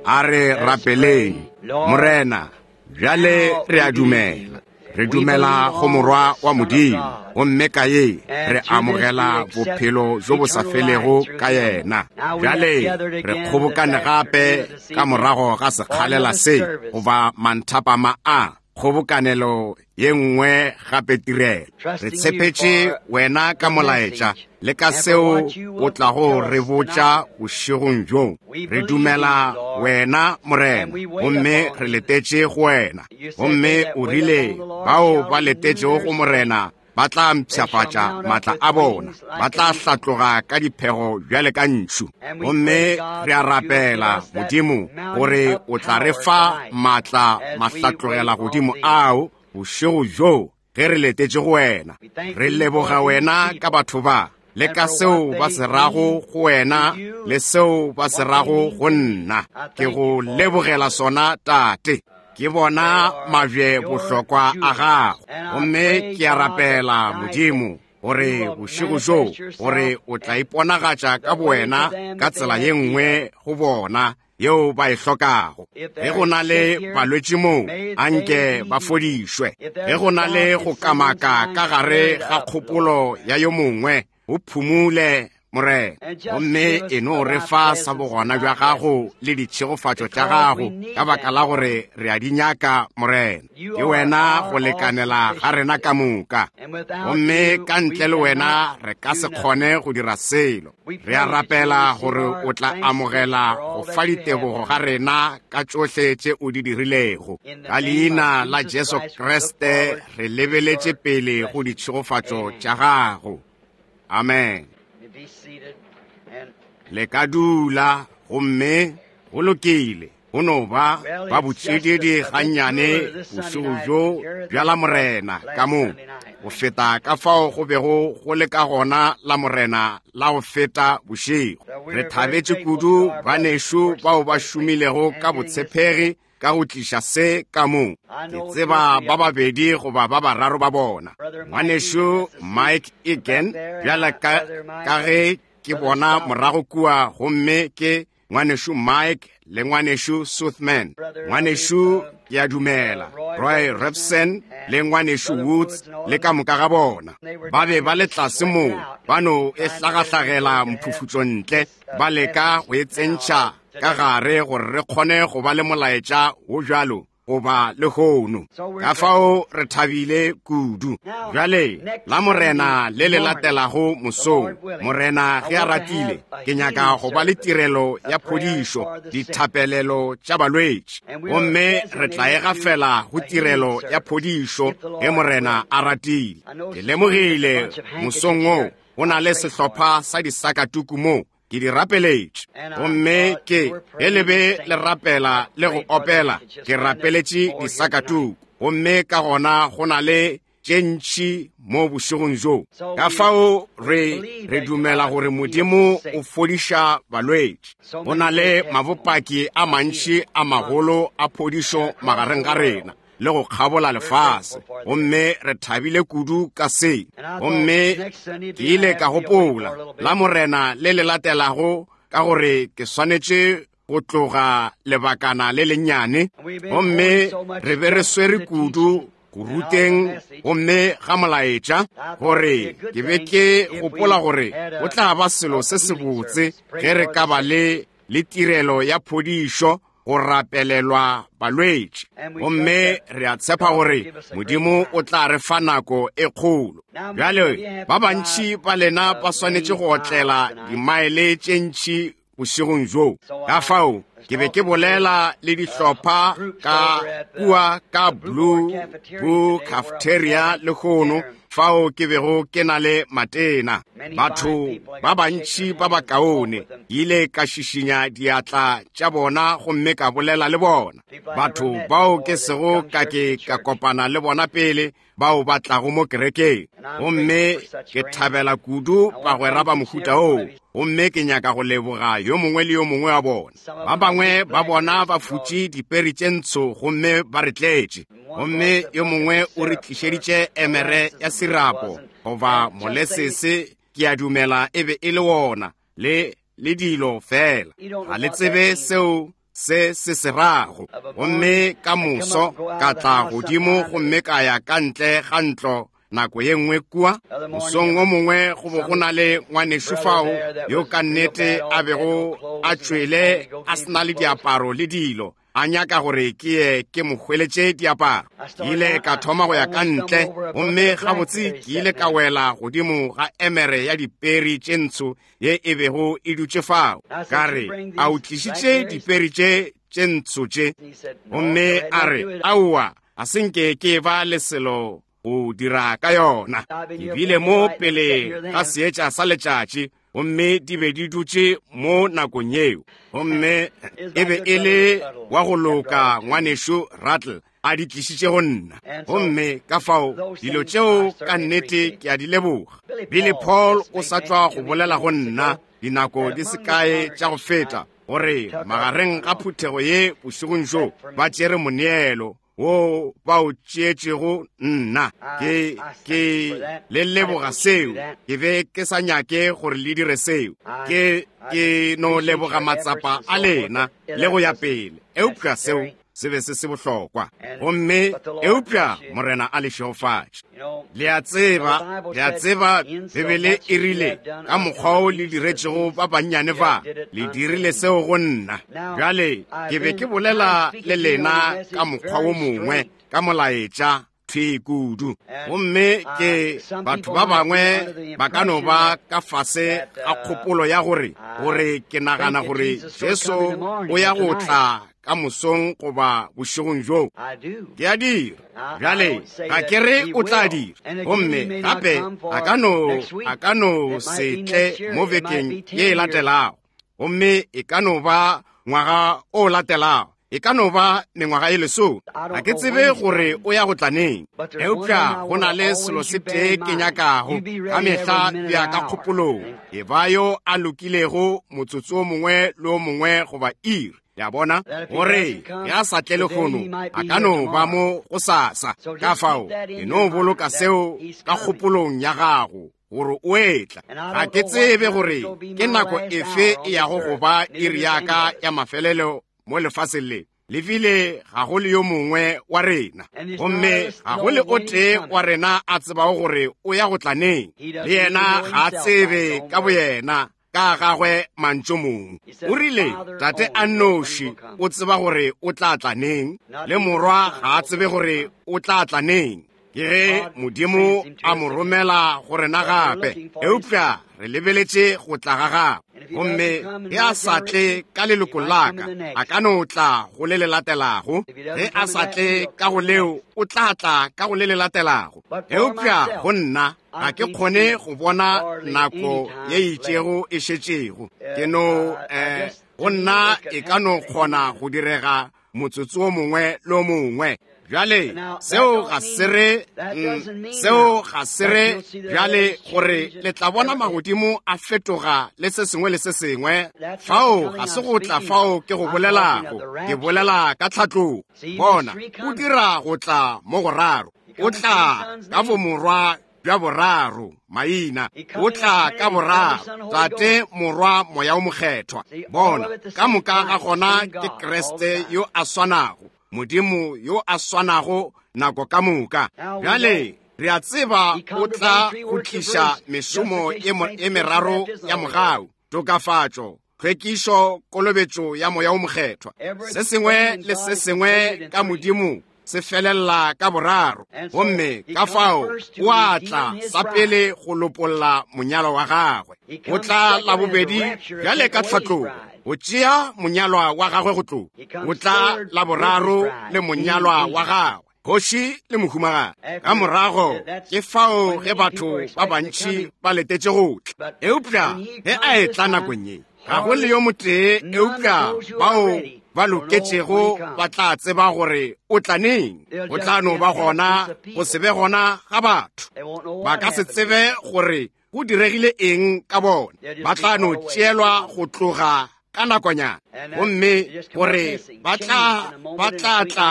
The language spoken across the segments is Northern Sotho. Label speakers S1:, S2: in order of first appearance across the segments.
S1: A re rapeleng. Morena, bjale re a dumela. Re dumela go Morwa wa Modimo, gomme ka ye re amogela bophelo bjo bo sa felego ka yena. Bjale re kgobokane gape ka morago ga sekgalela se, goba manthapama a, kgobokanelo ye nngwe gape tirelo. Re tshepetše wena ka molaetša le ka seo o tlago re botša bošegong bjo. Re dumela wena, Morena, gomme re letetše go wena. Gomme o rile bao ba letetšego go Morena ba tla mpshafatša maatla a bona, ba tla hlatloga ka diphego bjale ka ntšhu. Gomme re a rapela, Modimo, gore o tla re fa maatla mahlatlogela godimo ao bošego bjo ge re letetše go wena. Re leboga wena ka batho ba, le ka seo ba se rago go wena le seo ba se rago go nna. Ke go lebogela sona, Tate. Ke bona mabje bohlokwa a gago. Gomme ke a rapela, Modimo, gore bošego bjo, gore o tla iponagatša ka bowena ka tsela ye nngwe go bona yeo ba e hlokago. Ge go na le balwetši moo, anke ba fodišwe. Ge go na le go kamaka ka gare ga kgopolo ya yo mongwe, o phumule, Morena. Gomme e no re fa sa bogona bja gago le ditšhegofatšo tša gago, ka baka la gore re a di nyaka, Morena. Ke wena go lekanela ga rena ka moka, gomme ka ntle le wena re ka se kgone go dira selo. Re a rapela gore o tla amogela go fa ditebogo ga rena ka tšohle tše o di dirilego. Ka leina la Jesu Kriste re lebeletše pele go ditšhegofatšo tša gago. Amen. Le ka dula, gomme go lokile. Go no ba ba botšididi gannyane bošego bjo bja Lamorena ka mo, go feta ka fao go bego go le ka gona Lamorena la go feta bošego. Re thabetše kudu banešu bao ba šomilego ka botshepegi ka go tliša se ka mo. Ke tseba ba babedi goba ba bararo ba bona. Ngwanešu Mike Egan, bjala ka, ka ge ke bona morago kua, gomme ke Ngwanešu Mike le Ngwanešu Suthman. Ngwanešu, ke a dumela, Roy Robson le Ngwanešu Woods le ka moka ga bona. Ba be ba le tlase moo, ba no e hlagahlagela mphufutšo ntle, ba leka go e tsentšha ka gare gore re kgone go ba le molaetša wo bjalo goba lehono. Ka fao re thabile kudu. Bjale, la Morena le le latelago mosong, Morena ge a ratile, ke nyaka go ba le tirelo ya phodišo, dithapelelo tša balwetši. Gomme re tla e gafela go tirelo ya phodišo ge Morena a ratile. Ke lemogile mosong wo, go na le sehlopha sa disakatuku mo, ke di rapeletše. Gomme ke, ge le be le rapela le go opela, ke rapeletše disakatuku. Gomme ka gona go na le tše ntši mo bošegong bjo. Ka fao re, re dumela gore Modimo o fodiša balwetši. Go na le mabopaki a mantši a magolo a phodišo magareng ga rena le go kgabola lefase, gomme re thabile kudu ka se. Gomme ke ile ka gopola la Morena le le latelago, ka gore ke swanetše go tloga lebakana le lennyane, gomme re be re swere kudu go ruteng gomme ga molaetša, gore ke be ke gopola gore go tla ba selo se sebotse ge re ka ba le, le tirelo ya phodišo, go rapelelwa balwetši. Gomme re a tshepa gore Modimo o tla re fa nako e kgolo. Bjale, ba bantši ba lena ba swanetše go otlela dimaele tše ntši bošegong bjo. Ka fao, ke be ke bolela le dihlopha ka kua ka Blue, Blue Cafeteria lehono, fao ke bego ke na le matena. Batho ba bantši ba bakaone, ke ile ka šišinya diatla tša bona gomme ka bolela le bona. Batho bao ke sego ka ke ka kopana le bona pele, bao ba tlago mo kerekeng. Gomme ke thabela kudu bagwera ba mohuta oo, gomme ke nyaka go leboga yo mongwe le yo mongwe wa bona. Ba bangwe ba bona ba futše diperi tše ntsho gomme ba re tletše, gomme yo mongwe o re tlišeditše emere ya sirapo goba molesese, ke a dumela e be e le wona, le, le dilo feela. Ga le tsebe seo se se se rago. Gomme ka moso ka tla godimo gomme ka ya ka ntle ga ntlo nako ye nngwe kua. Mosong o mongwe go bo go na le ngwanešu fao yo ka nnete a bego a tšwele a se na le diaparo le dilo, a nyaka gore ke ye ke mo hweletše diaparo. Ke ile ka thoma go ya ka ntle, gomme gabotse ke ile ka wela godimo ga emere ya diperi tše ntsho ye e bego e dutše fao. Ka re, A o tlišitše diperi tše tše ntsho tše? Gomme a re, Aowa, a se nke ke ba le selo go dira ka yona. Ke bile mo pele ga seetša sa letšatši, gomme di be di dutše mo nakong yeo. Gomme e be e le wa go loka ngwanešu Rattle a di tlišitše go nna. Gomme ka fao dilo tšeo ka nnete ke a di leboga. Billy Paul o sa tšwa go bolela go nna dinako di se kae tša go feta, gore magareng ga phuthego ye bošegong bjo ba tšere moneelo wo ba o tšeetšego nna. Ke, ke le leboga seo. Ke be ke sa nyake gore le dire seo. Ke, ke no leboga matsapa a lena le go ya pele. Eupša seo se be se se bohlokwa. Gomme eupša Morena a le šegofatše. Le a tseba, le a tseba, Bibele e rile, ka mokgwa o le diretšego ba bannyane ba, le dirile seo go nna. Bjale, ke be ke bolela le lena ka mokgwa wo mongwe, ka molaetša, thwi kudu. Gomme ke, batho ba bangwe ba ka no ba ka fase ga kgopolo ya gore, gore ke nagana gore Jesu o ya go tla ka mosong goba bošegong bjo. Ke a dira. Bjale, ga ke re o tla dira. Gomme gape a ka no, a ka no se tle mo bekeng ye e latelago. Gomme e ka no ba ngwaga o latelago. E ka no ba mengwaga e lesome. Ga ke tsebe gore o ya go tla neng. Eupša go na le selo se tee ke nyakago ka mehla bja ka kgopolong. E ba yo a lokilego motsotso o mongwe le o mongwe goba iri. Le a bona? Gore ge a sa tle lehono, a ka no ba mo go sasa. Ka fao, e no boloka seo ka kgopolong ya gago, gore o etla. Ga ke tsebe gore ke nako efe e yago go ba iri ya ka ya mafelelo mo lefaseng le. Le bile ga go le yo mongwe wa rena, gomme ga go le o tee wa rena a tsebago gore o ya go tla neng. Le yena ga a tsebe ka boyena ka gagwe mantšu mong. O rile, Tate a nnoši o tseba gore o tla tla neng, le Morwa ga a tsebe gore o tla tla neng. Ke ge Modimo a mo romela go rena gape, eupša re lebeletše go tla ga gagwe. Gomme ge a sa tle ka leloko la ka, a ka no tla go le le latelago. Ge a sa tle ka go leo, o tla tla ka go le le latelago. Eupša go nna, ga ke kgone go bona nako ye itšego e šetšego. Ke no, go nna e ka no kgona go direga motsotso o mongwe le o mongwe. Bjale, seo ga se re, seo ga se re bjale gore le tla bona magodimo a fetoga le se sengwe le se sengwe. Fao ga se go tla fao ke go bolelago, ke bolela ka tlhatlogo. Bona, o dira go tla mo goraro. O tla ka bomorwa bja boraro, maina. O tla ka boraro, Tate, Morwa, Moya o Mokgethwa. Bona, ka moka ga gona ke Kriste yo a swanago, Modimo yo a swanago nako ka moka. Bjale, re a tseba o tla go tliša mešomo e meraro ya mogau, tokafatšo, tlhwekišo, kolobetšo ya Moya o Mokgethwa. Se sengwe le se sengwe ka Modimo se felela ka boraro. Gomme ka fao o a tla sa pele go lopolla monyalwa wa gagwe. O tla la bobedi bjale ka tlhatlogo go tšea monyalwa wa gagwe go tloga. O tla la boraro le monyalwa wa gagwe, kgoši le mohumagadi. Ka morago ke fao ge batho ba bantši ba letetše go tla. Eupša ge a etla nakong ye, ga go le yo motee eupša bao ba loketšego ba tla tseba gore o tla neng. Go tla no ba gona go se be gona ga batho. Ba ka se tsebe gore go diregile eng ka bona. Ba tla no tšeelwa go tloga ka nakonyana, gomme gore ba tla tla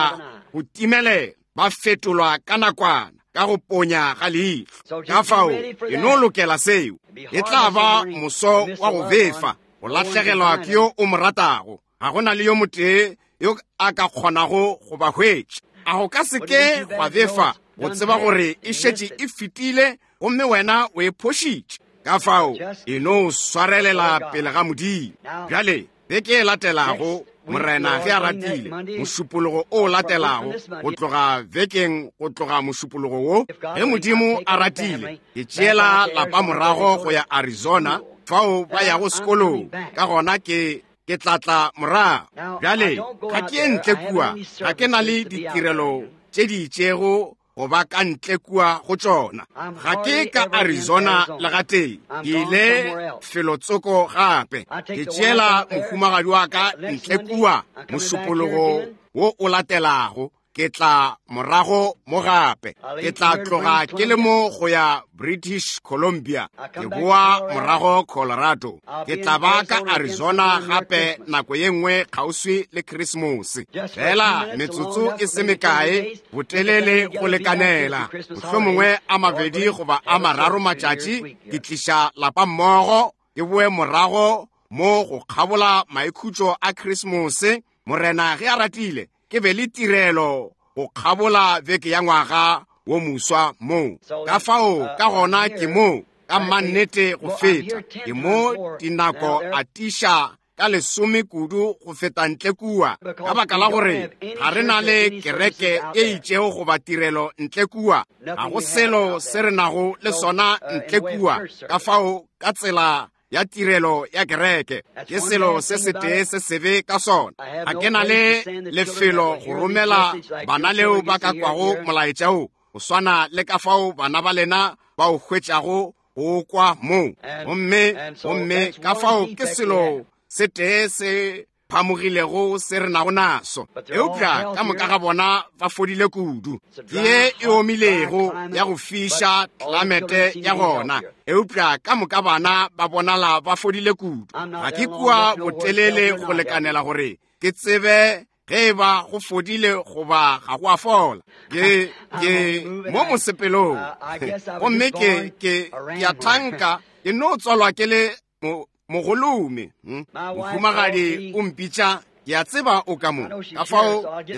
S1: go timelela, ba fetolwa ka nakwana ka go ponya ga leihlo. Ka fao e no lokela seo. E tla ba moso wa go befa, go lahlegelwa ke yo o mo ratago. Ga go na le yo motee yo a ka kgonago go ba hwetša. A go ka se ke gwa befa go tseba gore e šetše e fetile gomme wena o e phošitše? Ka fao e no swarelela pele ga Modimo. Bjale, beke e latelago, Morena ge a ratile, mošupologo o latelago, go tloga vekeng go tloga mošupologo wo, ge Modimo a ratile, ke tšeela lapa morago go ya Arizona, fao ba yago sekolong. Ka gona ke ke tla tla morago. Bjale, ga ke ye ntle kua, ga ke na le ditirelo tše di itšego go ba ka ntle kua go tšona. Ga ke ka Arizona le gatee, ke ile felotsoko gape. Ke tšeela mohumagadi wa ka ntle kua mošupologo wo o latelago, ke tla morago mo gape. Ke tla tloga ke le mo go ya British Columbia, ke boa morago Colorado. Ke tla ba ka Arizona gape nako ye nngwe kgauswi le Krismose. Fela metsotso e se mekae botelele go lekanela, mohlomongwe a mabedi goba a mararo matšatši, ke tliša lapa mmogo, ke boe morago mo go kgabola maikhutšo a Krismose, Morena ge a ratile, ke be le tirelo go kgabola beke ya ngwaga wo moswa mo. Ka fao ka gona ke mo ka mannete go feta, ke mo dinako a tiša ka lesome kudu go feta ntle kua, ka baka la gore ga re na le kereke e itšego goba tirelo ntle kua, ga go selo se re nago le sona ntle kua. Ka fao ka tsela ya tirelo ya kereke ke selo se setee se sebe ka sona. Ga ke na le lefelo go romela bana leo ba ka kwago molaetša wo, go swana le ka fao bana ba lena ba o hwetšago go kwa moo. Gomme, gomme ka fao ke selo se tee se phamogilego se re nago naso. Eupša ka moka ga bona ba fodile kudu. Ke ye e omilego ya go fiša tlamete ya gona, eupša ka moka bana ba bonala ba fodile kudu. Ga ke kua botelele go lekanela gore ke tsebe ge e ba go fodile goba ga go a fola. Ke, ke mo mosepelong, gomme ke, ke, ke a thanka ke no tswalwa ke le mogolome. Mohumagadi o mpitša, ke a tseba o ka mo, ka fao ke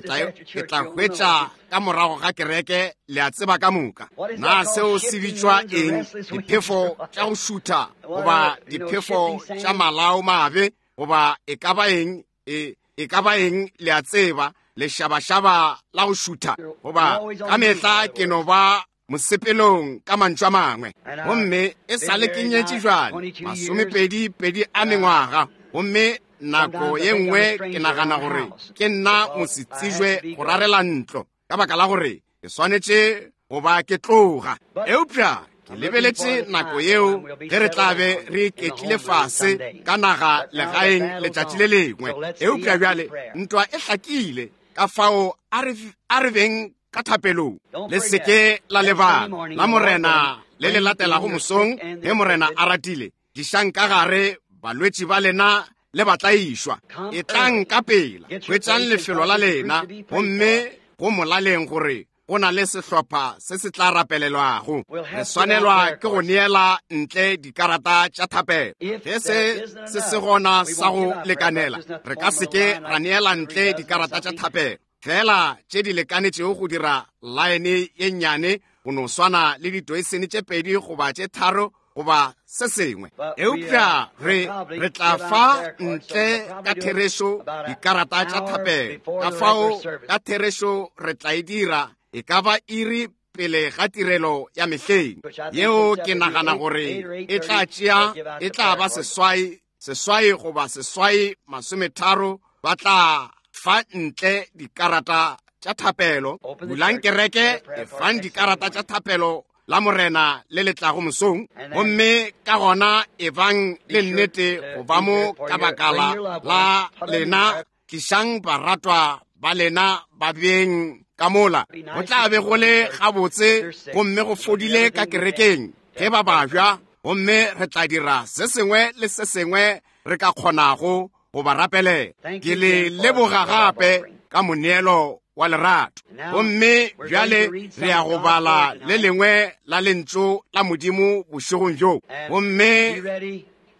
S1: tla hwetša ka morago ga kereke, le a tseba ka moka. Na seo se bitšwa eng? Diphefo tša go šutha goba diphefo tša malao mabe goba e ka ba eng, e, e ka ba eng, le a tseba, lešabašaba la go šutha, goba ka mehla ke no ba mosepelong ka mantšu a mangwe. Gomme e sa le ke nyetše jwale masomepedi pedi a mengwaga, gomme nako ye nngwe ke nagana gore ke nna mosetsijwe go rarela ntlo, ka baka la gore ke swanetše go ba ke tloga. Eupša ke lebeletše nako yeo ge re tla be re iketlile fase ka naga legaeng letšatši le lengwe. Eupša bjale ntwa e hlakile, ka fao a re beng ka thapelong. Le se ke la lebala la Morena le le latelago mosong, ge Morena a ratile, tlišang ka gare balwetši ba lena le batlaišwa. Etlang ka pela, hwetšang lefelo la lena, gomme go molaleng gore go na le sehlopha se se tla rapelelwago. Re swanelwa ke go neela ntle dikarata tša thapelo. Ge se se se gona sa go lekanela, re ka se ke ra neela ntle dikarata tša thapelo, fela tše di lekanetšego go dira laene ye nnyane, go no swana le ditoisene tše pedi goba tše tharo goba se sengwe. Eupša re, re tla fa ntle ka therešo dikarata tša thapelo. Ka fao ka therešo re tla e dira e ka ba iri pele ga tirelo ya mehleng yeo, ke nagana gore e tla tšea, e tla ba seswai, seswai goba seswai masometharo, ba tla fa ntle dikarata tša thapelo. Bulang kereke, efang dikarata tša thapelo la Morena le le tlago mosong, gomme ka gona ebang le nnete go ba mo ka baka la lena. Tlišang baratwa ba lena ba beng ka mola. Go tla be go le gabotse gomme go fodile ka kerekeng ge ba babja, gomme re tla dira se sengwe le se sengwe re ka kgonago go ba rapelela. Ke le leboga gape ka moneelo wa lerato. Gomme bjale re ya go bala le lengwe la lentšu la Modimo bošegong bjo. Gomme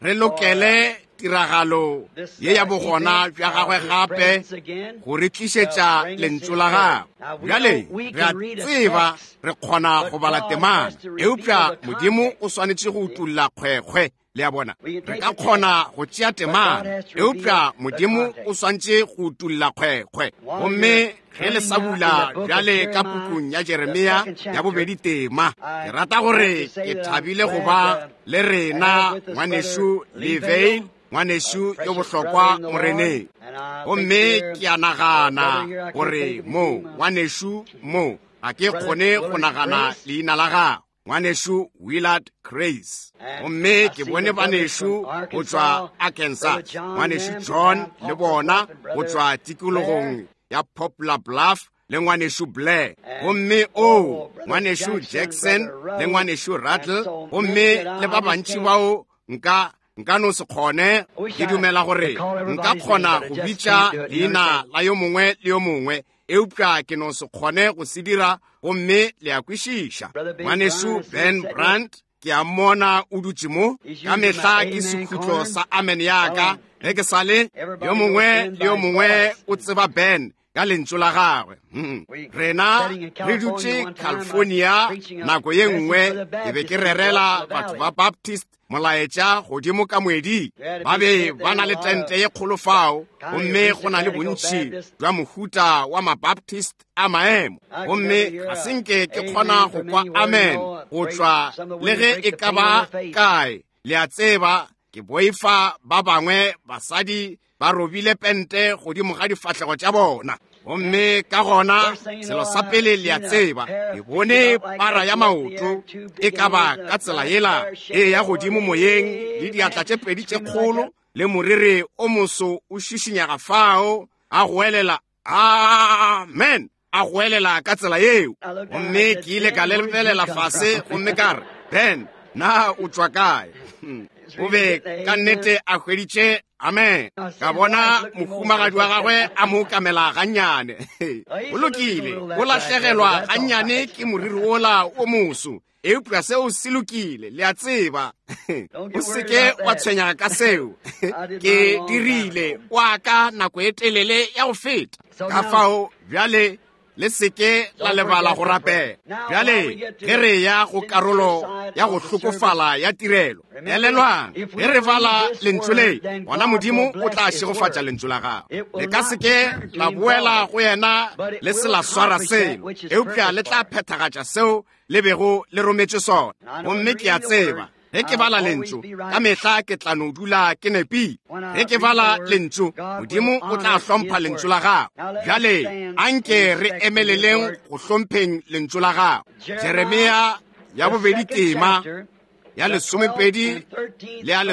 S1: re lokele tiragalo ye ya bogona bja gagwe gape go re tlišetša lentšu la gagwe. Bjale re a tseba re kgona go bala temana, eupša Modimo o swanetše go utolla kgwekgwe. Le a bona, re ka kgona go tšea temana, eupša Modimo o swantše go utolla kgwekgwe. Gomme ge le sa bula bjale ka pukung ya Jeremia ya bobedi tema, ke rata gore ke thabile go ba le rena ngwanešu Lee Vayle, ngwanešu yo bohlokwa Moreneng. Gomme ke a nagana gore mo ngwanešu mo, ga ke kgone go nagana leina la gagwe, ngwanešu Willard Grace. Gomme ke bone banešu go tšwa Arkansas, ngwanešu John le bona go tšwa tikologong ya Poplar Bluff, le ngwanešu Blair. Gomme o ngwanešu Jackson le ngwanešu Rattle, gomme le ba bantši bao nka nka no se kgone. Ke dumela gore nka kgona go bitša leina la yo mongwe le yo mongwe, eupša ke no se kgone go se dira. Gomme le a kwešiša. Ngwanešu Ben Brandt, ke a mmona o dutše mo. Ka mehla ke sekhutlo sa amen ya ka ge ke sa le. Yo mongwe le yo mongwe o tseba Ben ka lentšu la gagwe. Rena re dutše California nako ye nngwe, ke be ke rerela batho ba Baptist molaetša godimo ka moeding. Ba be ba na le tente ye kgolo fao, gomme go na le bontši bja mohuta wa Mabaptist a maemo. Gomme ga se nke ke kgona go kwa amen go tšwa le ge e ka ba kae. Le a tseba, ke boifa ba bangwe basadi ba robile pente godimo ga difahlego tša bona. Gomme ka gona selo sa pele le a tseba, ke bone para ya maoto e ka ba ka tsela yela e ya godimo moyeng, le diatla tše pedi tše kgolo le moriri o moso o šišinyaga fao, a goelela amen, a goelela ka tsela yeo. Gomme ke ile ka lebelela fase gomme ka re, Ben, na o tšwa kae? O be ka nnete a hweditše amen. Ka bona mohumagadi wa gagwe a mo kamela gannyane. O lokile, o lahlegelwa gannyane ke moriri wola o moso, eupša seo se lokile, le a tseba. O seke wa tshwenyega ka seo. Ke dirile wa ka nako e telele ya go feta. Ka fao bjale le seke la lebala go rapela. Bjale ge re ya go karolo ya go hlokofala ya tirelo, elelwang, ge re bala lentšu le, gona Modimo o tla šegofatša lentšu la gagwe. Le ka seke la boela go yena le se la swara selo, eupša le tla phethagatša seo le bego le rometše sona. Gomme ke a tseba ge ke bala lentšu ka mehla ke tla no dula ke nepile. Ge ke bala lentšu, Modimo o tla hlompha lentšu la gagwe. Bjale anke re emeleleng go hlompheng lentšu la gagwe. Jeremia ya bobedi tema ya 12 le ya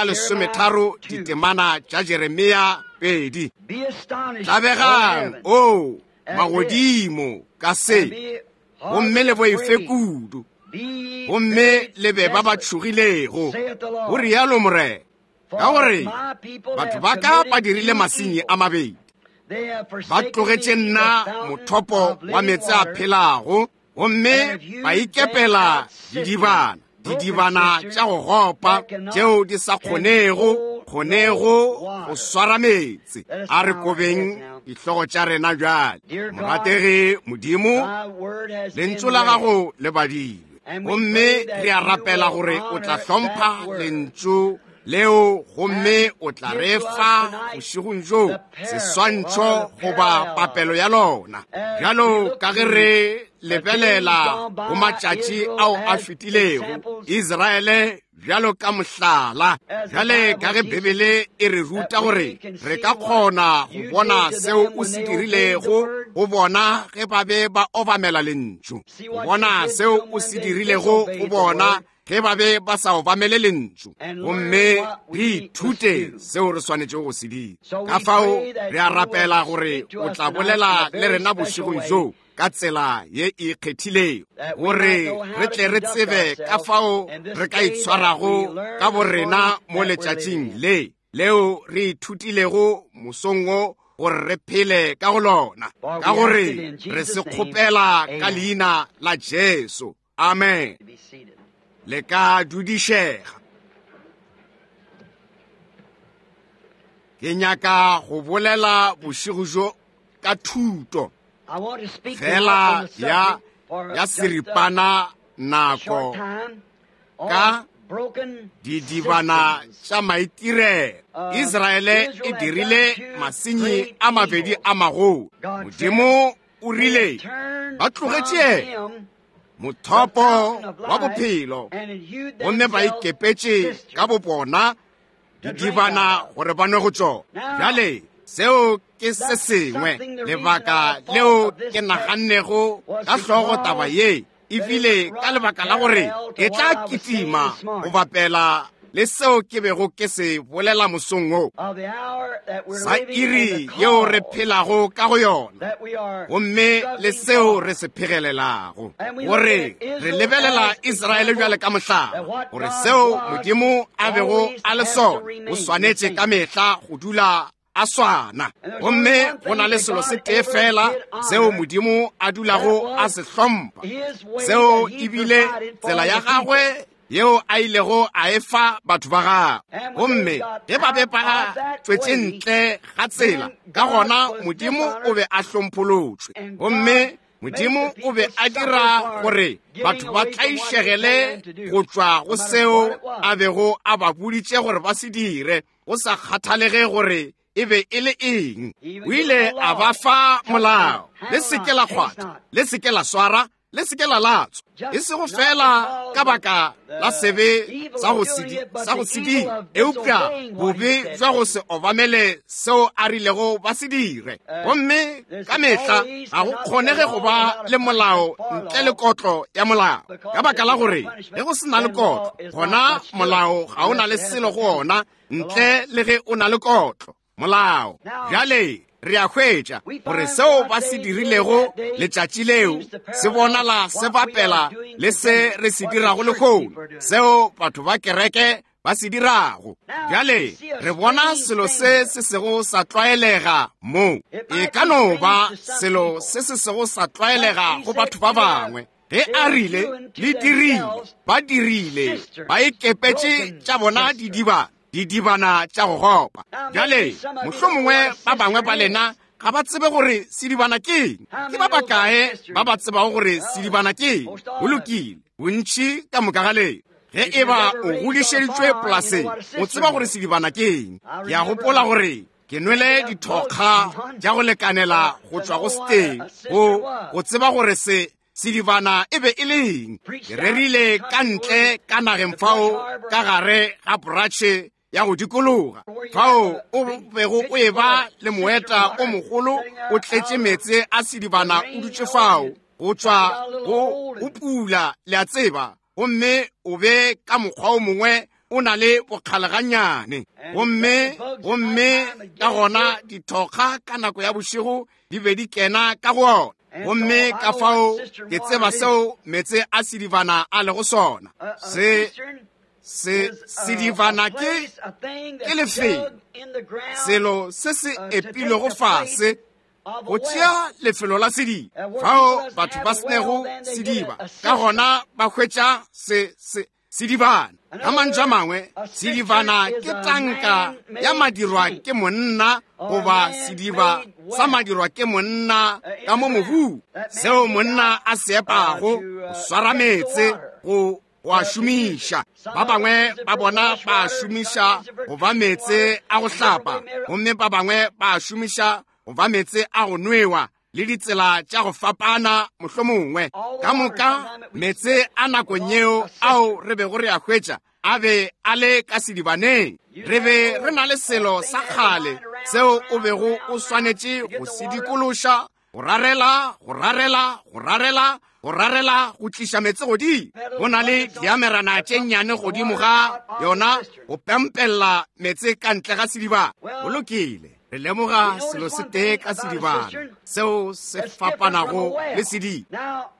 S1: 13 ditemana tša Jeremia 2. Tlabegang, o magodimo, ka se, gomme le boife kudu, gomme le be ba ba tšhogilego, go rialo Morena, ka gore batho ba ka ba dirile masenyi a mabedi. Ba tlogetše nna mothopo wa meetse a phelago, gomme ba ikepela didibana, didibana tša go gopa tšeo di sa kgonego go swara meetse. A re kobeng dihlogo tša rena bjale. Morategi Modimo, lentšu la gago le badilwe, gomme re a rapela gore o tla hlompha lentšu leo, gomme o tla re fa bošegong bjo seswantšho goba papelo ya lona, bjalo ka ge re lebelela go matšatši ao a fetilego, Israele bjalo ka mohlala. Bjale ka ge Bibele e re ruta gore re ka kgona go bona seo o se dirilego go bona ge ba be ba obamela lentšu, go bona seo o se dirilego go bona ge ba be ba sa obamele lentšu, gomme re ithute seo re swanetšego go se dira. Ka fao re a rapela gore o tla bolela le rena bošegong bjo ka tsela ye e ikgethilego, gore re tle re tsebe ka fao re ka itshwarago ka borena mo letšatšing le leo re ithutilego mosong wo gore re phele ka go lona, ka gore re se kgopela ka leina la Jesu. Amen. Le ka dudišega. Ke nyaka go bolela bošego bjo ka thuto fela ya ya seripana nako ka didibana tša maitirelo. Israele e dirile masenyi a mabedi a magolo. Modimo o rile ba tlogetše yena mothopo wa bophelo, gomme ba ikepetše ka bobona didibana gore ba nwe go tšona. Bjale seo ke se sengwe lebaka leo ke nagannego ka hlogo taba ye, ebile ka lebaka la gore e tla kitima go bapela le seo ke bego ke se bolela mosong wo, sa iri yeo re phelago ka go yona, gomme le seo re se phegelelago. Gore re lebelela Israele bjale ka mohlala, gore seo Modimo a bego a le sona o swanetše ka mehla go dula a swana. Gomme go na le selo se tee fela seo Modimo a dulago a se hlompha, seo ebile tsela ya gagwe yeo a ilego a e fa batho ba gagwe. Gomme ge ba be ba tšwetše ntle ga tsela, ka gona Modimo o be a hlompholotšwe. Gomme Modimo o be a dira gore batho ba tlaišegele go tšwa go seo a bego a ba boditše gore ba se dire, go sa kgathalege gore e be e le eng. O ile a ba fa molao, le se ke la kgwatha, le se ke la swara, le se ke la latswa, e sego fela ka baka la sebe sa go se dire, eupša bobe bja go se obamele seo a rilego ba se dire. Gomme ka mehla ga go kgonege go ba le molao ntle le kotlo ya molao, ka baka la gore ge go se na le kotlo, gona molao ga o na le selo go ona ntle le ge o na le kotlo molao. Bjale re a hwetša gore seo ba se dirilego letšatši leo se bonala se bapela le se re se dirago lehono, seo batho ba kereke ba se dirago. Bjale re bona selo se se sego sa tlwaelega mo. E ka no ba selo se se sego sa tlwaelega go batho ba bangwe. Ge a rile le dirile, ba dirile, ba ikepetše tša bona didiba, didibana tša go gopa. Bjale mohlomongwe ba bangwe ba lena ga ba tsebe gore sedibana ke eng. Ke ba bakae ba ba tsebago gore sedibana ke eng? Go lokile, bontši ka moka ga lena. Ge e ba o godišeditšwe polaseng, o tseba gore sedibana ke eng. Ke a gopola gore ke nwele dithokga tša go lekanela go tšwa go seteng go tseba gore se sedibana e be e le eng. Ke rerile ka ntle ka nageng fao ka gare ga poratšhe ya go dikologa, fao o bego o eba le moeta o mogolo o tletše meetse a sedibana o dutše fao go tšwa go pula, le a tseba, gomme o be ka mokgwa o mongwe o na le bokgalegannyane. Gomme gomme ka gona dithokga ka nako ya bošego di be di kena ka go ona. Gomme ka fao ke tseba seo meetse a sedibana a lego sona. Se se sedibana ke ke lefelo, selo se se epilwego fase go tšea lefelo la sediba, fao batho ba senego sediba, ka gona ba hwetša se se sedibana. Ka mantšu a mangwe, sedibana ke tanka ya madirwa ke monna, goba sediba sa madirwa ke monna ka mo mobung, seo monna a se epago go swara meetse go a šomiša. Ba bangwe ba bona ba šomiša go ba meetse a go hlapa, gomme ba bangwe ba šomiša go ba meetse a go nwewa, le ditsela tša go fapana mohlomongwe. Ka moka meetse a nakong yeo ao re bego re a hwetša a be a le ka sedibaneng. Re be re na le selo sa kgale seo o bego o swanetše go se dikološa, go rarela, go rarela, go rarela, go rarela go tliša meetse godimo. Go na le diamerana tše nnyane godimo ga yona go pempella meetse ka ntle ga sedibana. Go lokile, re lemoga selo se tee ka sedibana seo se fapanago le sediba.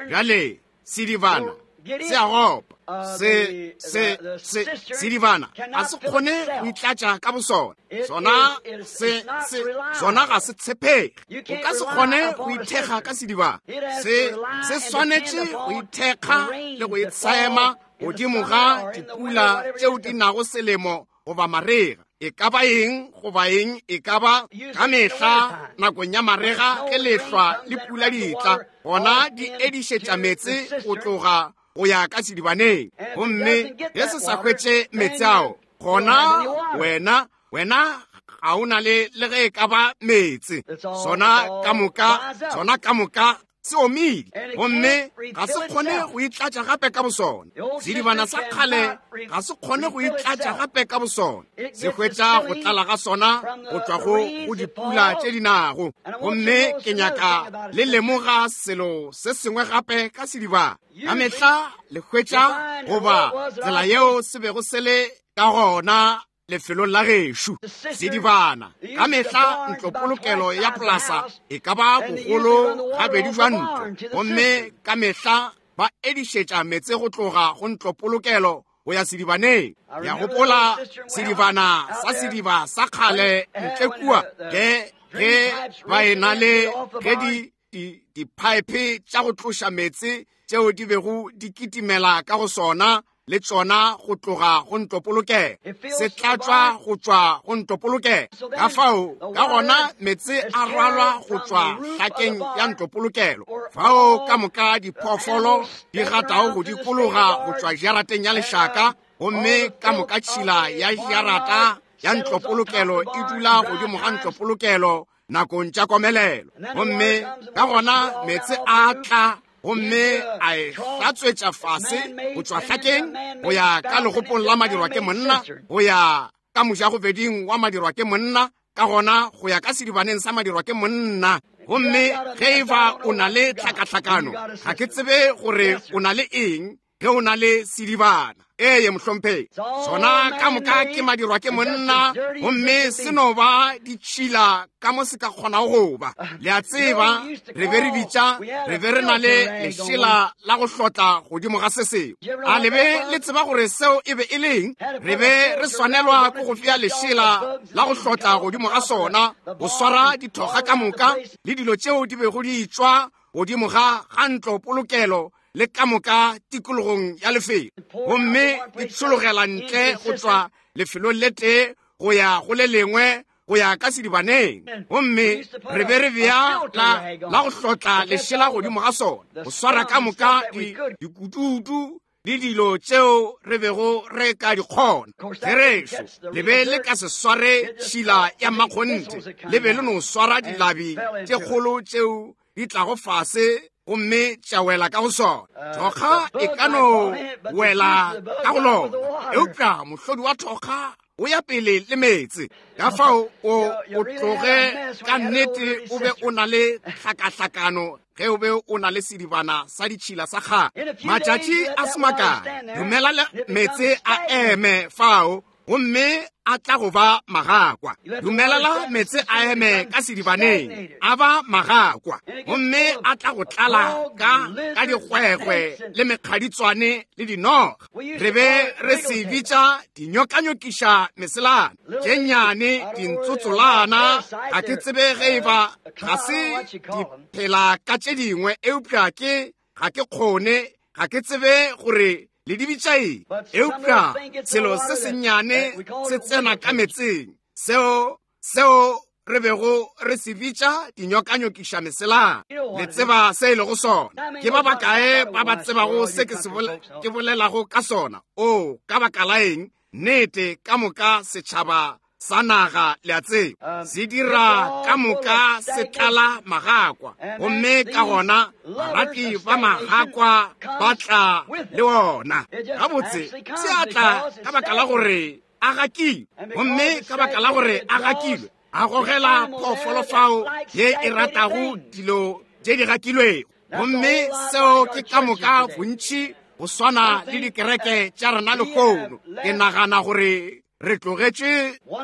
S1: Bjale sedibana se a gopa, se se se sedibana ga se kgone go itlatša ka bosona. Sona se se sona ga se tshepege. O ka se kgone go ithekga ka sedibana. Se se swanetše go ithekga le go itsema godimo ga dipula tšeo di nago selemo goba marega. E ka ba eng goba eng e ka ba, ka mehla nakong ya marega ge lehlwa le pula di tla, gona di edišetša meetse go tloga go ya ka sedibaneng. Gomme ge se sa hwetše meetse ao, gona wena, wena ga o na le le ge e ka ba meetse. Sona ka moka, sona ka moka se omile, gomme ga se kgone go itlatša gape ka bosona. Sedibana sa kgale ga se kgone go itlatša gape ka bosona. Se hwetša go tlala ga sona go tšwa go go dipula tše di nago. Gomme ke nyaka le lemoga selo se sengwe gape ka sedibana. Ka mehla le hwetša goba tsela yeo se bego se le ka gona lefelong la gešo. Sedibana, ka mehla ntlopolokelo ya polasa e ka ba bogolo gabedi jwa ntlo, gomme ka mehla ba edišetša meetse go tloga go ntlopolokelo go ya sedibaneng. Ya gopola sedibana sa sediba sa kgale ntle kua, ge ge ba e na le ge di diphaephe tša go tloša meetse tšeo di bego di kitimela ka go sona le tšona go tloga go ntlopolokelo, se tlatšwa go tšwa go ntlopolokelo. Ka fao ka gona meetse a rwalwa go tšwa hlakeng ya ntlopolokelo, fao ka moka diphoofolo di gatago go dikologa go tšwa jarateng ya lešaka, gomme ka moka tšhila ya jarata ya ntlopolokelo e dula godimo ga ntlopolokelo nakong tša komelelo. Gomme ka gona meetse a tla gomme a e hlatswetša fase go tšwa hlakeng go ya ka legopong la madirwa ke monna, go ya ka mojagobeding wa madirwa ke monna, ka gona go ya ka sedibaneng sa madirwa ke monna. Gomme ge e ba o na le tlhakatlhakano, ga ke tsebe gore o na le eng ge o na le sedibana. Eye, mohlomphegi, sona ka moka ke madirwa ke monna, gomme se no ba ditšhila ka mo se ka kgonago go ba. Le a tseba, re be re bitša, re be re na le lešela la go hlotla godimo ga se sengwe. A le be le tseba gore seo e be e leng? Re be re swanelwa ke go fea lešela la go hlotla godimo ga sona, go swara dithoga ka moka le dilo tšeo di bego di tšwa godimo ga ga ntlo polokelo le ka moka tikologong ya lefelo, gomme di tšhologela ntle go tšwa lefelong le tee go ya go le lengwe go ya ka sedibaneng. Gomme re be re bea la, la go hlotla lešela godimo ga sona, go swara ka moka dikututu le dilo tšeo re bego re ka di kgona. Therešo, le be le ka se sware tšhila ya mmakgonthe, le be le no swara dilabi tše kgolo tšeo di tlago fase gomme tša wela ka go sona. Thokga e ka no wela ka go lona, eupša mohlodi wa thokga o ya pele le meetse. Ka fao o o tloge ka nnete o be o na le tlhakahlakano ge o be o na le sedibana sa ditšhila sa kgale. Matšatši a se makae, dumela le meetse a eme fao, gomme a tla go ba magakwa. Dumelela meetse a eme ka sedibaneng, a ba magakwa, gomme a tla go tlala ka ka digwegwe le mekgaditswane le dinoga. Re be re se bitša dinyokanyokiša meselana tše nnyane, dintsotsolana. Ga ke tsebe ge e ba ga se di phela ka tše dingwe, eupša ke ga ke kgone, ga ke tsebe gore le di bitša eng. Eupša selo se sennyane se tsena ka metseng, seo, seo re bego re se bitša dinyokanyokiša meselana. Le tseba se e lego sona. Ke ba bakae ba ba tsebago se ke se ke bolelago ka sona? Oo, ka baka la eng, nnete, ka moka setšhaba sa naga, le a tseba, se dira ka moka se tlala magakwa, gomme ka gona barati ba magakwa ba tla le ona. Gabotse, se a tla ka baka la gore a gakilwe, gomme ka baka la gore a gakilwe, a gogela phoofolo fao ye e ratago dilo tše di gakilwego. Gomme seo ke ka moka bontši go swana le dikereke tša rena lehono. Ke nagana gore re tlogetše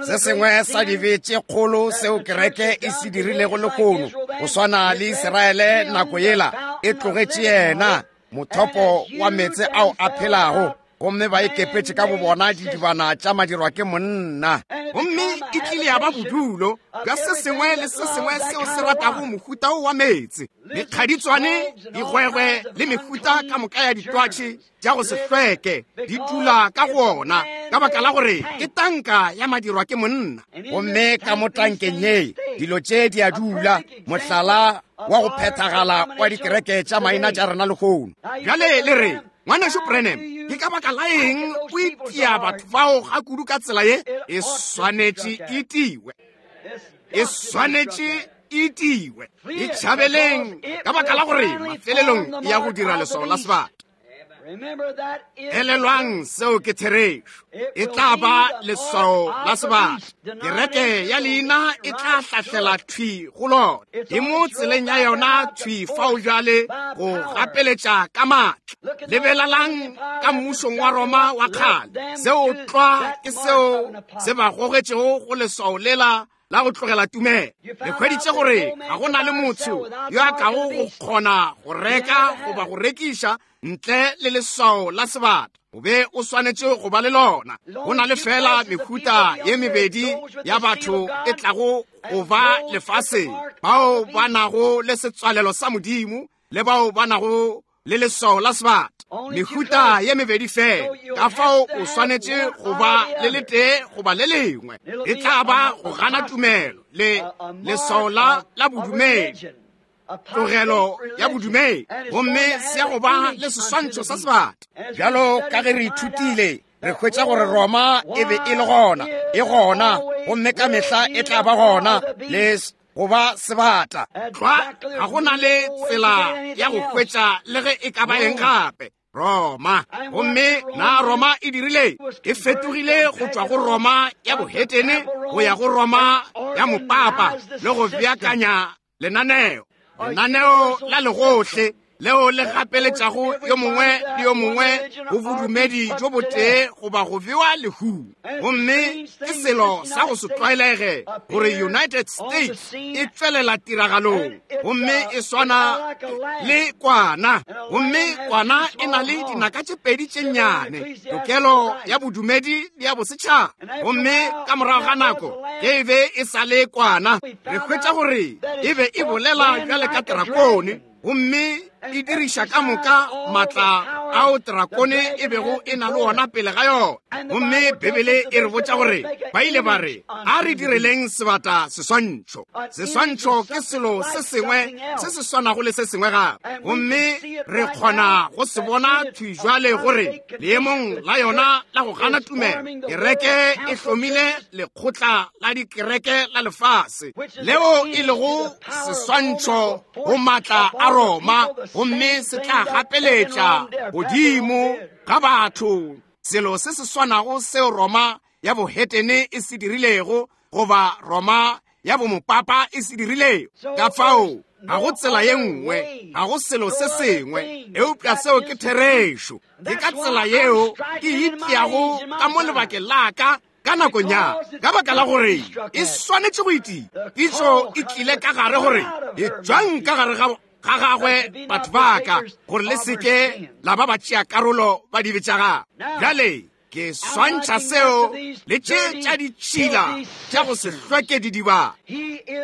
S2: se sengwe sa dibe tše kgolo seo kereke e se dirilego lehono, go swana le Israele nako yela e tlogetše yena mothopo wa meetse ao a phelago. Gomme ba ikepetše ka bobona didibana tša madirwa ke monna.
S1: Gomme e tlile ya ba bodulo bja se sengwe le se sengwe seo se ratago mohuta wo wa meetse, mekgaditswane, digwegwe le mehuta ka moka ya ditwatši tša go se hlweke di dula ka go ona, ka baka la gore ke tanka ya madirwa ke monna.
S2: Gomme ka mo tankeng ye dilo tše di a dula, mohlala wa go phethagala wa dikereke tša maina tša rena lehono.
S1: Bjale le re, Ngwanešu Branham, ke ka baka la eng o itia batho bao ga kudu ka tsela ye? E swanetše e tiwe, e swanetše e tiwe. E tšhabeleng, ka baka la gore mafelelong e ya go dira leswao la sebata. Elelwang seo ke therešo. E tla ba leswao la sebata. Kereke ya leina e tla hlahlela thwi go lona. E mo tseleng ya yona thwi fao bjale go gapeletša ka maatla. Lebelelang ka mmušong wa Roma wa kgale. Seo tlwa ke seo se ba gogetšego go leswao lela la go tlogela tumelo. Le hweditše gore ga go na le motho yo a kago go kgona go reka goba go rekiša ntle le leswao la sebata. O be o swanetše go ba le lona. Go na le fela mehuta ye mebedi ya batho e tlago go ba lefaseng, bao ba nago le setswalelo sa Modimo le bao ba nago le leswao la sebata. Mehuta ye mebedi fela, ka fao o swanetše go ba le letee goba le lengwe. E tla ba go gana tumelo le leswao la bodumedi, tlogelo ya bodumedi, gomme se ya go ba le seswantšho sa sebata.
S2: Bjalo ka ge re ithutile, re hwetša gore Roma e be e le gona, e gona, gomme ka mehla e tla ba gona, le go ba sebata.
S1: Tlwa, ga go na le tsela ya go hwetša le ge e ka ba eng gape. Roma. Gomme na Roma e dirile? E fetogile go tšwa go Roma ya bohetene go ya go Roma ya mopapa, le go beakanya lenaneo, lenaneo la legohle leo le gapeletšago yo mongwe le yo mongwe go bodumedi jo botee goba go bewa lehung. Gomme ke selo sa go se tlwaelege gore United States e tšwelela tiragalong, gomme e swana le kwana, gomme kwana e na le dinaka tše pedi tše nnyane, tokelo ya bodumedi le ya bosetšhaba. Gomme ka morago ga nako ge e be e sa le kwana, re hwetša gore e be e bolela bjale ka drakone, gomme e diriša ka moka matla ao drakone e bego e na le ona pele ga yona. Gomme Bibele e re botša gore ba ile ba re, a re direleng sebata seswantšho. Seswantšho ke selo se sengwe se se swanago le se sengwe gape. Gomme re kgona go se bona thwi jwale gore leemong la yona la go gana tumelo, kereke e hlomile lekgotla la dikereke la lefase, leo e lego seswantšho go matla a Roma, gomme se tla gapeletša godimo ga batho selo se se swanago seo Roma ya bohetene e se dirilego, goba Roma ya bomopapa e se dirilego. Ka fao ga go tsela ye nngwe, ga go selo se sengwe eupša seo ke therešo. Ke ka tsela yeo ke itiago ka mo lebakeng la ka ka nakong ya ka baka la gore e swanetše go itia. Pitšo e tlile ka gare gore e tšwang ka gare ga gagwe batho ba ka, gore le seke la ba ba tšea karolo ba dibe tša gagwe. Bjale ke swantšha seo le tše tša ditšhila tša go se hlweke didiba.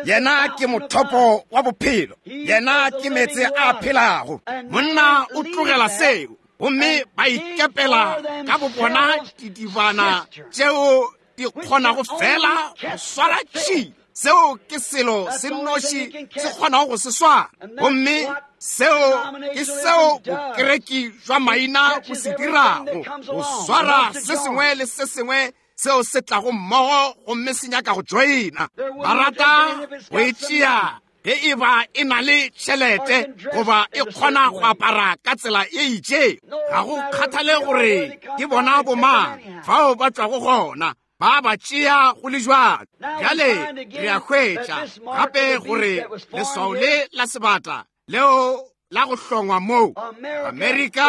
S2: Yena ke mothopo wa bophelo, yena ke meetse a phelago.
S1: Monna o tlogela seo, gomme ba ikepela ka bobona didibana tšeo di kgonago fela go swara tšhila. Seo ke selo se nnoši se kgonago go se swara, gomme seo ke seo bokereki jwa maina bo se dirago, go swara se sengwe le se sengwe seo se tlago mmogo gomme se nyaka go joina. Ba rata go e tšea ge e ba e na le tšhelete goba e kgona go apara ka tsela e itšeng. Ga go kgathale gore ke bona bomang fao ba tšwago gona, ba ba tšea go le jwalo. Bjale re a hwetša gape gore leswao le la sebata leo la go hlongwa moo Amerika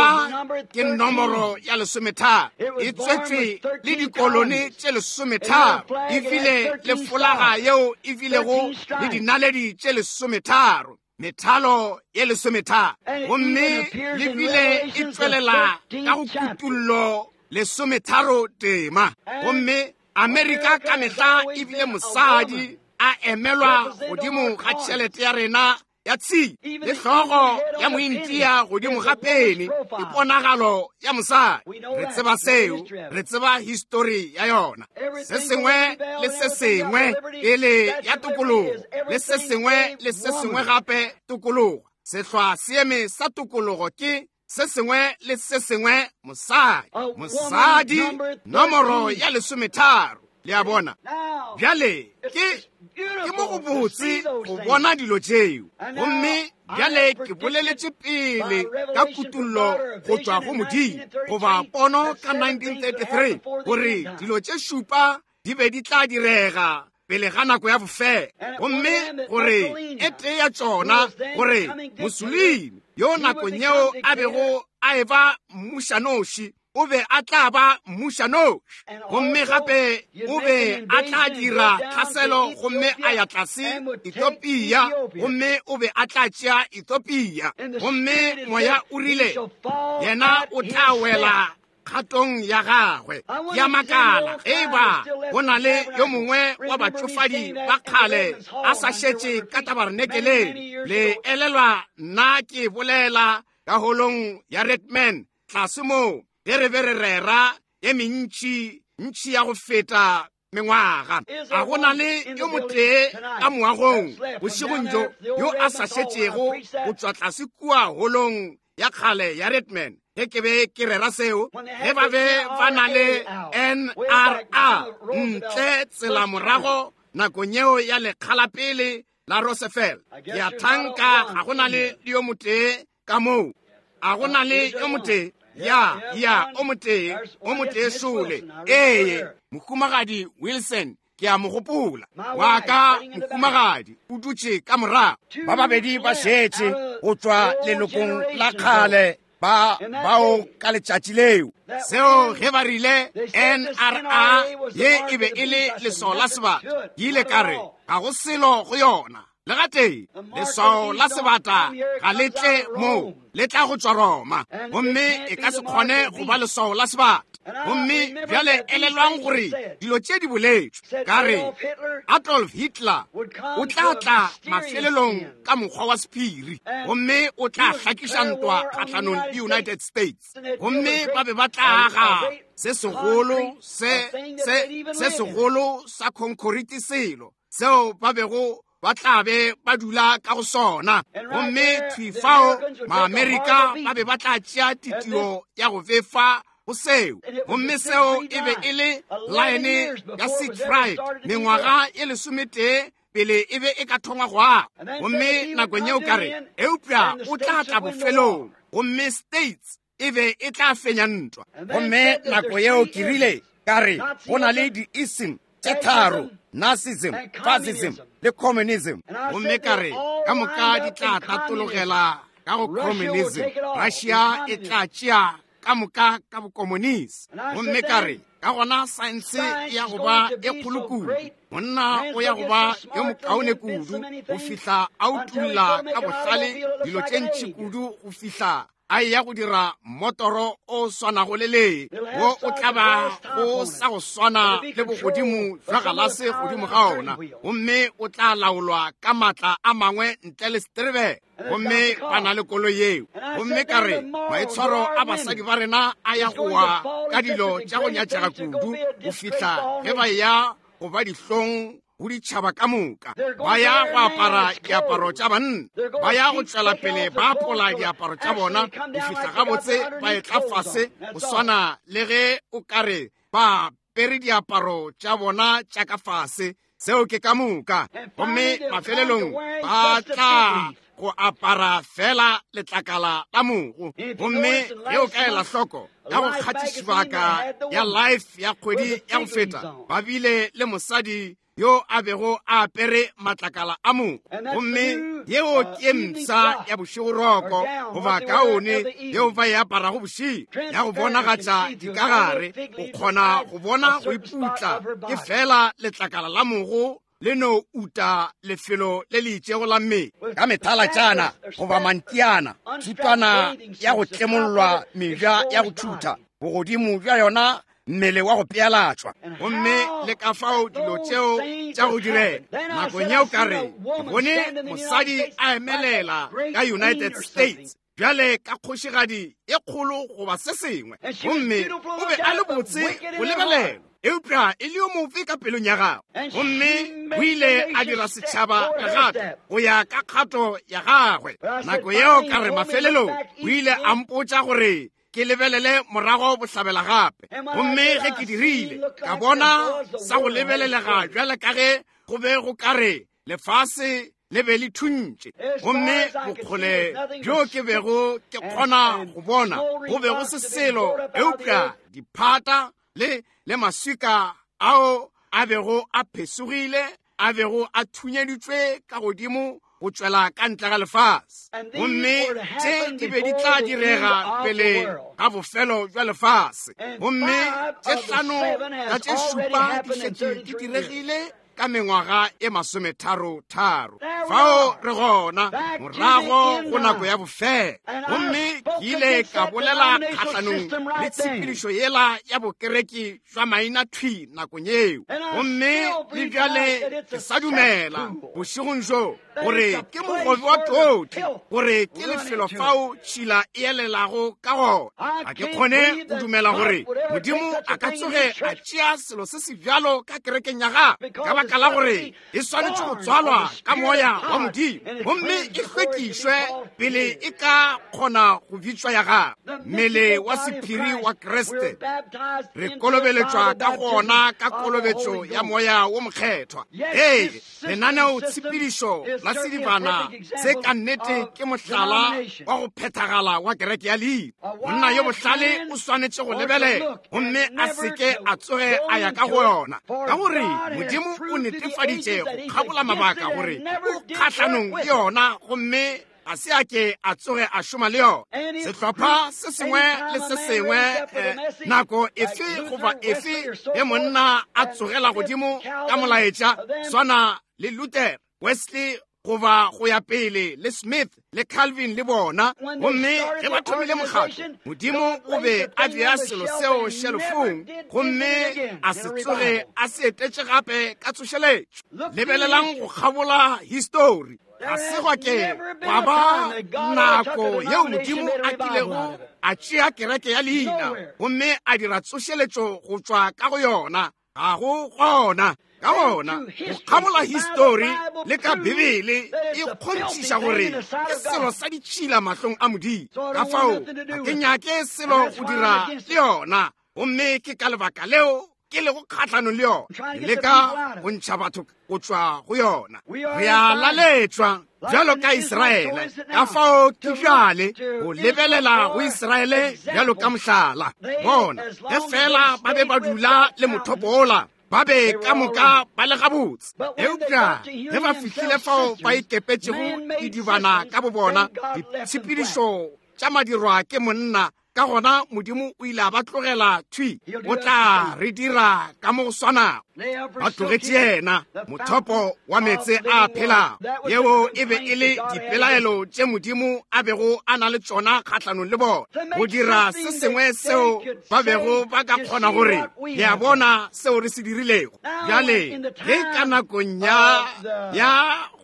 S1: ke nomoro ya 13, e tswetšwe le dikolone tše 13, e bile le folaga yeo e bilego le dinaledi tše 13, methalo ye 13, gomme le bile e tšwelela ka go kutullo Lesometharo tema. Gomme Amerika ka mehla e bile mosadi a emelwa godimo ga tšhelete ya rena ya tshipi le hlogo ya mointia godimo ga peni ke ponagalo ya mosadi. Re tseba seo, re tseba histori ya yona. Se sengwe le se sengwe pele ya tokologo, le se sengwe le se sengwe gape tokologo. Sehlwa seeme sa tokologo ke se sengwe le se sengwe mosadi. Mosadi nomoro ya 13. Le a bona? Bjale ke mo go botse go bona dilo tšeo. Gomme bjale ke boleletše pele ka kutollo go tšwa go Modimo, goba pono ka 1933, gore dilo tše šupa di be di tla direga pele ga nako ya bofelo. Gomme gore e tee ya tšona, gore Mussolini yo nakong yeo a bego a eba mmušanoši, o be a tla ba mmušanoši. Gomme gape o be a tla dira tlhaselo gomme a ya tlase Ethiopia, gomme o be a tla tšea Ethiopia. Gomme moya o rile yena o tla wela kgatong ya gagwe. Ya makala ge e ba go na le yo mongwe wa batšofadi ba kgale a sa šetše ka tabarenekeleng. Le elelwa nna ke bolela ka holong ya Redman tlase moo ge re be re rera ye mentši ntši ya go feta mengwaga. A go na le yo motee ka moagong bošegong bjo yo a sa šetšego go tšwa tlase kua holong ya kgale ya Redman ge ke be ke rera seo, ge ba be ba na le NRA ntle tsela morago nakong yeo ya lekgalapele la Roosevelt. Ke a thanka ga go na le yo motee ka moo. A go na le yo motee? Ya, ya, o motee, o motee šole. Ee, Mohumagadi Wilson, ke a mo gopola. Wa ka mohumagadi o dutše ka morago.
S2: Ba babedi ba šetše go tšwa lelokong la kgale ba bao ka letšatši leo.
S1: Seo ge ba rile NRA ye e be e le leswao la sebata, ke ile ka re ga go selo go yona. Le gatee leswao la sebata ga le tle moo, le tla go tšwa Roma, gomme e ka se kgone go ba leswao la sebata. Gomme bjale elelwang gore dilo tše di boletšwe. Ka re Adolf Hitler o tla tla mafelelong ka mokgwa wa sephiri, gomme o tla hlakiša ntwa kgahlanong le United States. Gomme ba be ba tla aga se segolo se se segolo sa khonkhoriti selo seo ba bego ba tla be ba dula ka go sona. Gomme thwi fao Maamerika ba be ba tla tšea titio ya go befa go seo. Gomme seo e be e le laene ya Siegfried mengwaga e 11 pele e be e ka thongwa go aga. Gomme nakong yeo ka re, eupša o tla tla bofelong, gomme States e be e tla fenya ntwa.
S2: Gomme nako yeo ke rile, ka re go na le di-ism tše tharo, Nazism, Fascism le communism.
S1: Gomme ka re ka moka di tla tatologela ka go communism. Russia e tla tšea ka moka ka bokomonisi. Gomme ka re ka gona saense ya go ba e kgolo kudu, monna o ya go ba yo mokaone kudu go fihla a utulla ka bohlale dilo tše ntši kudu go fihla a ya go dira motoro o swanago le le wo o tla ba go sa go swana le bogodimo jwa galase godimo ga ona, gomme o tla laolwa ka maatla a mangwe ntle le seterebe. Gomme ba na le koloi yeo. Gomme ka re maitshwaro a basadi ba rena a ya go wa ka dilo tša go nyatšega kudu go fihla ge ba ya go ba dihlong go ditšhaba ka moka. Ba ya go apara diaparo tša banna, ba ya go tšwela pele ba apola diaparo tša bona go fihla gabotse ba etla fase go swana le ge o ka re ba apere diaparo tša bona tša ka fase. Seo ke ka moka. Gomme mafelelong ba tla go apara fela letlakala la mogo. Gomme ge o ka ela hloko ka go kgatišibaka ya Life ya kgwedi ya go feta, ba bile le mosadi yo a bego a apere matlakala a mogo. Gomme yeo ke mpsha ya bošegoroko goba kaone yeo ba e aparago bošego, ya go bonagatša dikagare, o kgona go bona go iputla ke fela letlakala la mogo le no uta lefelo le le itšego la mmele
S2: ka methalatšana goba mantiana, thutwana ya go tlemollwa mebja ya go thutha.
S1: bogodimo bja yona mmele wa go pealatšwa gomme le ka fao dilo tšeo tša go direga nakong yeo ka re ke bone mosadi a emelela ka United States bjale ka kgošigadi e kgolo goba se sengwe gomme o be a le botse go lebelela eupša e le yo mofe ka pelong ya gagwe gomme o ile a dira setšhaba legato go ya ka kgato ya gagwe nako yeo ka re mafelelong o ile a mpotša gore ke lebelele morago bohlabela gape gomme ge ke dirile ka bona sa go lebelelega bjale ka ge go be go ka re lefase le be le thuntše gomme bokgole bjo ke bego ke kgona go bona go be go se selo eupša diphata le le maswika ao a bego a phesogile a bego a thunyeditšwe ka godimo go tšwela ka ntle ga lefase gomme tše di be di tla direga pele ga bofelo bja lefase gomme tše hlano ka tše šupa di šetše di diregile ka mengwaga e masometharo-tharo fao re gona morago go nako ya bofelo gomme ke ile ka bolela kgahlanong le tshepedišo yela ya bokereki jwa maina thwi nakong yeo gomme le bjale ke sa dumela bošegong bjo gore ke mogobe wa toti gore ke lefelo fao tšhila e elelago ka gona ga ke kgone go dumela gore modimo a ka tsoge a tšea selo se se bjalo ka kerekeng ya gagwe ka baka la gore e swanetše go tswalwa ka moya wa modimo gomme e hlwekišwe pele e ka kgona go bitšwa ya gagwe mmele wa sephiri wa kriste re kolobeletšwa ka gona ka kolobetšo ya moya wo mokgethwa ee lenaneotshepedišo la sedibana se ka nnete ke mohlala wa go phethagala wa kereke ya leina monna yo bohlale o swanetše go lebelela gomme a seke a tsoge a ya ka go yona ka gore modimo o netefaditše go kgabola mabaka gore o kgahlanong le yona gomme ga se a ke a tsoge a šoma le yona sehlopha se sengwe le se sengwe nako efe goba efe ge monna a tsogela godimo ka molaetša swana le Luther Wesley goba go ya pele le Smith le Calvin le bona gomme ge ba thomile mokgatlo modimo o be a bea selo seo šelofong gomme a se tsoge a se etetše gape ka tsošeletšo lebelelang go kgabola histori ga se gwa ke gwa ba nako yeo modimo a kilego a tšea kereke ya leina gomme a dira tsošeletšo go tšwa ka go yona ga go gona ka gona go kgabola histori le ka bibele e kgonthiša gore ke selo sa ditšhila mahlong a modimo ka fao ga ke nyake selo go dira le yona gomme ke ka lebaka leo ke lego kgahlanong le yona le ka go ntšha batho go tšwa go yona re a laletšwa bjalo ka Israele ka fao ke bjale go lebelela go Israele bjalo ka mohlala bona ge fela ba be ba dula le mothopo ola ba be ka moka ba le gabotse eupša ge ba fihlile fao ba ikepetšego didibana ka bobona ditshepedišo tša madirwa ke monna ka gona modimo o ile a ba tlogela thwi o tla re dira ka mo go swanago ba tlogetše yena mothopo wa meetse a phelago yeo e be e le dipelaelo tše modimo a bego a na le tšona kgahlanong le bona go dira se sengwe seo ba bego ba ka kgona gore le a bona seo re se dirilego bjale ge ka nakong ya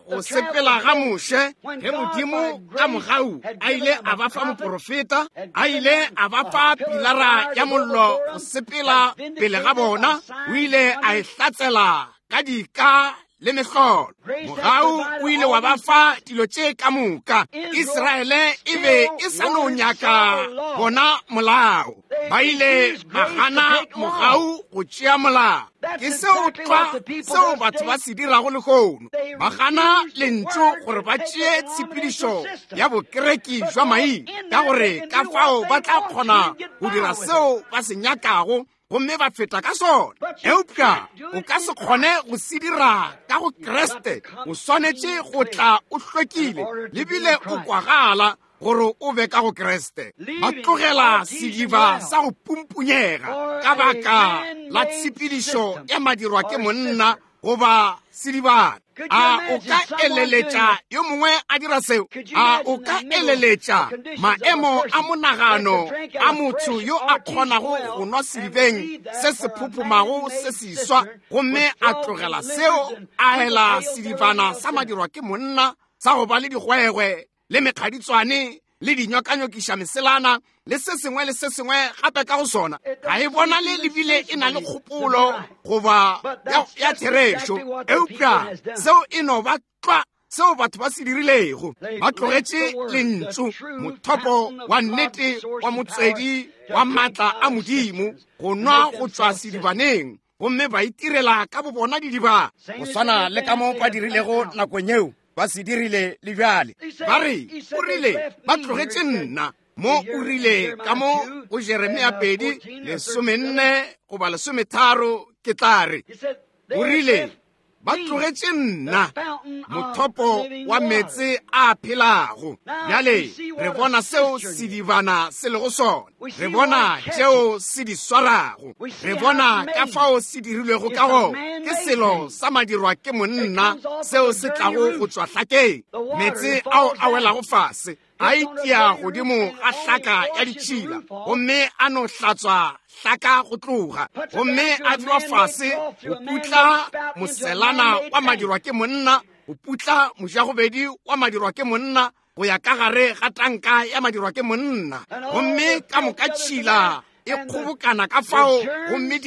S1: go sepela ga Moshe ge modimo ka mogau a ile a ba fa moporofeta a ile a ba fa pilara ya mollo go sepela pele ga bona o ile a e hlatsela ka dika le mehlolo mogau o ile wa ba fa dilo tše ka moka Israele e be e sa no nyaka bona molao ba ile ba gana mogau go tšea molao ke seo tlwa seo batho ba se dirago lehono ba gana lentšu gore ba tšee tshepedišo ya bokereki jwa maina ka gore ka fao ba tla kgona go dira seo ba se nyakago gomme ba feta ka sona eupša o ka se kgone go se dira ka go Kriste o swanetše go tla o hlwekile lebile o kwagala gore o be ka go Kriste ba tlogela sediba sa go pumpunyega ka baka la tshepedišo ya madirwa ke monna goba sedibana. A o ka eleletša yo mongwe a dira seo? A o ka eleletša maemo a monagano a motho yo a kgonago go nwa sedibeng se se phophomago se seswa gomme a tlogela seo a ela sedibana sa madirwa ke monna sa go ba le digwegwe le mekgaditswane le dinyokanyokiša meselana le se sengwe le se sengwe gape ka go sona? Ga e bonale le bile e na le kgopolo goba ya therešo, eupša seo e no ba tlwa seo batho ba se dirilego. Ba tlogetše lentšu, mothopo wa nnete wa motswedi wa maatla a Modimo, go nwa go tšwa sedibaneng, gomme ba itirela ka bobona didiba,
S2: go swana le ka mo ba dirilego nakong yeo. Ba se dirile le bjale.
S1: Ba re, o rile, ba tlogetše nna. Mo o rile ka mo go Jeremia 2, 14 goba 13, ke tla re. O rile, ba tlogetše nna, mothopo wa meetse a phelago. Bjale re bona seo sedibana se lego sona, re bona tšeo se di swarago, re bona ka fao se dirilwego ka gona. Ke selo sa madirwa ke monna seo se tlago go tšwa hlakeng. Meetse ao a welago fase a itia godimo ga hlaka ya ditšhila, gomme a no hlatswa hlaka go tloga, gomme a dirwa fase go putla moselana wa madirwa ke monna, go putla mojagobedi wa madirwa ke monna, go ya ka gare ga tanka ya madirwa ke monna, gomme ka moka tšhila e kgobokana ka fao, gomme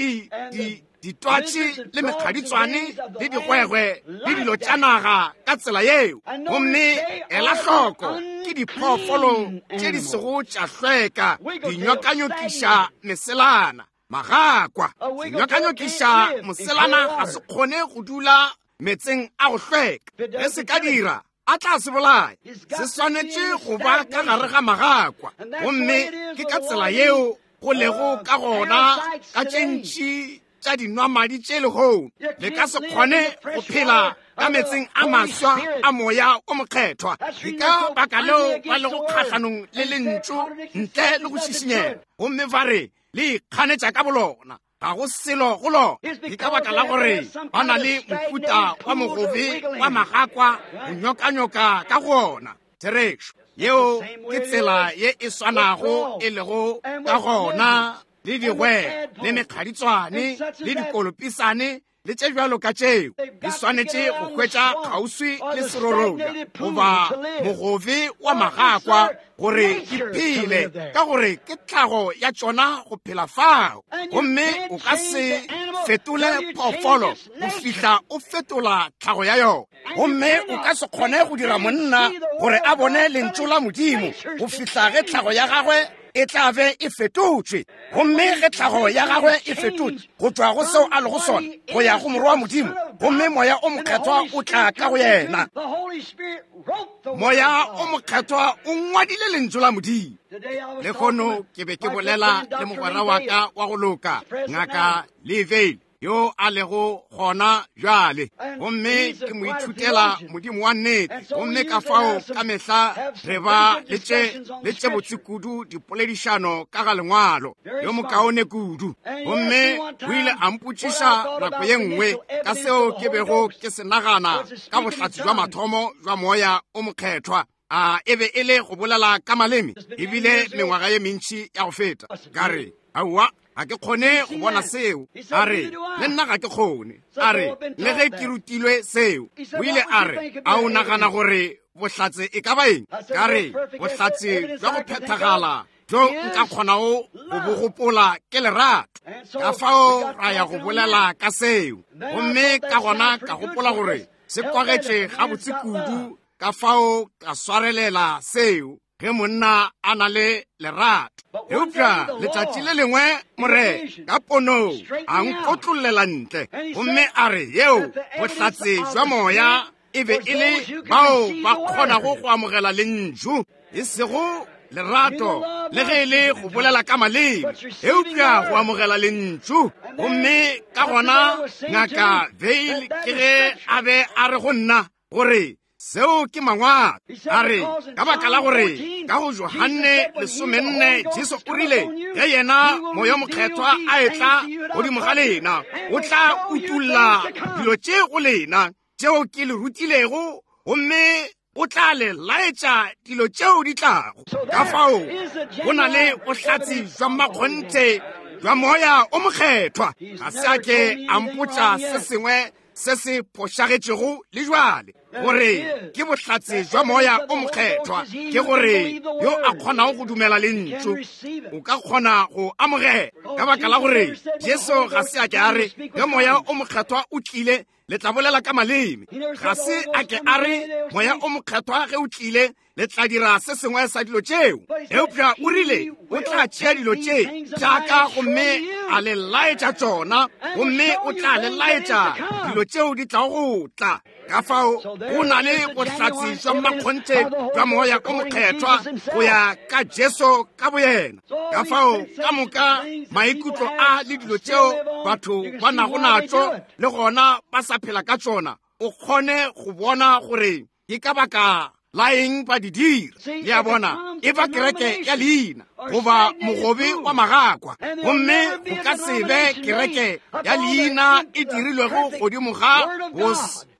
S1: ditwatši le mekgaditswane le digwegwe le dilo tša naga ka tsela yeo. Gomme ela hloko, ke diphoofolo tše di sego tša hlweka, dinyokanyokiša meselana, magakwa. Senyokanyokiša moselana ga se kgone go dula metseng a go hlweka. Ge se ka dira, a tla se bolaya. Se swanetše go ba ka gare ga magakwa, gomme ke ka tsela yeo go lego ka gona ka tše ntši tša dinwamadi tše lehono. Le ka se kgone go phela ka metseng a maswa a moya o mokgethwa. Ke ka baka leo ba lego kgahlanong le lentšu ntle le go šišinyega, gomme ba re le ikganetša ka bolona. Ga go selo go lona. Ke ka baka la gore ba na le mohuta wa mogobe wa magakwa go nyokanyoka ka go ona. Therešo yeo ke tsela ye e swanago e lego ka gona le digwegwe le mekgaditswane le dikolopisane le tše bjalo ka tšeo. Di swanetše go hwetša kgauswi le serorobja goba mogobe wa magakwa gore di phele, ka gore ke tlhago ya tšona go phela fao. Gomme o ka se fetole phoofolo go fihla o fetola tlhago ya yona. Gomme o ka se kgone go dira monna gore a bone lentšu la Modimo go fihla ge tlhago ya gagwe e tla be e fetotšwe. Gomme ge tlhago ya gagwe e fetotšwe go tšwa go seo a lego sona go ya go morwa wa Modimo, gomme moya o mokgethwa o tla ka go yena. Moya o mokgethwa o ngwadile lentšu la Modimo. Lehono ke be ke bolela le mogwera wa ka wa go loka, Ngaka Lee Vayle, yo a lego gona bjale, gomme ke mo ithutela Modimo wa nnete. Gomme ka fao ka mehla re ba le tše botse kudu dipoledišano ka ga lengwalo, yo mokaone kudu. Gomme o ile a mpotšiša nako ye nngwe ka seo ke bego ke se nagana ka bohlatse bja mathomo bja moya o mokgethwa. A e be e le go bolela ka maleme? Ebile mengwaga ye mentši ya go feta. Ka re, aowa, ga ke kgone go bona seo. A re, le nna ga ke kgone. A re, le ge ke rutilwe seo. O ile a re, a o nagana gore bohlatse e ka ba eng? Ka re, bohlatse bja go phethagala bjo nka kgonago go bo gopola ke lerato. Ka fao ra ya go bolela ka seo. Gomme ka gona ka gopola gore se kwagetše gabotse kudu, ka fao ka swarelela seo ge monna a na le lerato. Eupša letšatši le lengwe Morena ka ponong a nkotlollela ntle, gomme a re, yeo bohlatse bja moya e be e le bao ba kgonago go amogela lentšu, e sego lerato le ge e le go bolela ka maleme, eupša go amogela lentšu. Gomme ka gona Ngaka Vayle ke ge a be a re go nna gore seo ke mangwalo. A re, ka baka la gore ka go Johane 14 Jesu o rile, ge yena moya mokgethwa a etla godimo ga lena, o tla utulla dilo tše go lena. tšeo ke le rutilego, gomme o tla le laetša dilo tšeo di tlago. Ka fao go na le bohlatse bja mmakgonthe bja Moya o Mokgethwa. Ga se a ke a mpotša se sengwe se se phošagetšego le jwale, gore ke bohlatse bja Moya o Mokgethwa, ke gore yo a kgonago go dumela lentšu o ka kgona go amogela. Ka baka la gore Jesu ga se a ke a re ge Moya o Mokgethwa o tlile le tla bolela ka maleme. Ga se a ke a re Moya o Mokgethwa ge o tlile le tla dira se sengwe sa dilo tšeo, eupša o rile o tla tšea dilo tše tšaka gomme a le laetša tšona, gomme o tla le laetša dilo tšeo di tlago go tla. Ka fao go na le bohlatse bja mmakgonthe bja Moya o Mokgethwa go ya ka Jesu ka boyena. Ka fao ka moka maikutlo a le dilo tšeo batho ba nago natšo le gona ba sa phela ka tšona, o kgone go bona gore ke ka baka la eng ba di dira. Le a bona, e ba kereke ya leina goba mogobe wa magakwa, gomme go ka se be kereke ya leina e dirilwego godimo ga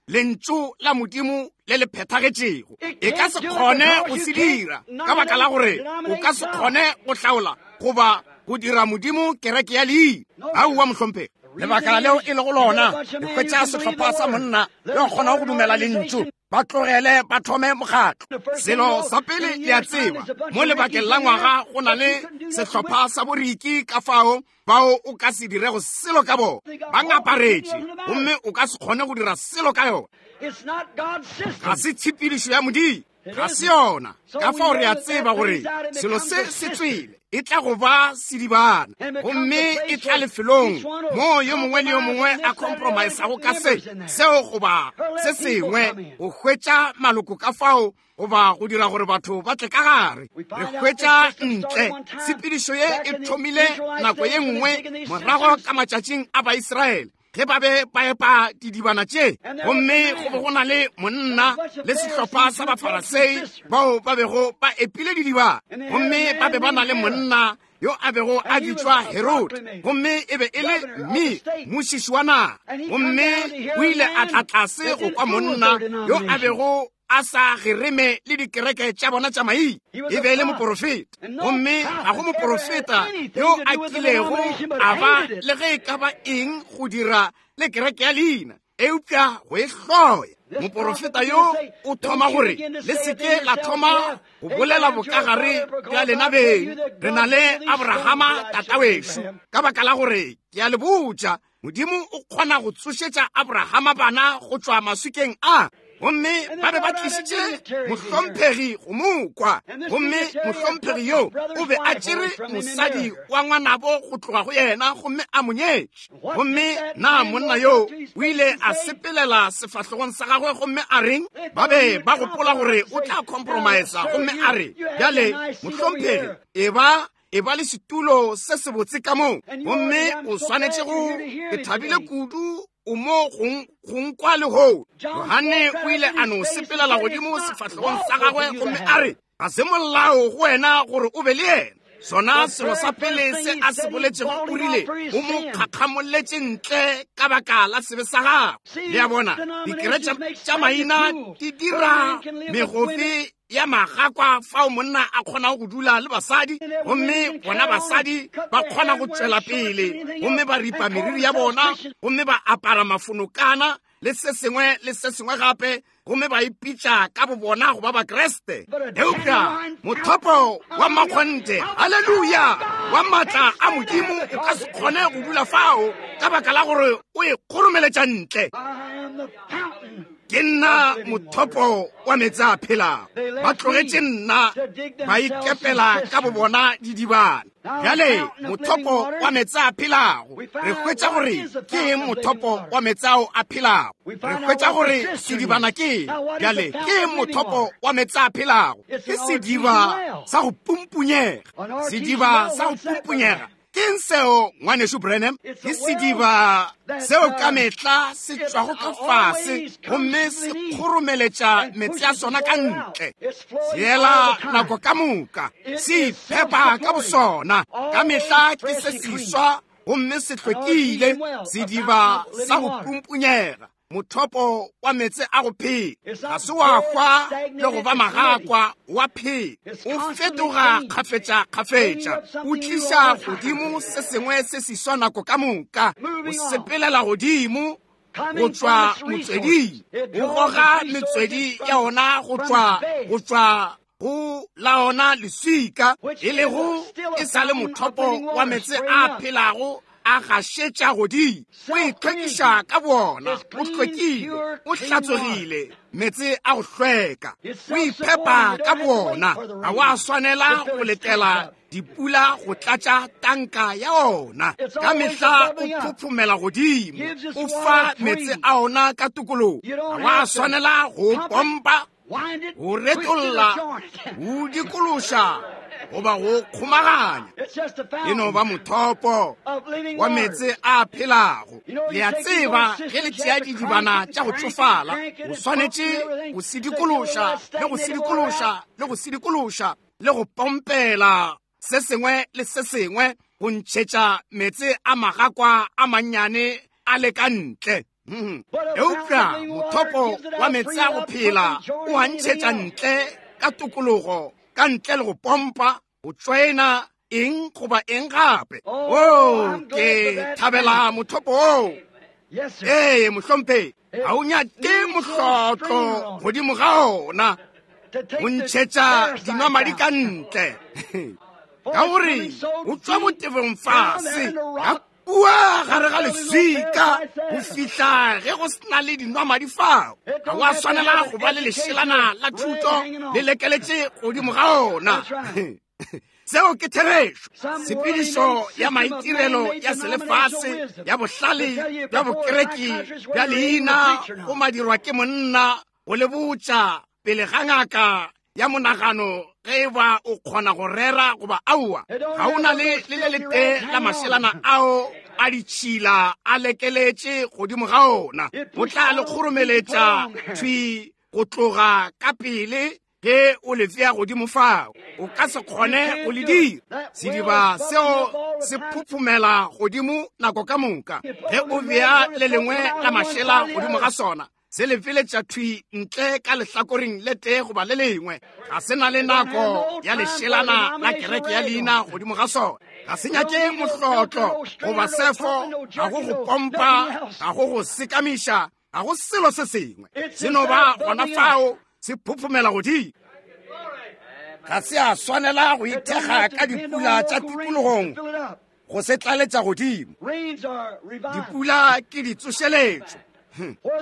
S1: lentšu la Modimo le le phethagetšego. E ka se kgone go se dira, ka baka la gore o ka se kgone go hlaola goba go dira Modimo kereke ya leina. Aowa, mohlomphegi. Lebaka leo e lego lona, le hwetša sehlopha sa monna yo a kgonago go dumela lentšu, ba tlogele ba thome mokgatlo. Selo sa pele le a tseba, mo lebakeng la ngwaga go na le sehlopha sa boriki ka fao bao o ka se dirego selo ka bona, ba ngaparetše, gomme o ka se kgone go dira selo ka yona. Ga se tshepedišo ya Modimo, ga se yona. Ka fao re a tseba gore selo se se tswele, e tla go ba sedibana, gomme e tla lefelong moo yo mongwe le yo mongwe a compromisago ka se seo goba se sengwe go hwetša maloko ka fao goba go dira gore batho ba tle ka gare. Re hwetša ntle tshepedišo ye e thomile nako ye nngwe morago ka matšatšing a Baisraele, ge ba be ba epa didibana tše, gomme go be go na le monna le sehlopha sa Bafarasei bao ba bego ba epile didibana, gomme ba be ba na le monna yo a bego a bitšwa Herode, gomme e be e le mme mmušiši wa naga, gomme o ile a tla tlase go kwa monna yo a bego a sa gereme le dikereke tša bona tša maina. E be e le moporofeta, gomme ga go moporofeta yo a kilego a ba le ge e ka ba eng go dira le kereke ya leina, eupša go e hloya. Moporofeta yo o thoma gore le se ke la thoma go bolela bokagare bja lena beng, re na le Abrahama tatawešo, ka baka la gore ke a le botša, Modimo o kgona go tsošetša Abrahama bana go tšwa maswikeng a. Gomme ba be ba tlišitše mohlomphegi go mo kwa, gomme mohlomphegi yo o be a tšere mosadi wa ngwanabo go tloga go yena gomme a mo nyetše. Gomme na monna yo o ile a sepelela sefahlogong sa gagwe gomme a reng? Ba be ba gopola gore o tla compromise, gomme a re, bjale mohlomphegi, e ba e ba le setulo se sebotse ka moo, gomme o swanetše go, ke thabile kudu o mo go nkwa lehono. Johane o ile a no sepelela godimo sefahlogong sa gagwe gomme a re, ga se molao go wena gore o be le yena. Sona selo sa pele se a se boletšego, o rile o mo kgakgamolletše ntle ka baka la sebe sa gagwe. Le a bona, dikereke tša maina di dira megofe ya magakwa fao monna a kgonago go dula le basadi, gomme bona basadi ba kgona go tšwela pele gomme ba ripa meriri ya bona gomme ba apara mafonokana le se sengwe le se sengwe gape, gomme ba ipitša ka bobona go ba Bakriste. Eupša mothopo wa mmakgonthe, haleluya, wa maatla a Modimo o ka se kgone go dula fao ka baka la gore o e kgoromeletša ntle. Ke nna mothopo wa meetse a phelago. Ba tlogetše nna, ba ikepela ka bobona didibana. Bjale mothopo wa meetse a phelago, re hwetša gore ke eng mothopo wa meetse ao a phelago. Re hwetša gore sedibana ke eng. Bjale ke eng mothopo wa meetse a phelago? Ke sediba sa go pumpunyega. Sediba sa go pumpunyega ke eng seo, ngwanešu Branham? Ke sediba seo ka mehla se tšwago ka fase gomme se kgoromeletša meetse a sona ka ntle. Se ela nako ka moka, se iphepa ka bosona. Ka mehla ke se seswa gomme se hlwekile, sediba sa go pumpunyega. Mothopo wa meetse a go phela. Ga se wa hwa le go ba magakwa, wa phela. O fetoga kgafetša-kgafetša, o tliša godimo se sengwe se seswa nako ka moka, o sepelela godimo go tšwa motsweding, o goga metswedi ya ona go tšwa go tšwa go la ona leswika, e lego e sa le mothopo wa meetse a phelago a gašetša godimo. O itlhwekiša ka bona, o hlwekile, o hlatswegile, meetse a go hlweka. O iphepa ka bona, ga wa swanela go letela dipula go tlatša tanka ya ona. Ka mehla o phophomela godimo, o fa meetse a ona ka tokologo. Ga wa swanela go pompa, go retolla, go dikološa goba go kgomaganya. E no ba mothopo wa meetse a phelago. Le a tseba, ge le tšea didibana tša go tšofala, o swanetše go sedikološa le go sedikološa le go sedikološa le go pompela se sengwe le se sengwe go ntšhetša meetse a magakwa a mannyane a le ka ntle. Eupša mothopo wa meetse a go phela o a ntšhetša ntle ka tokologo, ka ntle le go pompa, go tšoena eng goba eng gape. O, ke thabela mothopo oo. Ee, mohlomphegi, ga o nyake mohlotlo godimo ga ona go ntšhetša dinwamadi ka ntle, ka gore o tšwa botebong fase ka kua gare ga leswika go fihla ge go sena le dinwamadi fao. Ga wa swanela go ba le lešelana la thuto le lekeletše godimo ga ona. Seo ke therešo. Tshepedišo ya maitirelo ya selefase ya bohlale bja bokereki bja leina go madirwa ke monna go le botša pele ga ngaka ya monagano ge e ba o kgona go rera goba aowa. Ga o na le le le letee la mašelana ao a ditšhila a lekeletše godimo ga ona. O tla le kgoromeletša thwi go tloga ka pele ge o le tsea godimo fao. O ka se kgone go le dira. Sediba seo se phuphumela godimo nako ka moka. Ge o bea le lengwe la mašela godimo ga sona, se le feletša thwi ntle ka lehlakoreng le tee goba le lengwe. Ga se na le nako ya lešelana la kereke ya leina godimo ga sona. Ga se nyake mohlotlo goba sefo, ga go go pompa, ga go go sekamiša, ga go selo se sengwe. Se no ba gona fao, se phuphumela godimo. Ga se a swanela go ithekga ka dipula tša tikologong go se tlaletša godimo. Dipula ke ditsošeletšo.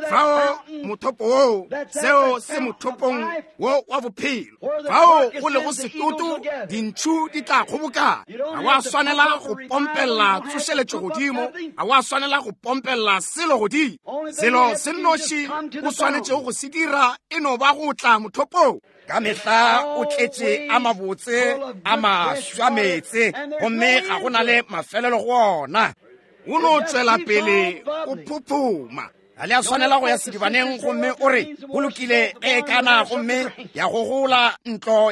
S1: Fao mothopo woo, seo se mothopong wo wa bophelo. Fao go lego setoto, dintšhu di tla kgobokana. Ga wa swanela go pompella tsošeletšo godimo, ga wa swanela go pompella selo godimo. Selo se nnoši o swanetšego go se dira e no ba go tla mothopong. Ka mehla o tletše a mabotse a maswa meetse, gomme ga go na le mafelelo go ona. O no tšwela pele o phuphuma. Ga le a swanela go ya sedibaneng gomme o re go lokile ge e kana, gomme ya gogola ntlo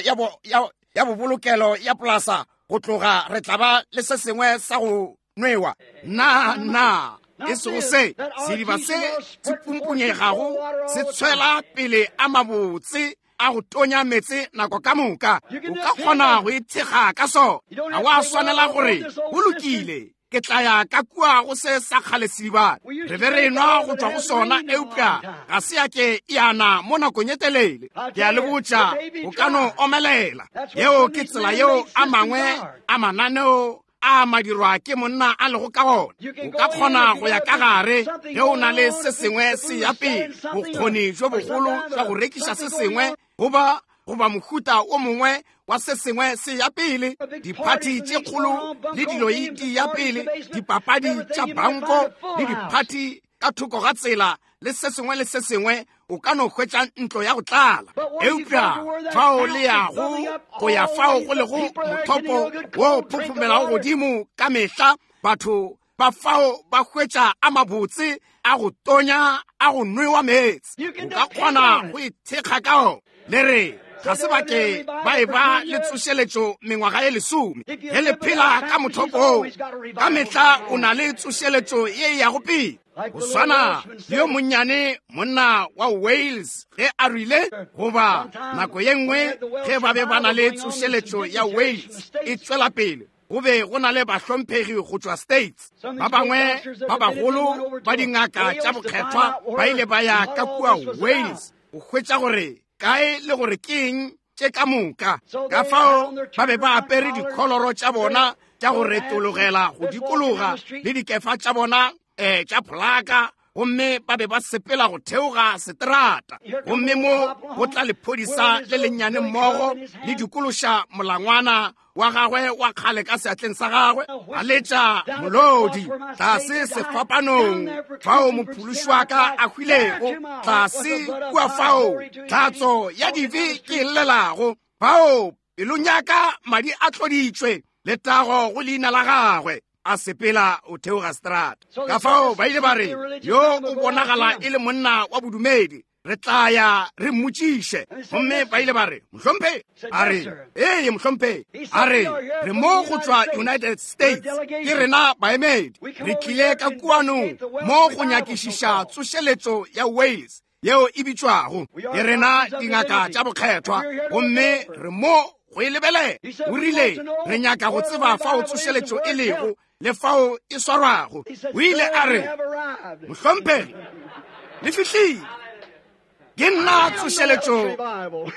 S1: ya bobolokelo ya polasa go tloga, re tla ba le se sengwe sa go nwewa. Na, na, e sego se sediba se se pumpunyegago se tshwela pele a mabotse a go tonya meetse nako ka moka. O ka kgona go ithekga ka sona. Ga wa swanela gore go lokile, ke tla ya ka kua go se sa kgale sedibana. Re be re nwa go tšwa go sona, eupša ga se ya ke ya na mo nakong e telele. Ke a le botša, o ka no omelela. Yeo ke tsela yeo a mangwe a mananeo a madirwa ke monna a lego ka gona. O ka kgona go ya ka gare ge o na le se sengwe se ya pele, bokgoni bjo bogolo bja go rekiša se sengwe goba mohuta o mongwe wa se sengwe se ya pele, diphathi tše kgolo le dilo di ya pele, dipapadi tša banko le diphathi ka thoko ga tsela le se sengwe le se sengwe, o ka no hwetša ntlo ya go tlala. Eupša fao le yago go ya fao go lego mothopo wo phuphumelago godimo ka mehla, batho ba fao ba hwetša a mabotse a go tonya a go nwewa meetse. O ka kgona go ithekga ka ona. Le re, Ga se ba ke ba e ba le tsošeletšo mengwaga ye 10. Ge le phela ka mothopo woo, ka mehla o na le tsošeletšo ye e yago pele. Go swana le yo monnyane monna wa Wales ge a rile, goba nako ye nngwe ge ba be ba na le tsošeletšo ya Wales e tšwela pele, go be go na le bahlomphegi go tšwa States. Ba bangwe ba bagolo ba dingaka tša bokgethwa ba ile ba ya ka kua Wales go hwetša gore kae le gore ke eng tše ka moka. Ka fao ba be ba apere dikholoro tša bona tša go retologela go dikologa le dikefa tša bona tša pholaka, gomme ba be ba sepela go theoga seterata. Gomme mo go tla lephodisa le lennyane mmogo le dikološa molangwana wa gagwe wa kgale ka seatleng sa gagwe, a letša molodi tlase sefapanong fao mophološi wa ka a hwilego, tlase kua fao tlhatso ya dibe ke e llelago, fao pelong ya ka madi a tloditšwe, letago go leina la gagwe. A sepela o theoga seterata. Ka fao ba ile ba re, yo o bonagala e le monna wa bodumedi, re tla ya re mmotšiše. Gomme ba ile ba re, mohlomphegi. A re, ee mohlomphegi. A re, re mo go tšwa United States, ke rena baemedi, re tlile ka kuanong mo go nyakišiša tsošeletšo ya Wales yeo e bitšwago. Ke rena dingaka tša bokgethwa, gomme re mo go e lebelela. O rile, re nyaka go tseba fao tsošeletšo e lego le fao e swarwago. O ile a re, mohlomphegi, le fihlile. Ke nna tsošeletšo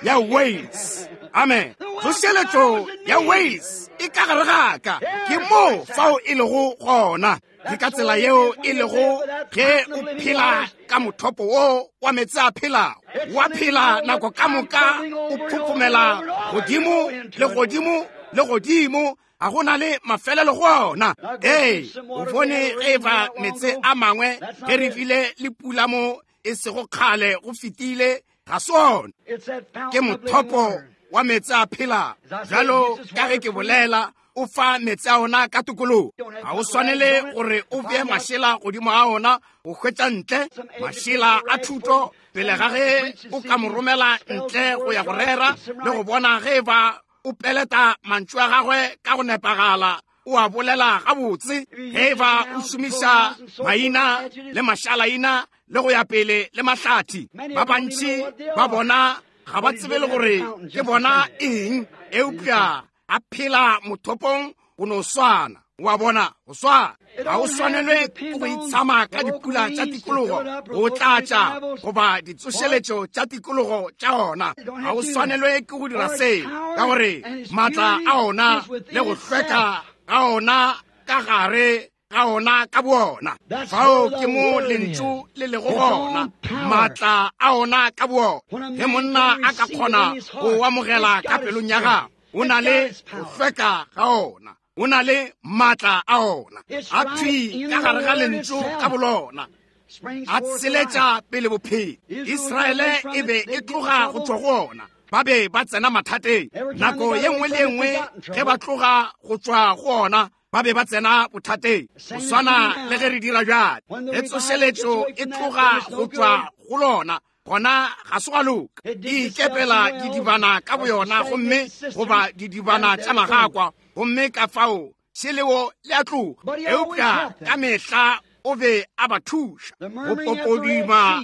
S1: ya Wales. Amen. Tsošeletšo ya Wales e ka gare ga ka. Ke mo fao e lego gona. Ke ka tsela yeo e lego ge o phela ka mothopo wo wa meetse a phelago. Wa phela nako ka moka, o phophomela godimo le godimo le godimo, ga go na le mafelelo go ona. Ee, o bone ge e ba meetse a mangwe ge re bile le pula mo e sego kgale go fetile, ga se ona. Ke mothopo wa meetse a phelago. Bjalo ka ge ke bolela, o fa meetse a ona ka tokologo. Ga o swanele gore o bee mašela godimo ga ona go hwetša ntle mašela a thuto pele ga ge o ka mo romela ntle go ya go rera le go bona ge e ba o peleta mantšu a gagwe ka go nepagala, o a bolela gabotse, ge e ba o šomiša maina le mašalaina le go ya pele le mahlathi. Ba bantši ba bona ga ba tsebe le gore ke bona eng, eupša a phela mothopong go no swana. Wa bona, go swana. Ga o swanelwe ke go itshama ka dipula tša tikologo go tlatša goba ditsošeletšo tša tikologo tša ona. Ga o swanelwe ke go dira seo, ka gore maatla a ona le go hlweka ga ona ka gare ga ona ka boona. Fao ke mo lentšu le lego gona, maatla a ona ka boona. Ge monna a ka kgona go amogela ka pelong ya gagwe, o na le go hlweka ga ona, o na le maatla a ona, a thwi ka gare ga lentšu ka bolona, a tsheletša pele bophelo. Israele e be e tloga go tšwa go ona, ba be ba tsena mathateng. Nako ye nngwe le ye nngwe ge ba tloga go tšwa go ona, ba be ba tsena bothateng. Go swana le ge re dira bjale, ge tsošeletšo e tloga go tšwa go lona, gona ga se gwa loka. E ikepela didibana ka boyona, gomme goba didibana tša magakwa, gomme ka fao šeleo le a tloga. Eupša ka mehla o be a ba thuša go popoduma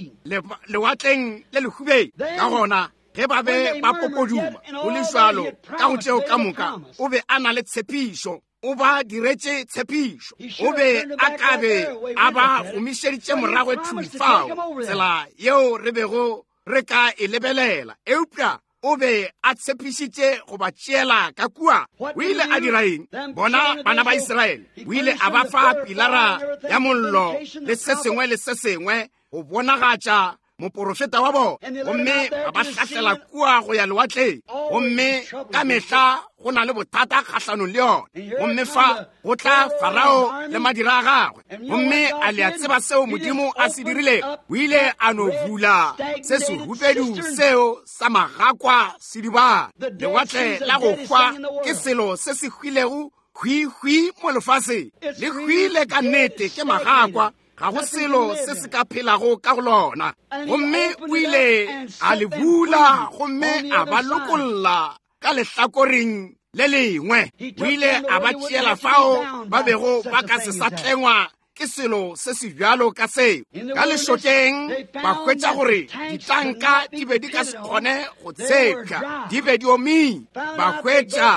S1: lewatleng le lehubeng. Ka gona ge ba be ba popoduma go le jwalo ka go tšeo ka moka, o be a na le tshepišo, o ba diretše tshepišo. O be a ka be a ba gomišeditše morago thwi fao, tsela yeo re bego re ka e lebelela, eupša o be a tshepišitše go ba tšeela ka kua. O ile a dira eng? Bona bana ba Israele, o ile a ba fa pilara ya mollo le se sengwe le se sengwe go bonagatša moporofeta wa bona, gomme ba ba hlahlela kua go ya lewatleng. Gomme ka mehla go na le bothata kgahlanong le yona. Gomme fa go tla Farao le madira a gagwe, gomme a le a tseba seo Modimo a se dirilego? O ile a no bula se sehubedu seo sa magakwa sedibana. Lewatle la go hwa ke selo se se hwilego hwihwi mo lefaseng, le hwile ka nnete ke magakwa. Ga go selo se se ka phelago ka go lona. Gomme o ile a le bula gomme a ba lokolla ka lehlakoreng le lengwe. O ile a ba tšeela fao ba bego ba ka se sa tlengwa ke selo se se bjalo ka seo. Ka lešokeng ba hwetša gore ditanka di be di ka se kgone go tshepša, di be di omile. Ba hwetša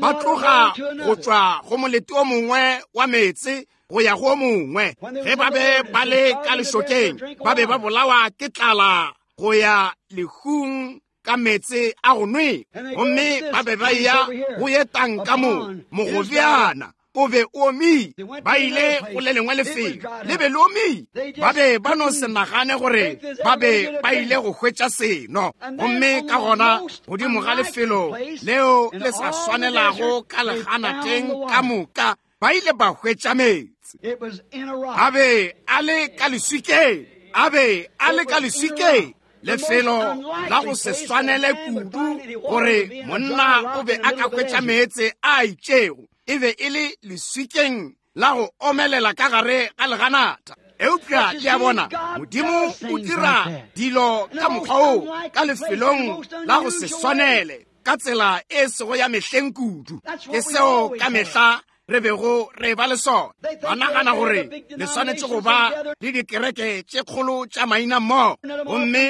S1: ba tloga go tšwa go molete o mongwe wa meetse go ya go o mongwe. Ge ba be ba le ka lešokeng, ba be ba bolawa ke tlala go ya lehung ka meetse a go nwe. Gomme ba be ba ya go ye tanka mo mogobjana o be o omile. Ba ile go le lengwe lefelo, le be le omile. Ba be ba no se nagane gore ba be ba ile go hwetša seno. Gomme ka gona godimo ga lefelo leo le sa swanelago ka leganateng ka moka, ba ile ba hwetša meetse. A be a le ka leswikeng, a be a le ka leswikeng, lefelo la go se swanele kudu gore monna o be a ka hwetša meetse a itšego. E be e le leswikeng la go omelela ka gare ga leganata. Eupša ke a bona Modimo o dira dilo ka mokgwa oo ka lefelong la go se swanele, ka tsela e sego ya mehleng kudu. Ke seo ka mehla re bego re ba le sona. Ba nagana gore le swanetše go ba le dikereke tše kgolo tša maina mmogo, gomme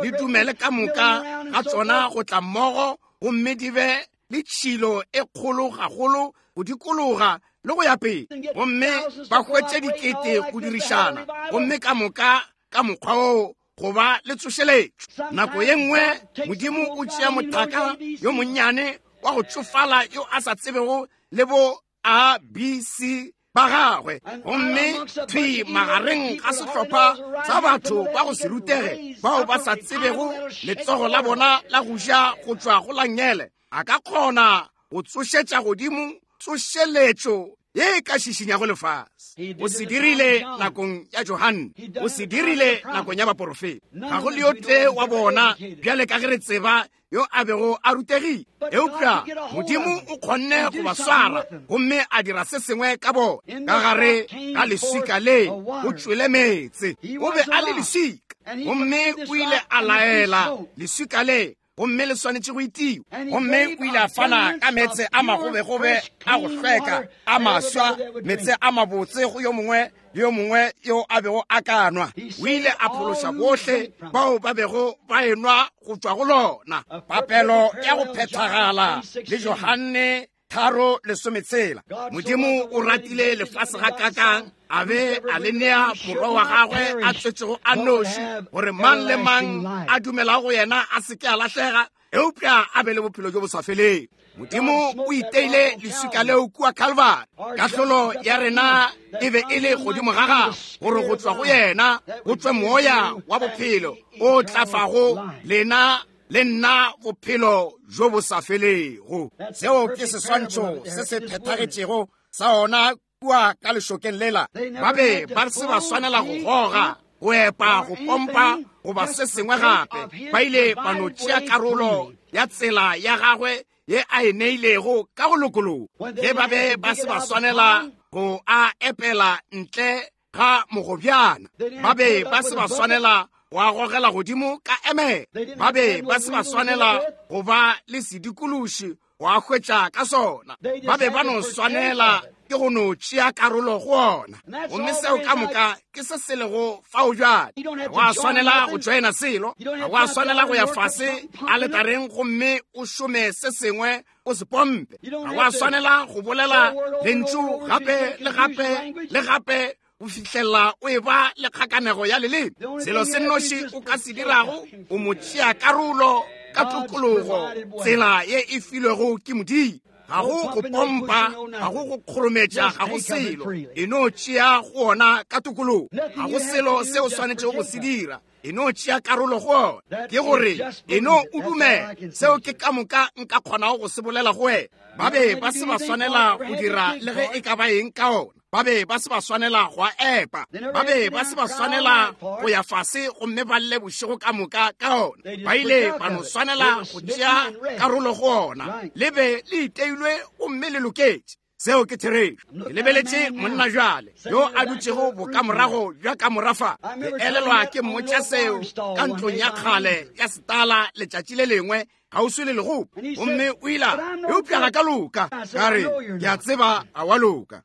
S1: le dumele ka moka ga tšona go tla mmogo, gomme di be le tšhilo e kgolo gagolo go dikologa le go ya pele, gomme ba hwetše dikete go dirišana, gomme ka moka ka mokgwa oo go ba le tsošeletšo. Nako ye nngwe Modimo o tšea mothaka yo monnyane wa go tšofala yo a sa tsebego le bo A B C ba gagwe, gomme thwi magareng ga sehlopha sa batho ba go se rutege bao ba sa tsebego letsogo la bona la go ja go tšwa go la nngele, a ka kgona go tsošetša godimo tsošeletšo ye e ka šišinyago lefase. O se dirile nakong ya Johanne, o se dirile nakong ya baporofeta. Ga go le yo tee wa bona bjale ka ge re tseba yo a bego a rutegile, eupša Modimo o kgonne go ba swara gomme a dira se sengwe ka bona. Ka gare ga leswika le go tšwele meetse. O be a le leswika, gomme o ile a laela leswika le gomme le swanetše go itiwa. Gomme o ile a fana ka meetse a magobegobe a go hlweka a maswa, meetse a mabotse go yo mongwe le yo mongwe yo a bego a ka nwa. O ile a phološa bohle bao ba bego ba enwa go tšwa go lona. Papelo ya go phethagala le Johanne 3:16. Modimo o ratile lefase ga kakang, a be a le nea morwa wa gagwe a tswetšego a noši, gore mang le mang a dumelago go yena a se ke a lahlega, eupša a be le bophelo bjo bo sa feleng. Modimo o iteile leswika leo kua Calvary. Kahlolo ya rena e be e le godimo ga gagwe, gore go tšwa go yena go tšwe moya wa bophelo o tlafago lena le nna bophelo bjo bo sa felego. Seo ke seswantšho se se phethagetšego sa ona kua ka lešokeng lela. Ba be ba se ba swanela go goga, go epa, go pompa goba se sengwe gape. Ba ile ba no tšea karolo ya tsela ya gagwe ye a e neilego ka go lokologa. Ge ba be ba se ba swanela go a epela ntle ga mogobjana, ba be ba se ba swanela go a gogela godimo ka emere, ba be ba se ba swanela go ba le sedikološi go a hwetša ka sona, ba be ba no swanela ke go no tšea karolo go ona. Gomme seo ka moka ke se se lego fao bjale. Ga wa swanela go joina selo, ga wa swanela go ya fase aletareng gomme o šome se sengwe o se pompe, ga wa swanela go bolela lentšu gape le gape le gape go fihlela o e ba le kgakanego ya leleme. Selo se nnoši o ka se dirago, o mo tšea karolo ka tokologo, tsela ye e filwego ke Modimo. Ga go go pompa, ga go go kgorometša, ga go selo. E no tšea go ona ka tokologo. Ga go selo se o swanetšego go se dira, e no tšea karolo go ona. Ke gore e no o dumela. Seo ke ka moka nka kgonago go se bolela go wena. Ba be ba se ba swanela go dira le ge e ka ba eng ka ona. Ba be ba se ba swanela go a epa. Ba be ba se ba swanela go ya fase gomme ba lle bošego ka moka ka ona. Ba ile ba no swanela go tšea karolo go ona. Le be le iteilwe gomme le loketše. Seo ke therešo. Ke lebeletše monna bjale yo a dutšego bokamorago bja kamora fa. Ke elelwa ke mmotša seo ka ntlong ya kgale ya setala letšatši le lengwe kgauswi le legopo, gomme o ile a re, Eupša ga ka loka. Ka re, Ke a tseba ga wa loka.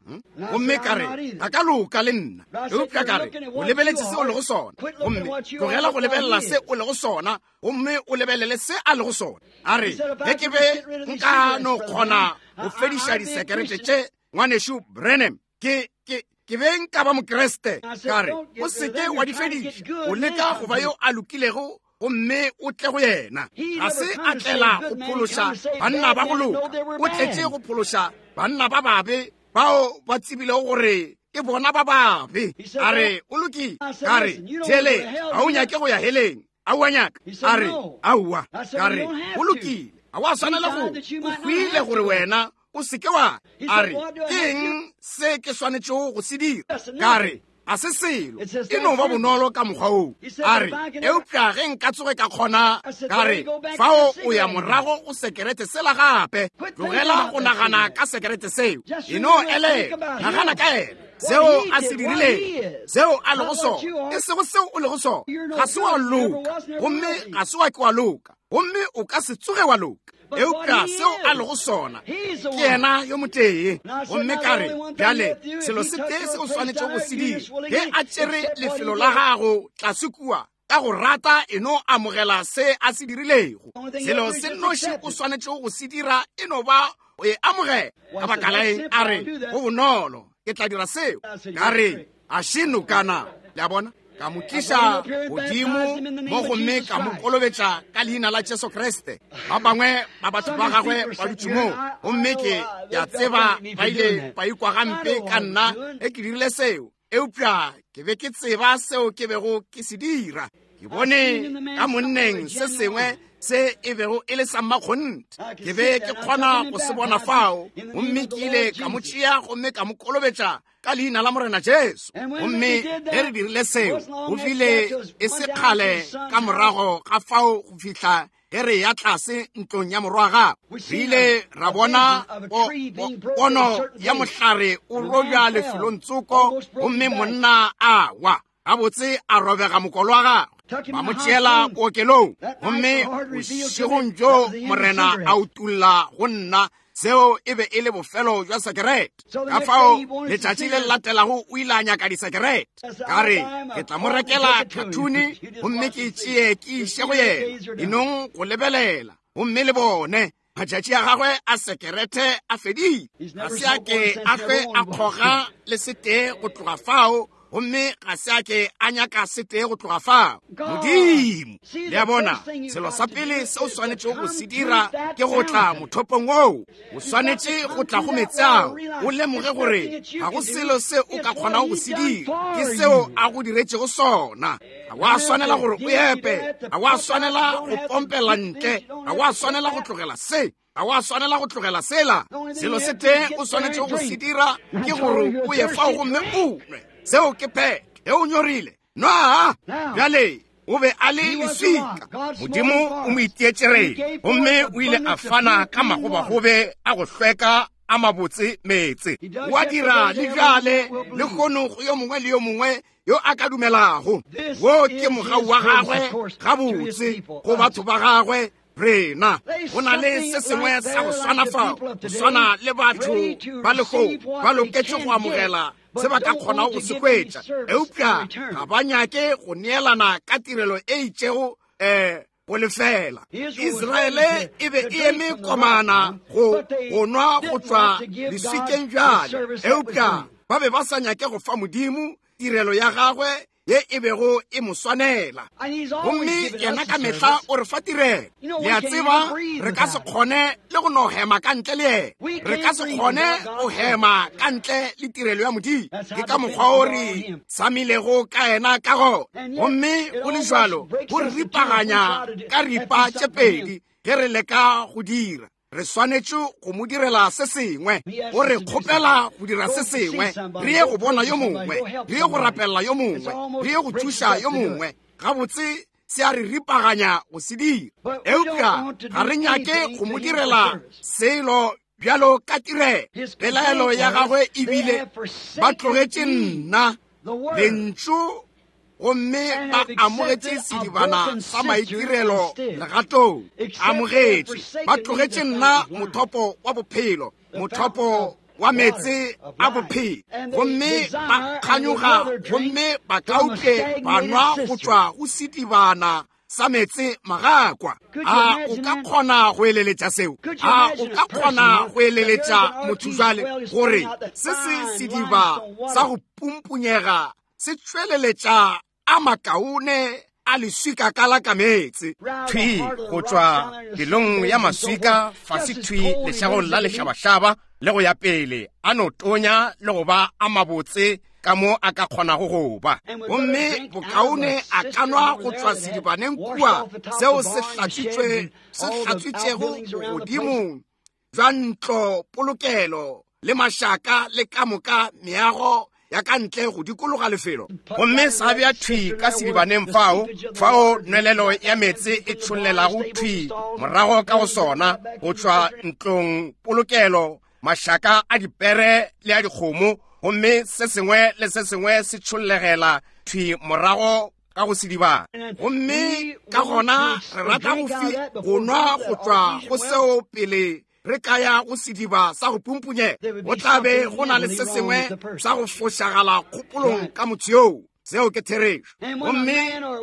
S1: Gomme ka re, Ga ka loka le nna. Eupša ka re, O lebeletše se o lego sona, gomme tlogela go lebelela se o lego sona, gomme o lebelele se a lego sona. A re, Ge ke be nka no kgona go fediša disekerete tše, Ngwanešu Branham, ke, ke, ke be nka ba Mokriste. Ka re, O se ke wa di fediša. O leka go ba yo a lokilego, gomme o tle go yena. Ga se a tlela go phološa banna ba go loka, o tletše go phološa banna ba babe bao ba tsebilego gore ke bona ba babe. A re, O lokile. Ka re, Theeletša, ga o nyake go ya heleng. Aowa, nyaka. A re, Aowa. Ka re, Go lokile, ga wa swanela go. O hwile gore wena o se ke wa. A re, Ke eng se ke swanetšego go se dira? Ka re, Ga se selo, e no ba bonolo ka mokgwa woo. A re, Eupša ge nka tsoge ka kgona. Ka re, Fao o ya morago go sekerete sela gape. Tlogela go nagana ka sekerete seo. E no elelwa, nagana ka yena, seo a se dirilego, seo a lego sona, e sego seo o lego sona. Ga se wa loka, gomme ga se wa ke wa loka, gomme o ka se tsoge wa loka. Eupša seo a lego sona, ke yena yo motee. Gomme ka re, Bjale, selo se tee se o swanetšego go se dira, ge a tšere lefelo la gago tlase kua, ka go rata e no amogela se a se dirilego. Selo se nnoši o swanetšego go se dira e no ba go e amogela. Ka baka la eng? A re, Go bonolo, ke tla dira seo. Ka re, A še nokana. Le a bona? Ka mo tliša godimo mo gomme ka mo kolobetša ka leina la Jesu Kriste. Ba bangwe ba batho ba gagwe ba dutše mo, gomme ke a tseba ba ile ba ikwa gampe ka nna ge ke dirile seo, eupša ke be ke tseba seo ke bego ke se dira. Ke bone ka monneng se sengwe se e bego e le sa mmakgonthe. Ke be ke kgona go se bona fao, gomme ke ile ka mo tšea gomme ka mo kolobetša ka leina la Morena Jesu. Gomme ge re dirile seo, go bile e se kgale ka morago ga fao go fihla ge re ya tlase ntlong ya morwa gagwe, re ile ra bona pono ya mohlare o robja lefelong tsoko, gomme monna a wa gabotse a robega mokolo wa gagwe, ba mo tšeela bookelong. Gomme bošegong bjo Morena a utolla go nna seo e be e le bofelo bja sekerete. Ka fao letšatši le latelago o ile a nyaka disekerete. Ka re, ke tla mo rekela khathune gomme ke e tšee ke iše go yena. Enong go lebelela gomme le bone matšatši a gagwe a sekerete a fedile. Ga se a ke a hlwe a kgoga le setee go tloga fao, gomme ga se a ke a nyaka setee go tloga fao. Modimo, le a bona, selo sa pele se o swanetšego go se dira ke go tla mothopong woo. O swanetše go tla go meetse ao, o lemoge gore ga go selo se o ka kgonago go se dira, ke seo a go diretšego sona. Ga wa swanela gore o epe, ga wa swanela go pompela ntle, ga wa swanela go tlogela se, ga wa swanela go tlogela sela. Selo se tee o swanetšego go se dira ke gore o ye fao gomme o nwe. Seo ke phetho. Ge o nyorile, nwaa. Bjale, o be a le leswika. Modimo o mo itietše gomme o ile a fana ka magobagobe a go hlweka a mabotse meetse. O a dira le bjale le kgono go yo mongwe le yo mongwe yo a ka dumelago. Wo ke mogau wa gagwe gabotse go batho ba gagwe rena. Go na le se sengwe sa go swana fao, go swana le batho ba lehono ba loketše go amogela se ba ka kgonago go se hwetša, eupša ga ba nyake go neelana ka tirelo e itšego go lefela. Israele e be e eme komana go nwa go tšwa leswikeng bjale, eupša ba be ba sa nyake go fa Modimo tirelo ya gagwe ye e bego e mo swanela. Gomme yena ka mehla o re fa tirelo. Le a tseba, re ka se kgone le go no hema ka ntle le yena. Re ka se kgone go hema ka ntle le tirelo ya Modimo. Ke ka mokgwa o re samilego ka yena ka gona. Gomme go le bjalo, go re ripaganya ka ripa tše pedi ge re leka go dira. Re swanetše go mo direla se sengwe. O re kgopela go dira se sengwe. Re ye go bona yo mongwe, re ye go rapelela yo mongwe, re ye go thuša yo mongwe. Gabotse se a re ripaganya go se dira. Eupša ga re nyake go mo direla selo. bjalo ka tirelo. Pelaelo ya gagwe e bile, ba tlogetše nna, Lentšu, gomme ba amogetše sedibana sa maitirelo legatong. Amogetše, ba tlogetše nna mothopo wa bophelo, mothopo wa meetse a bophelo, gomme ba kganyoga gomme ba kautle ba nwa go tšwa go sedibana sa meetse magakwa. A o ka kgona go eleletša seo? A o ka kgona go eleletša motho jwale gore se se sediba sa go pumpunyega se tšweleletša a makaone a leswika ka la ka meetse
S2: thwi go tšwa pelong ya maswika fase thwi lešagong la lešabašaba le go ya pele, a no tonya le go ba a mabotse ka mo a ka kgonago go ba.
S1: Gomme bokaone a ka nwa go tšwa sedibaneng kua seo se hlatswitšego godimo bja ntlo polokelo le mašaka le ka moka meago ya ka ntle go dikologa lefelo.
S2: Gomme sa bja thwi ka sedibaneng fao, fao nwelelo ya meetse e tšhollelago thwi morago ka go sona, go tšwa ntlong polokelo, mašaka a dipere le a dikgomo, gomme se sengwe le se sengwe se tšhollegela thwi morago ka go sedibana.
S1: Gomme ka gona re rata go nwa go tšwa go seo pele re ka ya go sediba sa go pumpunyega. Go tla be go na le se sengwe sa go fošagala kgopolong ka motho yoo. Seo ke therešo. Gomme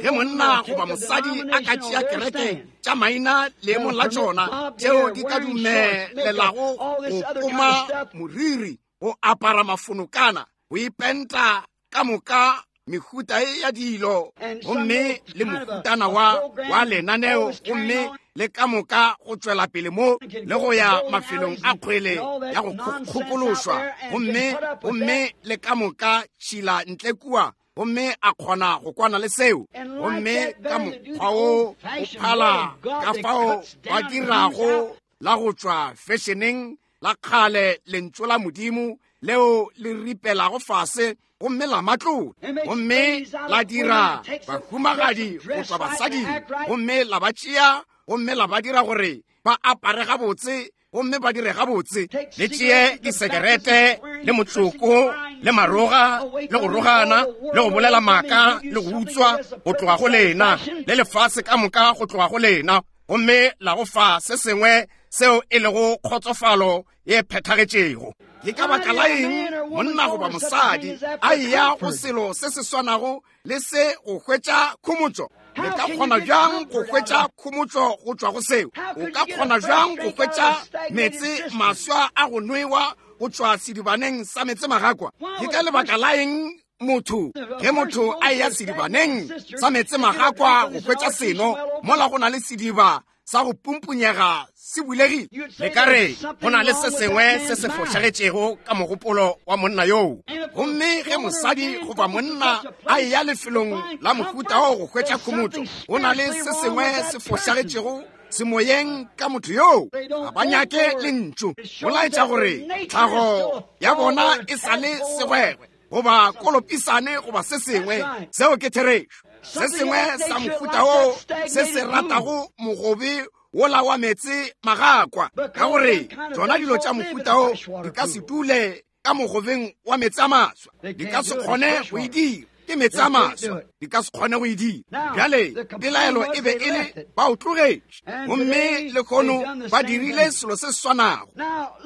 S1: ge monna goba mosadi a ka tšea kereke tša maina leemong la tšona, tšeo di ka dumelelago go poma moriri, go apara mafonokana, go ipenta ka moka mehuta e ya dilo, gomme le mohutana wa lenaneo, gomme le ka moka go tšwela pele mo le go ya mafelong a kgwele ya go kgokološwa, gomme le ka moka tšhila ntle kua, gomme a kgona go kwana le seo. Gomme ka mokgwa wo o phala ka fao ba dirago la go tšwa fešeneng la kgale lentšu la Modimo leo le ripelago fase gomme la matlola, gomme la dira bahumagadi go tšwa basading, gomme la ba tšea gomme la ba dira gore ba apare gabotse gomme ba dire gabotse.
S2: Le tšee disekerete le motsoko le maroga le go rogana le go bolela maaka le go utswa go tloga go lena, le lefase ka moka go tloga go lena, gomme la go fa se sengwe seo e lego kgotsofalo ye phethagetšego.
S1: Ke ka baka la eng monna goba mosadi a eya go selo se se swanago le se go hwetša khomotšo? Le ka kgona bjang go hwetša khomotšo go tšwa go seo? O ka kgona bjang go hwetša meetse maswa a go nwewa go tšwa sedibaneng sa meetse magakwa? Ke ka lebaka la eng motho ge motho a eya sedibaneng sa meetse magakwa go hwetša seno, mola go na le sediba sa go pumpunyega se bulegile?
S2: Le ka re go na le se sengwe se se fošagetšego ka mogopolo wa monna yoo.
S1: Gomme ge mosadi goba monna a eya lefelong la mohuta wo go hwetša khomotšo, go na le se sengwe se fošagetšego semoyeng ka motho yoo. Ga ba nyake lentšu. Go laetša gore tlhago ya bona e sa le segwegwe goba kolopisane goba se sengwe. Seo ke therešo. Se sengwe sa mohuta wo se se ratago mogobe wola wa meetse magakwa, ka gore tšona dilo tša mohuta wo di ka se dule ka mogobeng wa meetse a maswa, di ka se kgone go e dira. Ke meetse a maswa, di ka se kgone go e dira. Bjale pelaelo e be e le ba o tlogetše, gomme lehono ba dirile selo se se swanago.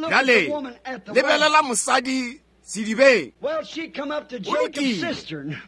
S1: Bjale lebelela mosadi sedibeng. O lokile,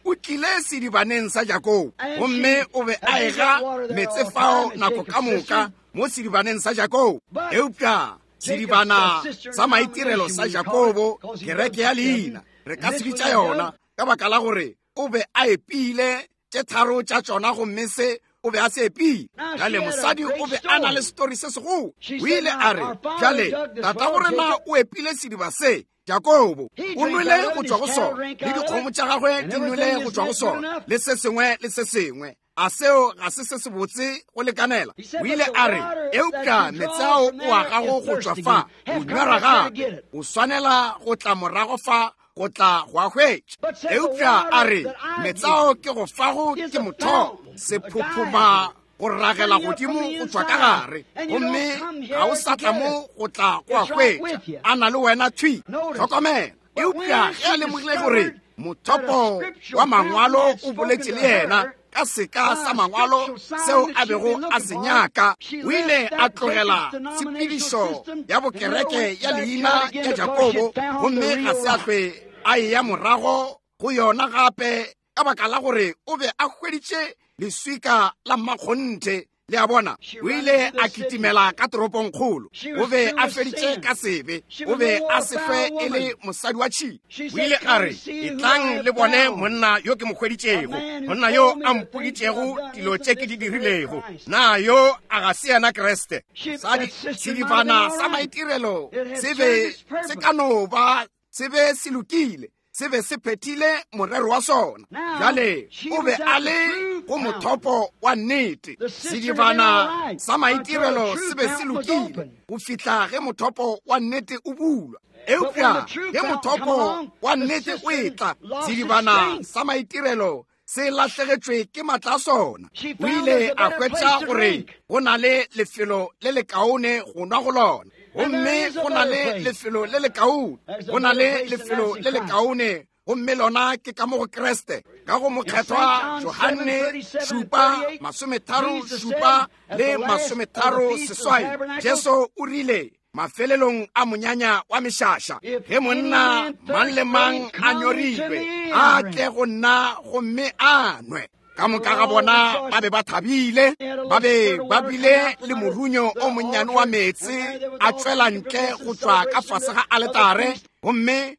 S1: o tlile sedibaneng sa Jakobo, gomme o be a ega meetse fao nako ka moka mo sedibaneng sa Jakobo. Eupša sedibana sa maitirelo sa Jakobo, kereke ya leina, re ka se bitša yona, ka baka la gore o be a epile tše tharo tša tšona, gomme se o be a se epile. Bjale mosadi o be a na le setori se segolo. O ile a re, bjale tatago rena o epile sediba se, Jakobo o nwele go tšwa go sona, le dikgomo tša gagwe di nwele go tšwa go sona, le se sengwe le se sengwe. A seo ga se se sebotse go lekanela? O ile a re, eupša meetse ao o a gago go tšwa fa, o nywera gape, o swanela go tla morago fa go tla go a hwetša. Eupša a re, meetse ao ke go fago ke mothopo, sephophoma. go ragela godimo go tšwa ka gare, gomme ga o sa tla mo go tla go a hwetša a na le wena thwi. Hlokomela. Eupša ge a lemogile gore mothopo wa mangwalo o boletše le yena ka seka sa mangwalo seo a bego a se nyaka, o ile a tlogela tshepedišo ya bokereke ya leina ya Jakobo, gomme ga se a hlwe a eya morago go yona gape, ka baka la gore o be a hweditše leswika la mmakgonthe. Le a bona, o ile a kitimela ka toropongkgolo. O be a feditše ka sebe. O be a se hlwe e le mosadi wa tšhila.
S2: O ile a re, Etlang le bone monna yo ke mo hweditšego, monna yo a mpoditšego dilo tše ke di dirilego. Na yo a ga se yena Kriste?
S1: Sadi, sedibana sa maitirelo se be se ka no ba se be se lokile, se be se phethile morero wa sona. Bjale o be a le go mothopo wa nnete. Sedibana sa maitirelo se be se lokile go fihla ge mothopo wa nnete o bulwa. Eupša ge mothopo wa nnete o etla, sedibana sa maitirelo se lahlegetšwe ke matla a sona. O ile a hwetša gore go na le lefelo le lekaone go nwa go lona, gomme go na le lefelo le lekaone, go na le lefelo le lekaone, gomme lona ke ka mo go Kriste. Ka go Mokgethwa Johane 7:37 le 38, Jesu o rile mafelelong a monyanya wa mešaša, ge monna mang le mang a nyorilwe, a tle go nna gomme a nwe. Ka moka ga bona ba be ba thabile, ba be ba bile le morunyo o monnyane wa meetse a tšwela ntle go tšwa ka fase ga aletare, gomme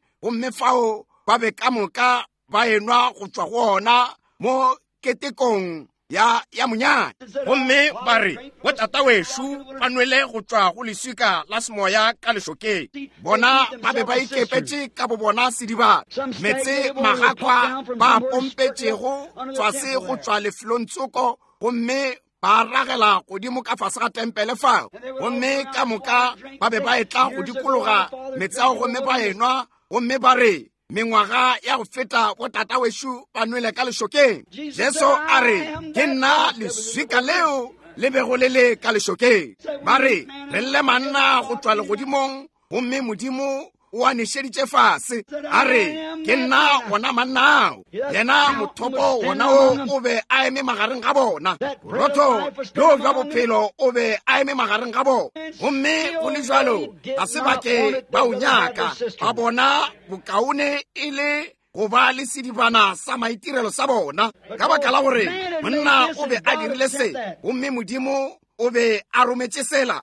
S1: fao ba be ka moka ba enwa go tšwa go ona mo ketekong ya monyanya.
S2: Gomme ba re, Botata wešo ba nwele go tšwa go leswika la semoya ka lešokeng.
S1: Bona ba be ba ikepetše ka bo bona sedibana, meetse magakwa ba pompetšego tswase go tšwa lefelong tsoko, gomme ba ragela godimo ka fase ga tempele fao. Gomme ka moka ba be ba etla go dikologa meetse ao gomme ba enwa, gomme ba re, mengwaga ya go feta botata wešo ba nwele ka lešokeng. Jesu a re, ke nna leswika leo le bego le le ka lešokeng. Ba re, re lle manna go tšwa legodimong, gomme Modimo o a nešeditše fase. A re, ke nna wona manna ao. Yena mothopo wona o o be a eme magareng ga bona. Borotho bjo bja bophelo o be a eme magareng ga bona. Gomme go le bjalo, ga se ba ke ba o nyaka. Ba bona bokaone e le go ba le sedibana sa maitirelo sa bona, ka baka la gore monna o be a dirile se, gomme Modimo o be a rometše sela.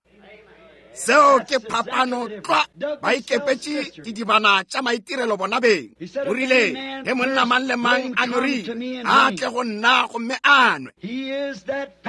S1: Seo ke phapano tlwa. Ba ikepetše didibana tša maitirelo bona beng. O rile, ge monna mang le mang a nyorile, a tle go nna gomme a nwe.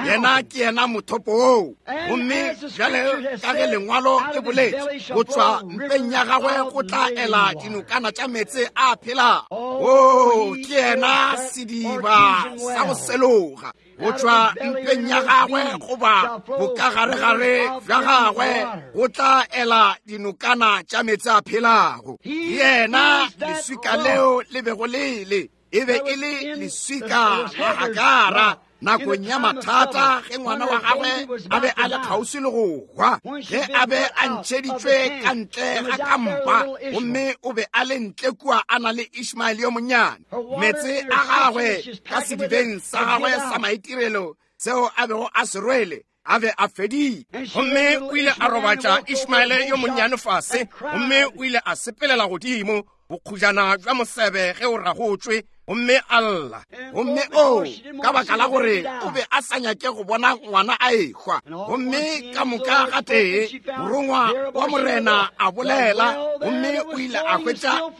S1: Yena ke yena mothopo oo. Gomme bjale ka ge lengwalo le boletše, go tšwa mpeng ya gagwe go tla ela dinokana tša meetse a phelago. Oo, ke yena sediba sa go seloga. Go tšwa mpeng ya gagwe goba bokagaregare bja gagwe go tla ela dinokana tša meetse a phelago. Yena leswika leo le bego le le, e be e le leswika la Hagara nakong ya mathata, ge ngwana wa gagwe a be a le kgauswi le go hwa, ge a be a ntšheditšwe ka ntle ga kampa, gomme o be a le ntle kua a na le Ishmael yo monnyane. Meetse a gagwe ka sedibeng sa gagwe sa maitirelo seo a bego a se rwele a be a fedile.
S2: Gomme o ile a robatša Ishmaele yo monnyane fase, gomme o ile a sepelela godimo bokgujana bja mosebe ge o ragotšwe, gomme a lla.
S1: Gomme o, ka baka la gore o be a sa nyake go bona ngwana a ehwa. Gomme ka moka gatee morongwa wa Morena a bolela, gomme o ile a hwetša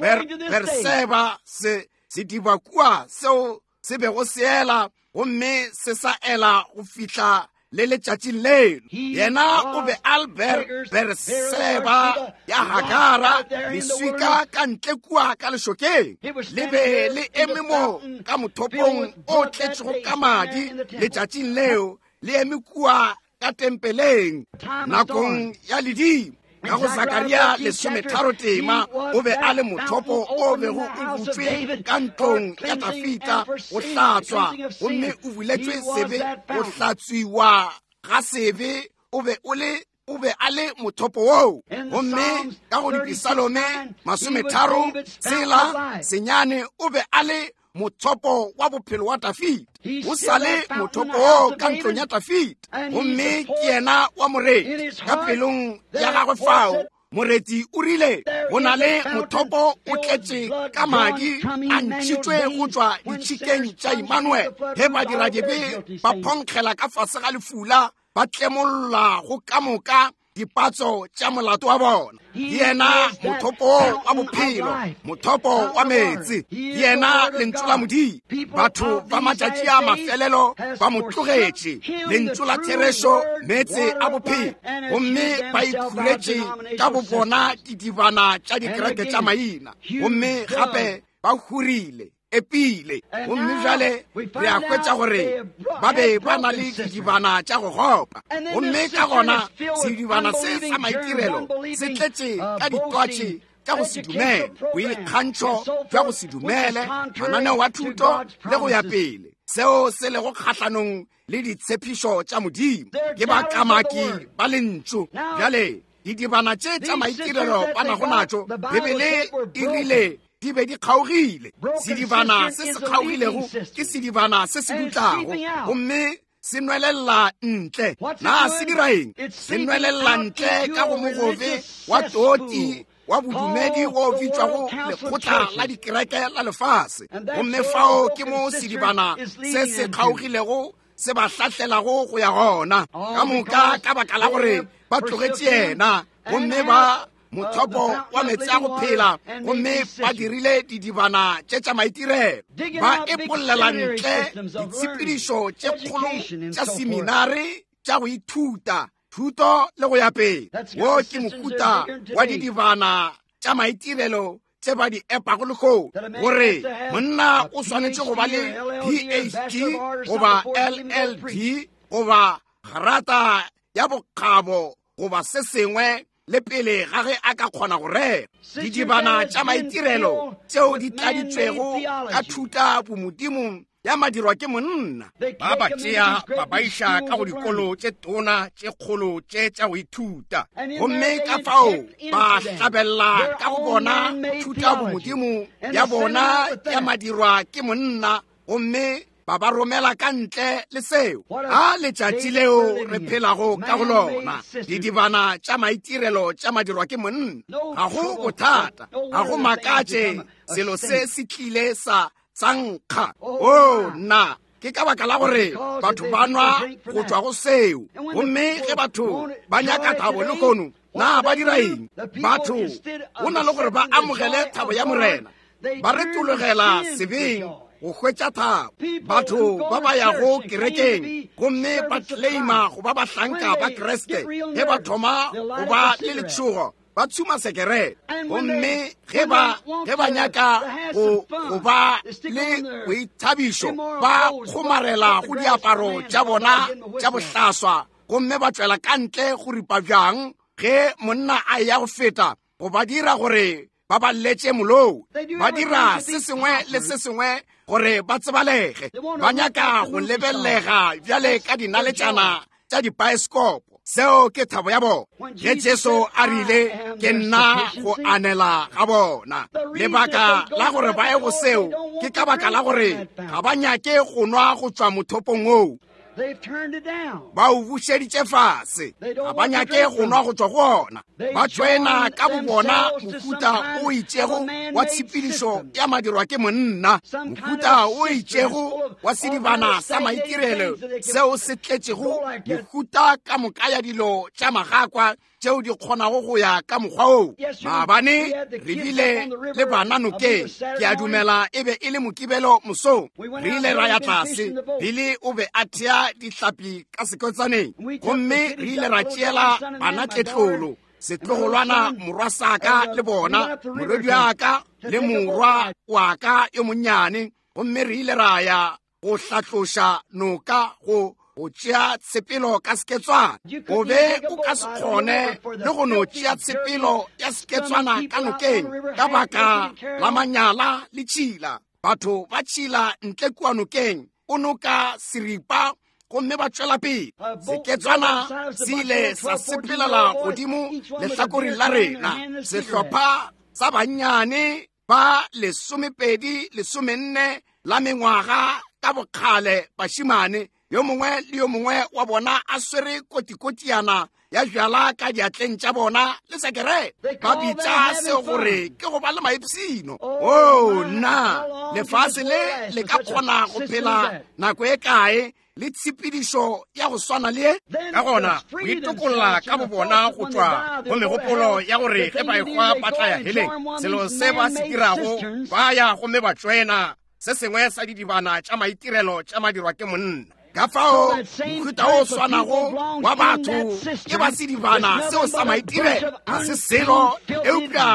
S1: Berseba sediba kua seo se bego se ela, gomme se sa ela go fihla le letšatšing leno. Yena o be a Berseba ya Hagara, leswika ka ntle kua ka lešokeng, le be le eme mo ka mothopong o tletšego ka madi letšatšing leo, le eme kua ka tempeleng nakong ya ledimo. Ka go Sakaria 13 tema, o be a le mothopo o bego o butšwe ka ntlong ya Dafita go hlatswa, gomme o buletšwe sebe, go hlatswiwa ga sebe, o be o le o be a le mothopo woo. Gomme ka go Dipisalome 36 senyane, o be a le mothopo wa bophelo wa Dafida. O sa le mothopo woo ka ntlong ya Dafida, gomme ke yena wa moreti. Ka pelong ya gagwe fao moreti o rile, go na le mothopo o tletše ka madi a ntšhitšwe go tšwa ditšhikeng tša Immanuel. Ge badiradibe ba phonkgela ka fase ga lefula, ba tlemolla go ka moka dipatso tša molato wa bona. Yena mothopo wa bophelo, mothopo wa meetse, yena lentšu la Modimo. Batho ba matšatši a mafelelo ba mo tlogetše, lentšu la therešo, meetse a bophelo, gomme ba ikhuretše ka bo bona didibana tša dikereke tša maina, gomme gape ba hurile epile. Gomme bjale re a hwetša gore ba be ba na le didibana tša go gopa, gomme ka gona sedibana se sa maitirelo se tletše ka ditwatši tša go se dumele, boikgantšho bja go se dumele, mananeo a thuto le go ya pele, seo se lego kgahlanong le ditshepišo tša Modimo. Ke bakamaki ba lentšu. Bjale didibana tše tša maitirelo ba nago natšo, Bibele e rile di be di kgaogile. Sedibana se se kgaogilego ke sedibana se se dutlago, gomme se nwelella ntle. Na se dira eng? Se nwelella ntle ka go mogobe wa toti wa bodumedi wo bitšwago lekgotla la dikereke la lefase, gomme fao ke mo sedibana se se kgaogilego se ba hlahlelago go ya gona. Ka moka ka baka la gore ba tlogetše yena, gomme ba mothopo wa meetse a go phela, gomme ba dirile didibana tše tša maitirelo, ba epollela ntle ditshepedišo tše kgolo tša seminare tša go ithuta thuto le go ya pele. Wo ke mohuta wa didibana tša maitirelo tše ba di epago lehono, gore monna o swanetše go ba le PhD goba LLD goba grata ya bokgabo goba se sengwe le pele ga ge a ka kgona go rera. Didibana tša maitirelo tšeo di tladitšwego ka thuta bomodimo ya madirwa ke monna,
S2: ba ba tšea ba ba iša ka go dikolo tše tona tše kgolo tše tša go ithuta,
S1: gomme ka fao ba hlabella ka go bona thuta bomodimo ya bona ya madirwa ke monna, gomme ba ba romela ka ntle le seo. A letšatši leo re phelago ka go lona, didibana tša maitirelo tša madirwa ke monna. Ga go bothata, ga go makatše selo se se tlile sa tsankga. O nna, ke ka baka la gore batho ba nwa go tšwa go seo. Gomme ge batho ba nyaka thabo lehono, na ba dira eng? Batho go na le gore ba amogele thabo ya Morena, ba retologela sebeng go hwetša thabo. Batho ba ba yago kerekeng gomme ba claima go ba bahlanka ba Kriste, ge ba thoma go ba le letšhogo, ba tshuma sekerete. Gomme ge ba nyaka go ba le boithabišo, ba kgomarela go diaparo tša bona tša bohlaswa, gomme ba tšwela ka ntle go ripa bjang ge monna a eya go feta, go ba dira gore ba ba lletše molou. Ba dira se sengwe le se sengwe gore ba tsebalege. Ba nyaka go lebelega bjale ka dinaletšana tša dipaeskopo. Seo ke thabo ya bona. Ge Jesu a rile, ke nna go anela ga bona, lebaka la gore ba ye go seo ke ka baka la gore ga ba nyake go nwa go tšwa mothopong woo. Ba o bušeditše fase, ga ba nyake go nwa go tšwa go ona. Ba tšoena ka bo bona mohuta o itšego wa tshepedišo ya madirwa ke monna, mohuta o itšego wa sedibana sa maitirelo seo se tletšego mehuta ka moka ya dilo tša magakwa tšeo di kgonago go ya ka mokgwa woo. Maabane re bile le bana nokeng, ke a dumela e be e le Mokibelo mosong. Re ile ra ya tlase, Billy o be a thea dihlapi ka sekotsaneng, gomme re ile ra tšeela bana tletlolo, setlogolwana morwa saka le bona, morwedi wa ka le morwa wa ka yo monnyane, gomme re ile ra ya go hlatloša noka go go tšea tshepelo ka seketswana. O be o ka se kgone le go no tšea tshepelo ya seketswana ka nokeng ka baka la manyala le tšhila. Batho ba tšhila ntle kua nokeng, o noka seripa gomme ba tšwela pele. Seketswana se ile sa sepelela godimo lehlakoreng la rena, sehlopha sa bannyane ba 12 14 la mengwaga ka bokgale, bašimane, yo mongwe le yo mongwe wa bona a swere kotikotiana ya bjala ka diatleng tša bona le sekerete. Ba bitša seo gore ke go ba le maipshino. O nna, lefase le le ka kgona go phela nako e kae le tshepedišo ya go swana le ye?
S2: Ka gona go itokolla ka bobona go tšwa go megopolo ya gore ge ba ehwa ba tla ya heleng, selo se ba se dirago, ba ya gomme ba tšoena se sengwe sa didibana tša maitirelo tša madirwa ke monna.
S1: Ka fao mohuta o swanago wa batho ke ba sedibana seo sa maitirelo, ga se selo eupša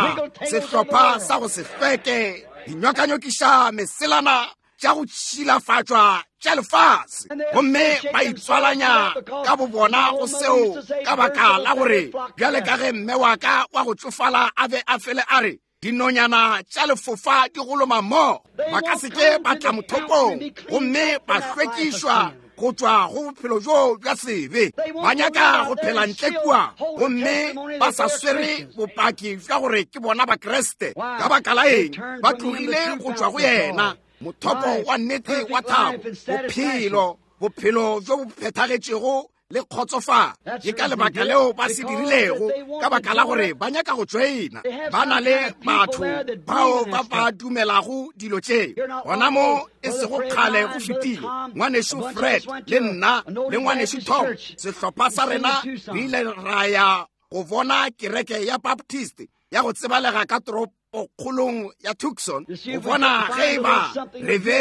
S1: sehlopha sa go se hlweke, dinyokanyokiša meselana tša go tšhilafatšwa tša lefase, gomme ba itswalanya ka bobona go seo ka baka la gore bjale ka ge mme wa ka wa go tšofala a be a fele a re, dinonyana tša lefofa di goloma mmogo, ba ka se ke ba tla mothopong gomme ba hlwekišwa go tšwa go bophelo bjo bja sebe. Ba nyaka go phela ntle kua gomme ba sa swere bopaki bja gore ke bona Bakriste. Ka baka la eng? Ba tlogile go tšwa go yena, mothopo wa nnete wa thabo, bophelo, bophelo bjo bo phethagetšego le kgotsofalo. Ke ka lebaka leo ba se dirilego, ka baka la gore ba nyaka go tšoena. Ba na le batho bao ba ba dumelago dilo tše. Gona mo e sego kgale go fetile, ngwanešu Fred le nna le ngwanešu Tom, sehlopha sa rena, re ile ra ya go bona kereke ya Baptist ya go tsebalega ka toropokgolong ya Tucson, go bona ge e ba re be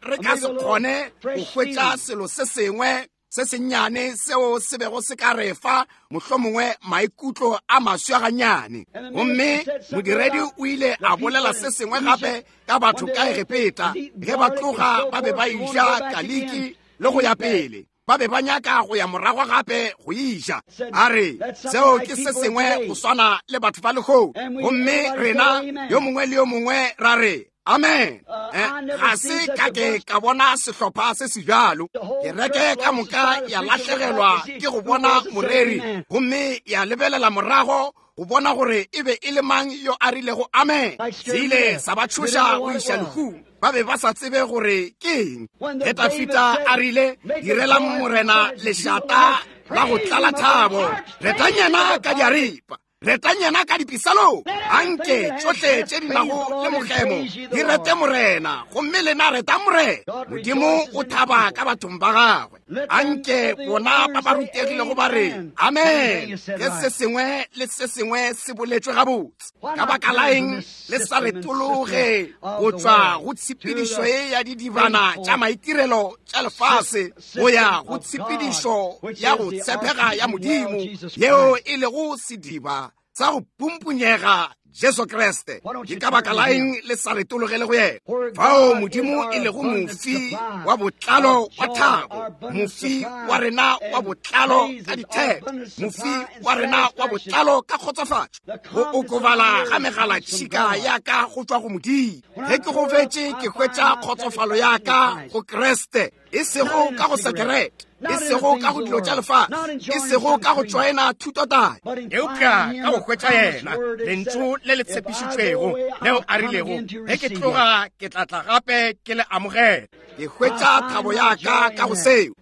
S1: re ka se kgone go hwetša selo se sengwe se sennyane seo se bego se ka re fa mohlomongwe maikutlo a maswa gannyane. Gomme modiredi o ile a bolela se sengwe gape ka batho ka Egepeta, ge ba tloga ba be ba eja kaliki le go ya pele, ba be ba nyaka go ya morago gape go eja. A re, seo ke se sengwe go swana le batho ba lehono. Gomme rena yo mongwe le yo mongwe ra re amen. Ga se ka ke ka bona sehlopha se se bjalo. Kereke ka moka ya lahlegelwa ke go bona moreri, gomme ya lebelela morago go bona gore e be e le mang yo a rilego amen. Se ile sa ba tšhoša go iša lehung. Ba be ba sa tsebe gore ke eng. Ge Dafida a rile, direlang Morena lešata la go tlala thabo, retang yena ka diaripa, retang yena ka dipisalong, anke tšohle tše di nago le mokgemo di rete Morena, gomme lena retang Morena. Modimo o thaba ka bathong ba gagwe. Anke bona ba ba rutegilego ba re amen ge se sengwe le se sengwe se boletšwe gabotse. Ka baka la eng le sa retologe go tšwa go tshepedišo ye ya didibana tša maitirelo tša lefase go ya go tshepedišo ya go tshepega ya Modimo, yeo e lego sediba sa go pumpunyega Jesu Kriste? Ke ka baka la eng le sa retologele go yena, fao Modimo e lego mofi wa botlalo wa thabo, mofi wa rena wa botlalo ka ditheko, mofi wa rena wa botlalo ka kgotsofatšo? Go okobala ga megalatšhika ya ka go tšwa go Modimo. Ge ke gobetše, ke hwetša kgotsofalo ya ka go Kriste, e sego ka go sekerete, e sego ka go dilo tša lefase, e sego ka go tšoena thutotaya,
S2: eupša ka go hwetša yena lentšu le le tshepišitšwego leo a rilego, ge ke tloga ke tla tla gape ke le amogela.
S1: Ke hwetša thabo ya ka ka go seo.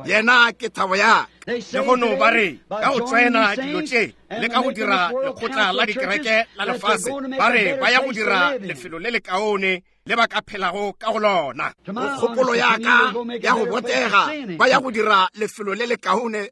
S1: Yena ke thabo ya ka.
S2: Le go no ba re ka go tšoena dilo tše le ka go dira lekgotla la dikereke la lefase, ba re ba ya go dira lefelo le lekaone le ba ka phelago ka go lona.
S1: Go kgopolo ya ka ya go botega, ba ya go dira lefelo le lekaone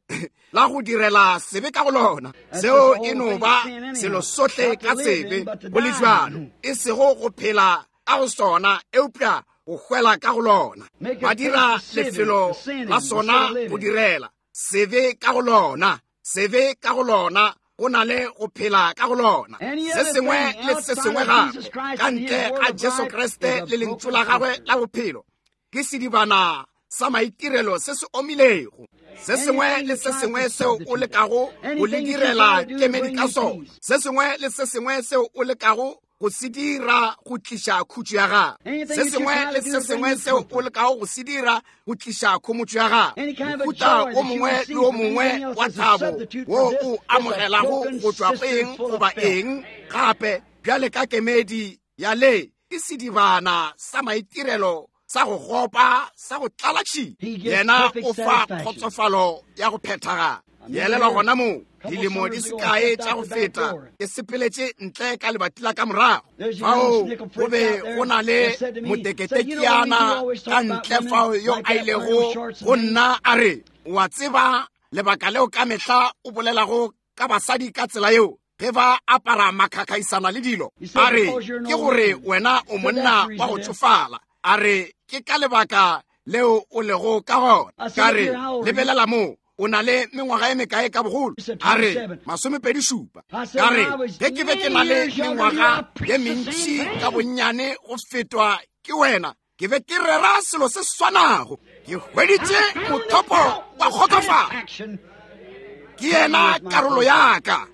S1: la go direla sebe ka go lona. Seo e no ba selo sohle ka sebe go le bjalo, e sego go phela ka go sona, eupša go hwela ka go lona. Ba dira lefelo la sona go direla sebe ka go lona, sebe ka go lona, go na le go phela ka go lona. Se sengwe le se sengwe gape ka ntle ga Jesu Kriste le lentšu la gagwe la bophelo ke sedibana sa maitirelo se se omilego. Se sengwe le se sengwe seo o lekago go le direla kemedi ka sona, se sengwe le se sengwe seo o lekago go se dira go tliša khutšo ya gago, se sengwe le se sengwe seo o lekago go se dira go tliša khomotšo ya gago, mohuta o mongwe le o mongwe wa thabo wo o amogelago go tšwa go eng goba eng gape bjale ka kemedi ya le ke sedibana sa maitirelo sa go gopa sa go tlala tšhila. Yena o fa kgotsofalo ya go phethagala. Elelwa gona moo dilemo di sekae tša go feta ke sepeletše ntle ka lebati la ka morago. Fao go be go na le moteketekiana ka ntle fao yo a ilego go nna a re, wa tseba lebaka leo ka mehla o bolelago ka basadi ka tsela yeo ge ba apara makhakhaisana le dilo? A re, ke gore wena o monna wa go tšofala. A re, ke ka lebaka leo o lego ka gona. Ka re, lebelela moo, o na le mengwaga e mekae ka bogolo? A re, 27. Ka re, ge ke be ke na le mengwaga ye mentši ka bonnyane go fetwa ke wena, ke be ke rera selo se swanago. Ke hweditše mothopo wa kgotsofalo. Ke yena karolo ya ka.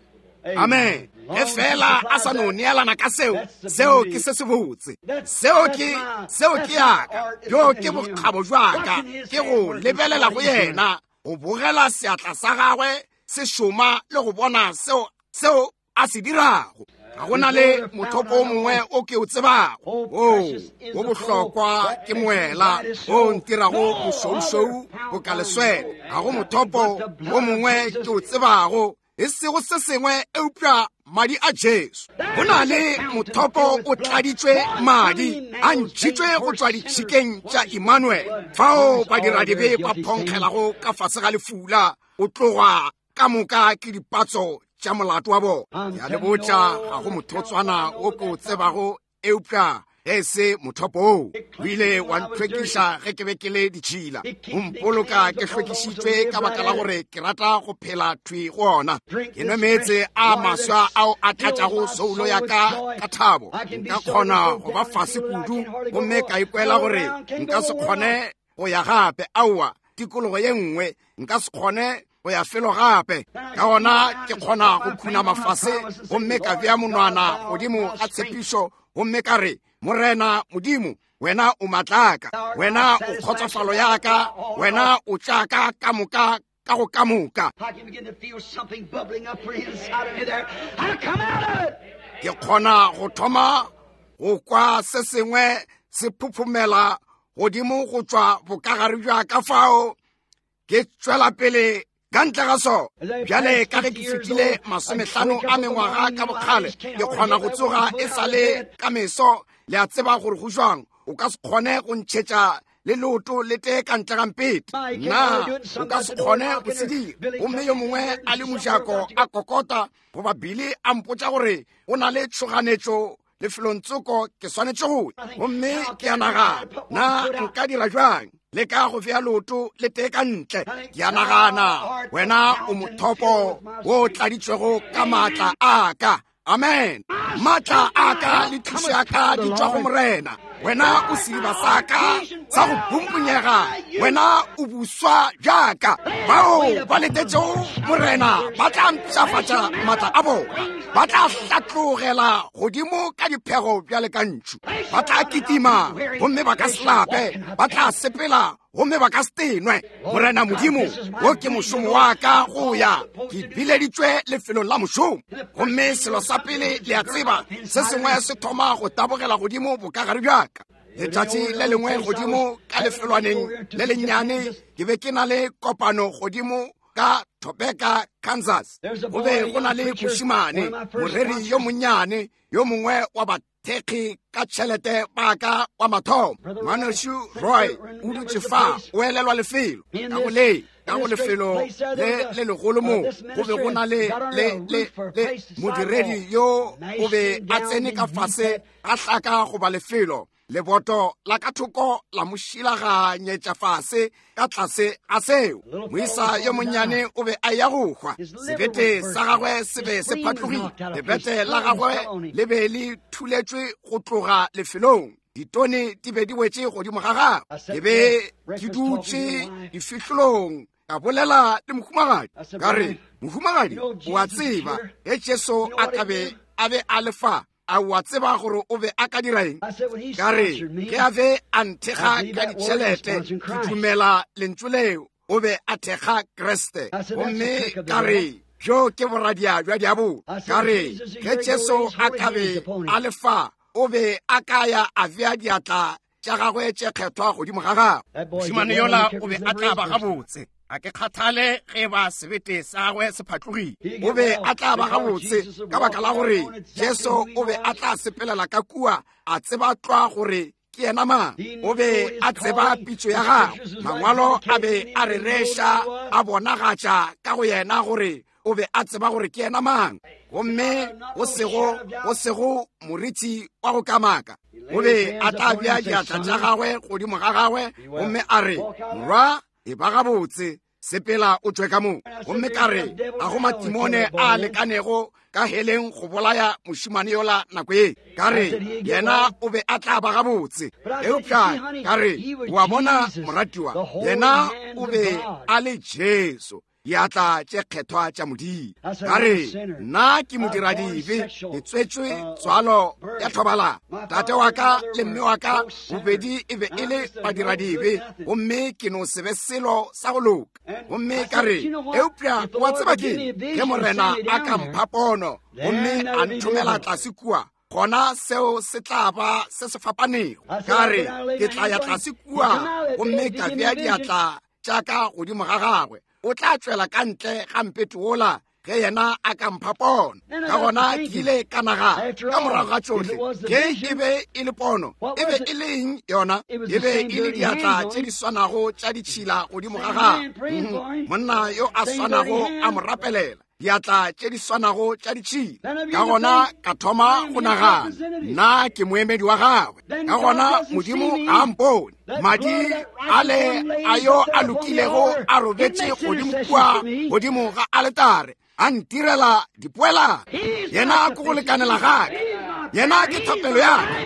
S1: Amen. Ge fela a sa no neelana ka seo, seo ke se sebotse. Seo ke, seo ke yaka. Bjo ke bokgabo bja ka, ke go lebelela go yena, go bogela seatla sa gagwe se šoma le go bona seo, seo a se dirago. Ga go na le mothopo o mongwe o ke o tsebago. O wo bohlokwa ke moela o ntirago mošweušweu boka leswele. Ga go mothopo o mongwe ke o tsebago, e sego se sengwe eupša madi a Jesu. Go na le mothopo o tladitšwe madi a ntšhitšwe go tšwa ditšhikeng tša Emmanuel, fao badiradibe ba phonkgelago ka fase ga lefula, o tloga ka moka ke dipatso tša molato wa bona. Ya le botša, ga go mothotswana wo ke o tsebago eupša ge e se mothopo oo. O ile wa ntlhwekiša ge ke be ke le ditšhila, o mpoloka ke hlwekišitšwe ka baka la gore ke rata go phela thwi go ona. Ke nwe meetse a maswa ao a tlatšago soulo ya ka ka thabo. Nka kgona go ba fase kudu gomme ka ikwela gore nka se kgone go ya gape. Aowa, tikologo ye nngwe nka se kgone go ya felo gape. Ka gona ke kgona go khunama fase gomme ka bea monwana godimo ga tshepišo gomme ka re, Morena Modimo, wena o matlaka, wena o kgotsofalo ya ka, wena o tša ka ka moka ka go ka moka. Ke kgona go thoma go kwa se sengwe se phuphumela godimo go tšwa bokagare bja ka fao ke tšwela pele ka ntle ga sona. Bjale ka ge ke fetile 50 a mengwaga ka bokgale, ke kgona go tsoga e sa le ka meso. Le a tseba gore go jwang, o ka se kgone go ntšhetša le leoto le tee ka ntle ga mpete. Nna, o ka se kgone go se dira. Gomme yo mongwe a le mojako a kokota, goba Billy a mpotša gore o na le tšhoganetšo lefelong tsoko ke swanetše go ya. Gomme ke a nagana, na nka dira bjang? Le ka go bea leoto le tee ka ntle. Ke a nagana, wena o mothopo wo o tladitšwego ka maatla a ka. Amen. Maatla a ka le thušo ya ka di tšwa go Morena. Wena o sediba sa ka sa go pumpunyega, wena o buswa bjaka. Bao ba letetšego Morena ba tla mpshafatša maatla a bona, ba tla hlatlogela godimo ka diphego bjale ka ntšhu, ba tla kitima gomme ba ka se lape, ba tla sepela gomme ba ka se tenwe. Morena Modimo, wo ke mošomo wa ka go ya, ke bileditšwe lefelong la mošomo. Gomme selo sa pele le a tseba, se sengwe se thoma go tabogela godimo bokagare bja ka. Letšatši le lengwe godimo ka lefelwaneng le lennyane, ke be ke na le kopano godimo ka Topeka, Kansas. Go be go na le mošemane, moreri yo monnyane, yo mongwe wa bathekgi ka tšhelete ba ka wa mathomo. Ngwanešu Roy o dutše fa, o elelwa lefelo ka go le ka go lefelo le le legolo mo go be go na le le le le modiredi yo o be a tsene ka fase ga hlaka goba lefelo leboto la ka thoko la mo šilaganyetša fase ka tlase ga seo. Moisa yo monnyane o be a ya go hwa, sebete sa gagwe se be se phatlogile, lebete la gagwe le be le thuletšwe go tloga lefelong. Ditone di be di wetše godimo ga gagwe. Ke be ke dutše difihlolong, ka bolela le mohumagadi, ka re, Mohumagadi, o a tseba ge Jesu a ka be a be a le fa, a o a tseba gore o be a ka dira eng? Ka re, ge a be a nthekga ka ditšhelete, ke dumela lentšu leo, o be a thekga Kriste. Gomme ka re, bjo ke boradia bja diabolo. Ka re, ge Jesu a ka be a le fa, o be a ka ya a bea diatla tša gagwe tše kgethwa godimo ga gagwe.
S2: Mošemane yola o be a tla ba gabotse. A ke kgathale ge ba sebete sa gagwe se phatlogile.
S1: O be a tla ba gabotse ka baka la gore Jesu o be a tla sepelela ka kua a tseba tlwa gore ke yena mang. O be a tseba pitšo ya gagwe. Mangwalo a be a rereša, a bonagatša ka go yena gore o be a tseba gore ke yena mang. Gomme go sego, go sego morithi wa go kamaka, o be a tla bea diatla tša gagwe godimo ga gagwe gomme a re, Morwa, e ba gabotse, sepela o tšwe ka mo. Gomme ka re, ga go matimone a lekanego ka heleng go bolaya mošemane yola nako ye. Ka re, yena o be a tla ba gabotse. Eupša ka re, o a bona, moratiwa, yena o be a le Jesu, diatla tše kgethwa tša Modimo. Ka re, nna ke modiradibe, ke tswetšwe tswalo ya thobalano. Tate wa ka le mme wa ka bobedi e be e le badiradibe, gomme ke no se be selo sa go loka. Gomme ka re, eupša wa tseba ke, ge Morena a ka mpha pono gomme a nthomela tlase kua, gona seo se tla ba se se fapanego. Ka re, ke tla ya tlase kua gomme ka bea diatla tša ka godimo ga gagwe, o tla tšwela ka ntle ga mpete wola ge yena a ka mpha pono. Ka gona ke ile ka nagana, ka morago ga tšohle, ge e be e le pono, e be e le eng yona? E be e le diatla tše di swanago tša ditšhila godimo ga gagwe, monna yo a swanago a mo rapelela, diatla tše di swanago tša ditšhila. Ka gona ka thoma go nagana, nna ke moemedi wa gagwe. Ka gona Modimo ga a mpone. Madi ale a yo a lokilego a robetše godimo kua godimo ga aletare, a ntirela dipoelano. Yena ke go lekanela ga ka, yena ke thapelo ya ka,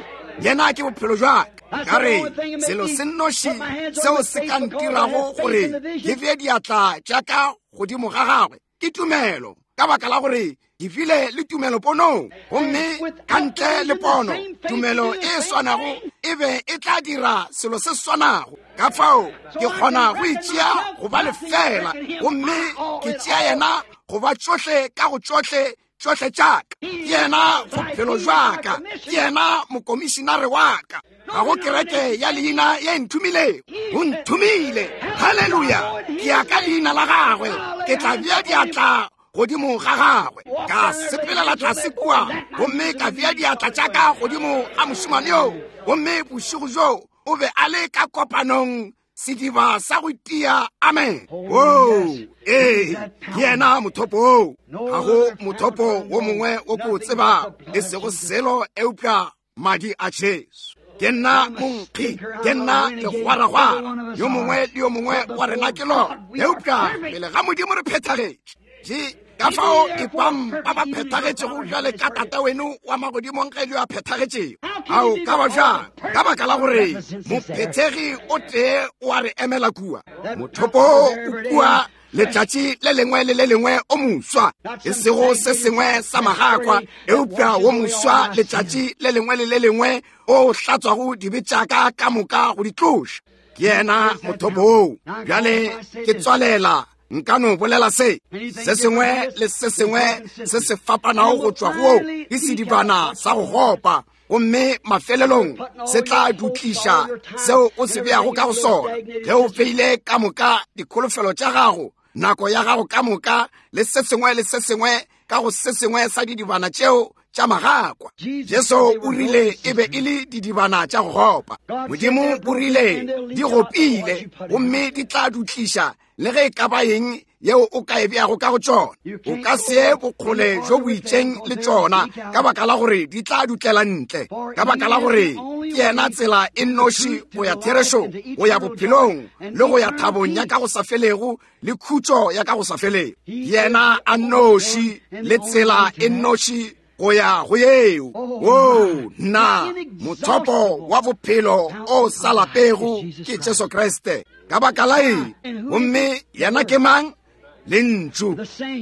S1: yena ke bophelo jwa ka. Ka re, selo se nnoši seo se ka ntirago gore ke bee diatla tša ka godimo ga gagwe ke tumelo, ka baka la gore ke bile le tumelo ponong, gomme ka ntle le pono tumelo e swanago e be e tla dira selo se swanago. Ka fao ke kgona go itšea go ba lefela, gomme ke tšea yena go ba tšohle ka go tšohle, tšohle tša ka. Ke yena bophelo jwa ka, ke yena mokomišinare wa ka. Ga go kereke ya leina ye nthomilego, o nthomile. Haleluya! Ke ya ka leina la gagwe, ke tla bea diatla godimo ga gagwe. Ka sepelela tlase kua gomme ka bea diatla tša ka godimo ga mošemane yo, gomme bošego bjo o be a le ka kopanong sediba sa go tia. Amen. Oo, ee, ke yena mothopo oo. Ga go mothopo wo mongwe wo ke o tsebago, e sego selo eupša madi a Jesu. Ke nna monkgi, ke nna legwaragwara, yo mongwe le yo mongwe wa rena ke lona, eupša pele ga Modimo re phethagetše. Ka fao ipang ba ba phethagetšego bjale ka Tata weno wa magodimong ge yo a phethagetšego. Ao ka ba bjang? Ka baka la gore mophethegi o tee o a re emela kua. Mothopo o kua letšatši le lengwe le le lengwe o moswa, e sego se sengwe sa magakwa, eupša wo moswa letšatši le lengwe le le lengwe o hlatswago dibe tša ka ka moka go di tloša. Ke yena mothopo woo. Bjale ke tswalela, nka no bolela se, se sengwe le se sengwe se se fapanago go tšwa go woo ke sedibana sa go gopa, gomme mafelelong se tla dutliša seo o se beago ka go sona. Ge o beile ka moka dikholofelo tša gago, nako ya gago ka moka, le se sengwe le se sengwe ka go se sengwe sa didibana tšeo tša magakwa. Jesu o rile e be e le didibana tša go gopa. Modimo o rile di gopile gomme di tla dutliša le ge e ka ba eng yeo o ka e beago ka go tšona. O ka se ye bokgole jo bo itšeng le tšona, ka baka la gore di tla dutlela ntle, ka baka la gore ke yena tsela e nnoši go ya therešong, go ya bophelong, le go ya thabong ya ka go sa felego le khutšo ya ka go sa felego. Yena a nnoši le tsela e nnoši go ya go yeo. Oo, nna, mothopo wa bophelo o sa lapego ke Jesu Kriste. Ka baka la eng? Gomme yena ke mang? Lentšu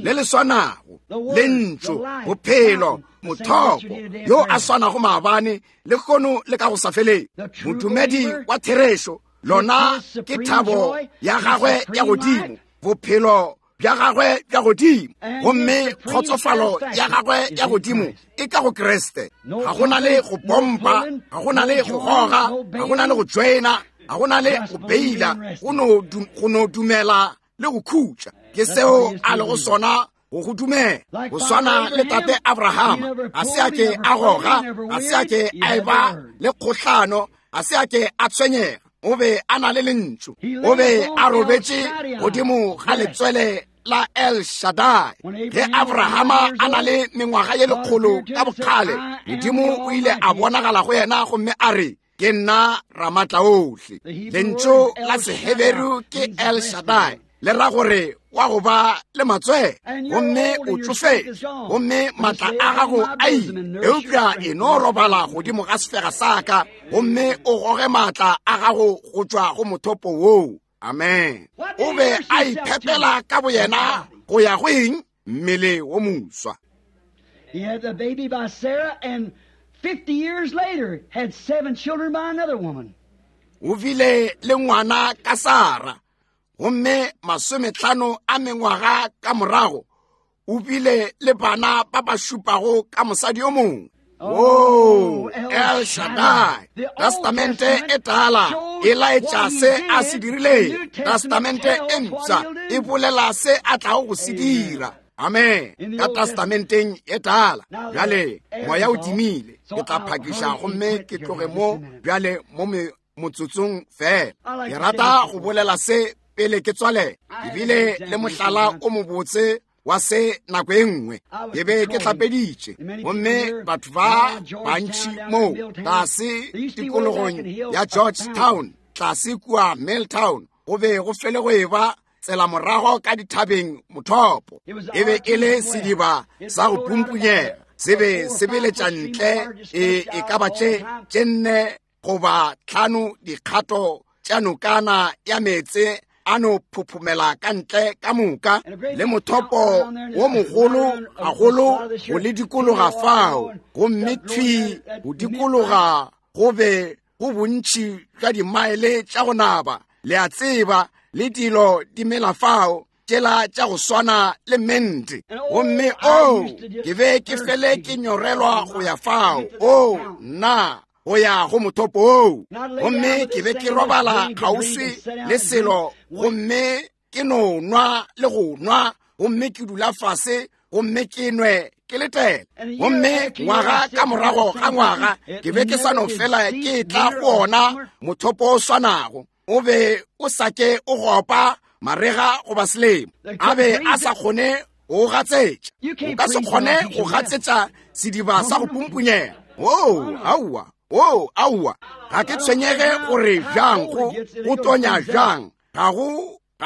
S1: le le swanago, Lentšu, bophelo, mothopo, yo a swanago maabane, lehono le ka go sa feleng. Modumedi wa therešo, lona ke thabo ya gagwe ya godimo, bophelo bja gagwe bja godimo, gomme kgotsofalo ya gagwe ya godimo e ka go Kriste. Ga go na le go pompa, ga go na le go goga, ga go na le go joina, ga go na le go beila, go no dumela le go khutša. Ke seo a lego sona go go dumela. Go swana le tate Abrahama, ga se a ke a goga, ga se a ke a eba le kgohlano, ga se a ke a tshwenyega. O be a na le lentšu, o be a robetše godimo ga letswele la El Shaddai. Ge Abrahama a na le mengwaga ye lekgolo ka bokgale, Modimo o ile a bonagala go yena gomme a re, ke nna Ramatla ohle. Lentšu la Seheberu ke El Shaddai, le ra gore wa go ba le matswele, gomme o tšofetše, gomme maatla a gago a ile, eupša e no robala godimo ga sefega sa ka, gomme o goge maatla a gago go tšwa go mothopo woo. Amen. O be a iphepela ka boyena go ya go eng? Mmele wo moswa.
S3: He had the baby by Sarah, and 50 years later had 7 children by another woman.
S1: O bile le ngwana ka Sara, gomme 50 a mengwaga ka morago o bile le bana ba ba šupago ka mosadi yo mongwe. Oh, El Shaddai. Testamente e tala e laetša se a se dirileng. Testamente e mpsha e bolela se a tlago go se dira. Amen. Ka testamenteng e tala. Bjale moya o timile, ke tla phakiša gomme ke tloge mo bjale mo motsotsong fela. Ke rata go bolela se pele ke tswalela. Ke bile le mohlala o mobotse wa se nako e nngwe. Ke be ke hlapeditše, gomme batho ba bantši mo tlase tikologong ya Georgetown, tlase kua Milltown, go be go fele go eba tsela morago ka dithabeng mothopo. E be e le sediba sa go pumpunyega, se be se beletša ntle e ka ba tše 4 goba 5 dikgato tša nokana ya meetse a no phophomela ka ntle ka moka, le mothopo wo mogolo gagolo go le dikologa fao, gomme thwi go dikologa go be go bontši bja dimaele tša go naba, le a tseba, le dilo di mela fao tšela tša go swana le mente. Gomme o, ke be ke fele ke nyorelwa go ya fao, o nna, go ya go mothopo oo. Gomme ke be ke robala kgauswi le selo, gomme ke no nwa le go nwa, gomme ke dula fase, gomme ke nwe ke letela. Gomme ngwaga ka morago ga ngwaga ke be ke sa no fela ke tla go ona mothopo o swanago. O be o sa ke o gopa marega goba selemo, a be a sa kgone go gatsetša. O ka se kgone go gatsetša sediba sa go pumpunyega. Oo, aowa, oo, aowa. Ga ke tshwenyege gore bjang go tonya bjang, ga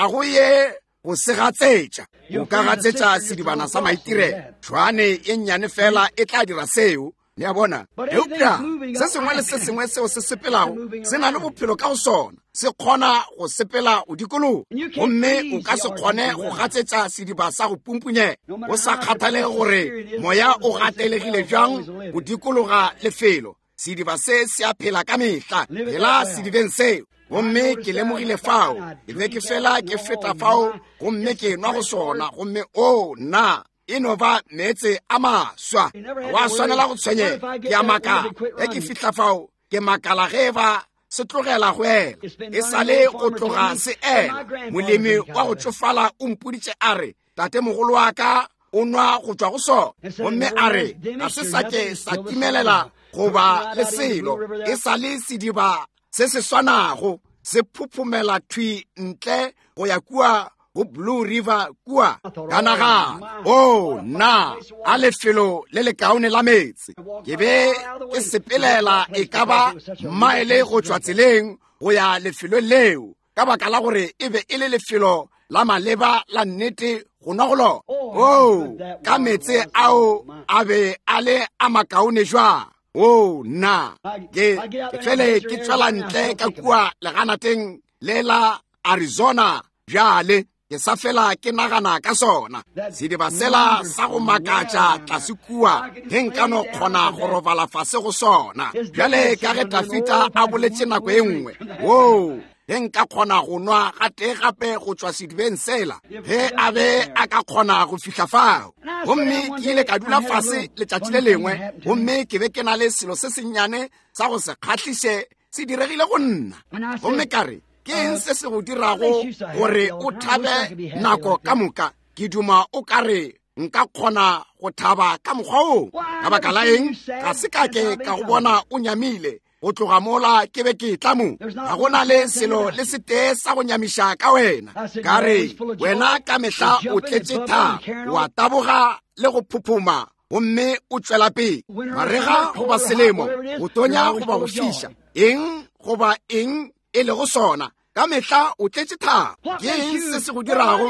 S1: go ye go se gatsetša. O ka gatsetša sedibana sa maitirelo, tšhwane e nnyane fela e tla dira seo. Le a bona? Eupša se sengwe le se sengwe seo se sepelago se na le bophelo ka go sona, se kgona go sepela go dikologa, gomme o ka se kgone go gatsetša sediba sa go pumpunyega, go sa kgathalege gore moya o gatelegile bjang go dikologa lefelo. Sediba se se a phela ka mehla, phela sedibeng seo. Gomme ke lemogile fao, ke be ke fela ke feta fao, gomme ke nwa go sona, gomme o nna, e no ba meetse a maswa. Wa swanela go tshwenyega. Ke a makala ge ke fihla fao, ke makala ge ba se tlogela go ela. E sale go tloga se ela. Molemi wa go tšofala o mpoditše a re, tate mogolo wa ka o nwa go tšwa go sona, gomme a re ga se sa ke sa timelela goba le selo, e sa le sediba se se swanago se phophomela thwi ntle go ya kua go Blue River kua. Ka nagana, o nna, a lefelo le lekaone la meetse. Ke be ke sepelela e ka ba maele go tšwa tseleng go ya lefelong leo, ka baka la gore e be e le lefelo la maleba la nnete go nwa go lona. Oo, ka meetse ao a be a le a makaone jwang. Oo, nna ke fele ke tswela ntle ka kua leganateng le la Arizona bjale. Ke sa fela ke nagana ka sona sediba sela sa go makatša tlase kua, ge nka no kgona go robala fase go sona. Bjale ka ge Dafita a boletše nako e nngwe, woo, ge nka kgona go nwa gatee gape go tšwa sedibeng sela, ge a be a ka kgona go fihla fao. Gomme ke ile ka dula fase letšatši le lengwe, gomme ke be ke na le selo se sennyane sa go se kgahliše se diregile go nna. Gomme ka re, ke eng se se go dirago gore o thabe nako ka moka? Ke duma o ka re nka kgona go thaba ka mokgwa wo. Ka baka la eng? Ga se ka ke ka go bona o nyamile go tloga mola ke be ke tla mo. Ga go na le selo le setee sa go nyamiša ka wena. Ka re, wena ka mehla o tletše thabo, wa taboga le go phophoma, gomme o tšwela pele. Marega goba selemo, go tonya goba go fiša, eng goba eng e lego sona, ka mehla o tletše thabo. Ke eng se se go dirago?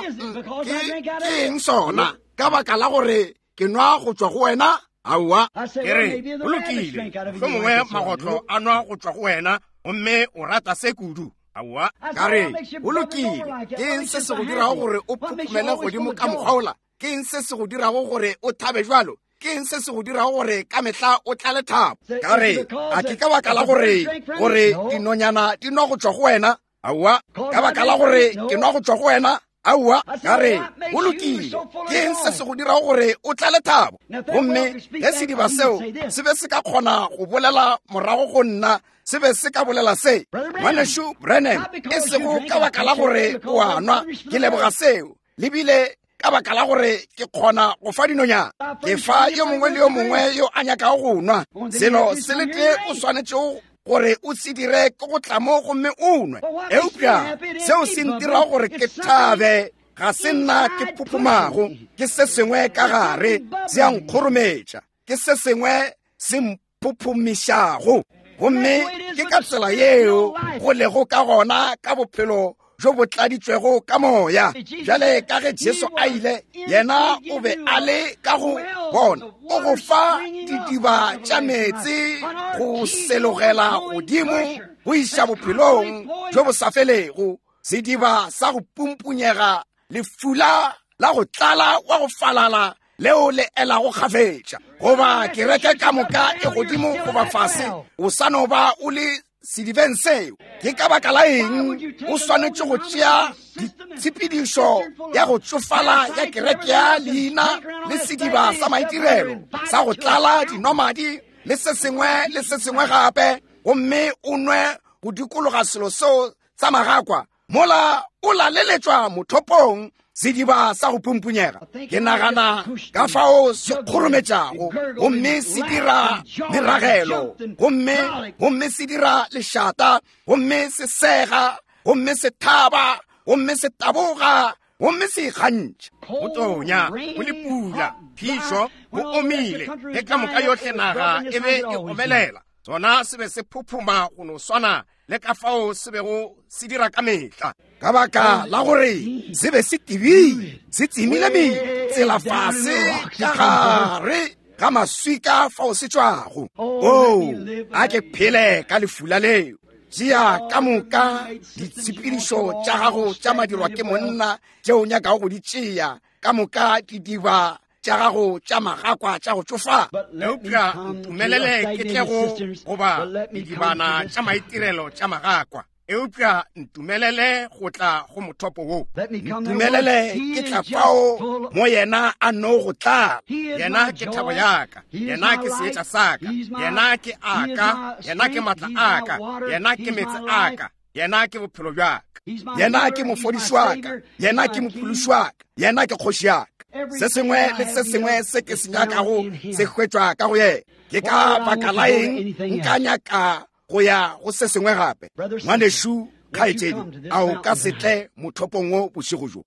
S1: Ke eng sona? Ka baka la gore ke nwa go tšwa go wena?
S2: Aowa. Ke re, go lokile, mohlomongwe magotlo a nwa go tšwa go wena, gomme o rata se kudu. Aowa.
S1: Ka re, go lokile, ke eng se se go dirago gore o phuphumele godimo ka mokgwa ola? Ke eng se se go dirago gore o thabe jwalo? Ke eng se se go dirago gore ka mehla o tlale thabo? Ka re, a ke ka baka la gore gore dinonyana di nwa go tšwa go wena? Aowa. Ka baka la gore ke nwa go tšwa go wena? Aowa. Ka re, go lokile, ke eng se se go dirago gore o tlale thabo? Gomme ge sediba seo se be se ka kgona go bolela morago go nna, se be se ka bolela se, Ngwanešu Branham, e sego ka baka la gore o a nwa, ke leboga seo, le bile ka baka la gore ke kgona go fa dinonyana, ke fa yo mongwe le yo mongwe yo a nyakago go nwa. Selo se le tee o swanetšego gore o se dire ke go tla mo gomme o nwe. Eupša seo se ntirago gore ke thabe ga se nna ke phophomago, ke se sengwe ka gare se a nkgorometša, ke se sengwe se phophomišago. Gomme ke ka tsela yeo go lego ka gona ka bophelo jo bo tladitšwego ka moya. Bjale ka ge Jesu a ile, yena o be a le ka go bona, o go fa didiba tša meetse go selogela godimo go iša bophelong jo bo sa felego, sediba sa go pumpunyega, lefula la go tlala wa go falala leo le elago kgafetša. Goba kereke ka moka e godimo goba fase, o sa no ba o le sedibeng seo. Ke ka baka la eng o swanetše go tšea ditshepedišo ya go tšofala ya kereke ya leina le sediba sa maitirelo sa go tlala dinomadi le se sengwe le se sengwe gape, gomme o nwe go dikologa selo seo sa magakwa mola o laleletšwa mothopong sediba sa go pumpunyega? Ke nagana ka fao se kgorometšago, gomme se dira meragelo, gomme se dira lešata, gomme se sega, gomme se thaba, gomme se taboga, gomme se ikgantšha.
S2: Go tonya, go le pula, phišo, go omile, ge ka moka yohle naga e be e omelela, sona se be se phophoma go no swana le ka fao se bego se dira ka mehla.
S1: Ka baka la gore se be se tebile, se tsemile metsela fase ka gare ga maswika fao se tšwago. Oo, a ke phele ka lefula leo. Tšea ka moka ditshepedišo tša gago tša madirwa ke monna tšeo o nyakago go di tšea, ka moka didiba tša gago tša magakwa tša go tšofala.
S2: Eupša ntumelele ke tle go goba didibana tša maitirelo tša magakwa. Eupša ntumelele go tla go mothopo wo.
S1: Ntumelele ke tla fao mo yena a no go tlala.
S2: Yena ke thabo ya ka, yena ke seetša sa ka, yena ke aka, yena ke matla a ka, yena ke meetse a ka, yena ke bophelo bja ka.
S1: Yena ke mofodiši wa ka, yena ke mophološi wa ka, yena ke kgoši ya ka. Se sengwe le se sengwe se ke se nyakago se hwetšwa ka go yena. Ke ka baka la eng nka nyaka go ya go se sengwe gape? Ngwanešu kgaetšedi, a o ka se tle mothopong wo bošego bjo?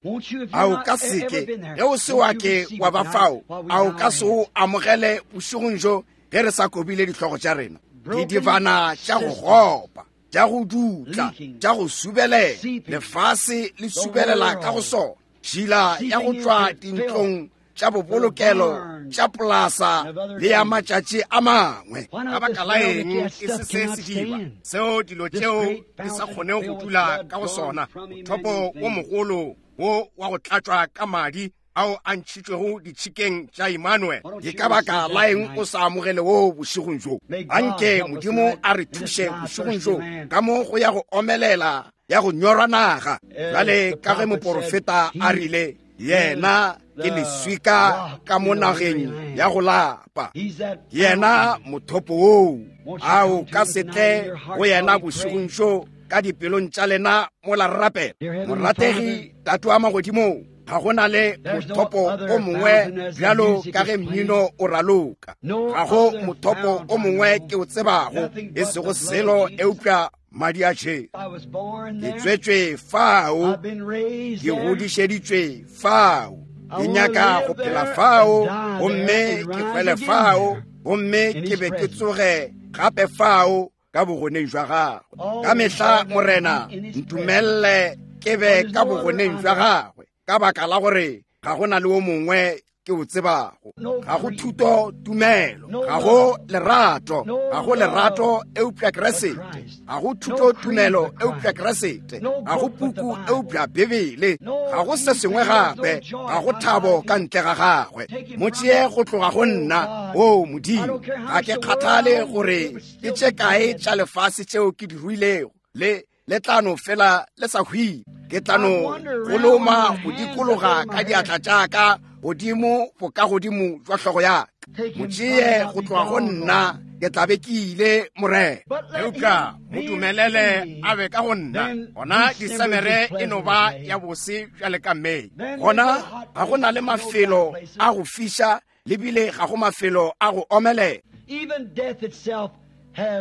S1: A o ka se ke, ge o se wa ke wa ba fao, a o ka se o amogele bošegong bjo ge re sa kobile dihlogo tša rena? Didibana tša go gopa, tša go dutla, tša go subelela, lefase le subelela ka go sona.
S2: Tšhila ya go tšwa dintlong tša bobolokelo tša polasa le ya matšatši a mangwe. Ka baka la eng e se se sediba seo dilo tšeo di sa kgoneng go dula ka go sona, mothopo wo mogolo wo wa go tlatšwa ka madi ao a ntšhitšwego ditšhikeng tša Emmanuel? Ke ka baka la eng o sa amogele woo bošegong bjo? Anke Modimo a re thuše bošegong bjo ka mo go ya go omelela ya go nyorwa naga. Bjale ka ge moporofeta a rile, yena ke leswika ka mo nageng ya go lapa, yena mothopo woo. A o ka se tle go yena bošegong bjo ka dipelong tša lena mola re rapela? Morategi Tate wa magodimong, ga go na le mothopo o mongwe bjalo ka ge mmino o raloka. Ga go mothopo o mongwe ke o tsebago, e sego selo eupša madi a Jesu. Ke tswetšwe fao, ke godišeditšwe fao, ke nyaka go phela fao, gomme ke hwele fao, gomme ke be ke tsoge gape fao ka bogoneng jwa gagwe. Ka mehla, Morena, ntumelle ke be ka bogoneng jwa gagwe, ka baka la gore ga go na le o mongwe ke o tsebago. Ga go thuto tumelo, ga go lerato, ga go lerato eupša Kriste, ga go thuto tumelo eupša Kriste, ga go puku eupša Bibele, ga go se sengwe gape, ga go thabo ka ntle ga gagwe. Mo tšee go tloga go nna, o Modimo. Ga ke kgathale gore ke tše kae tša lefase tšeo ke di ruilego, le le tla no fela le sa hwile. Ke tla no goloma go dikologa ka diatla tša ka godimo bokagodimo jwa hlogo ya ka. Mo tšee go tloga go nna, ke tla be ke ile, Morena. Eupša mo dumelele a be ka go nna, gona Disemere e no ba ya bose bjale ka Mei. Gona ga go na le mafelo a go fiša, le bile ga go mafelo a go omelela.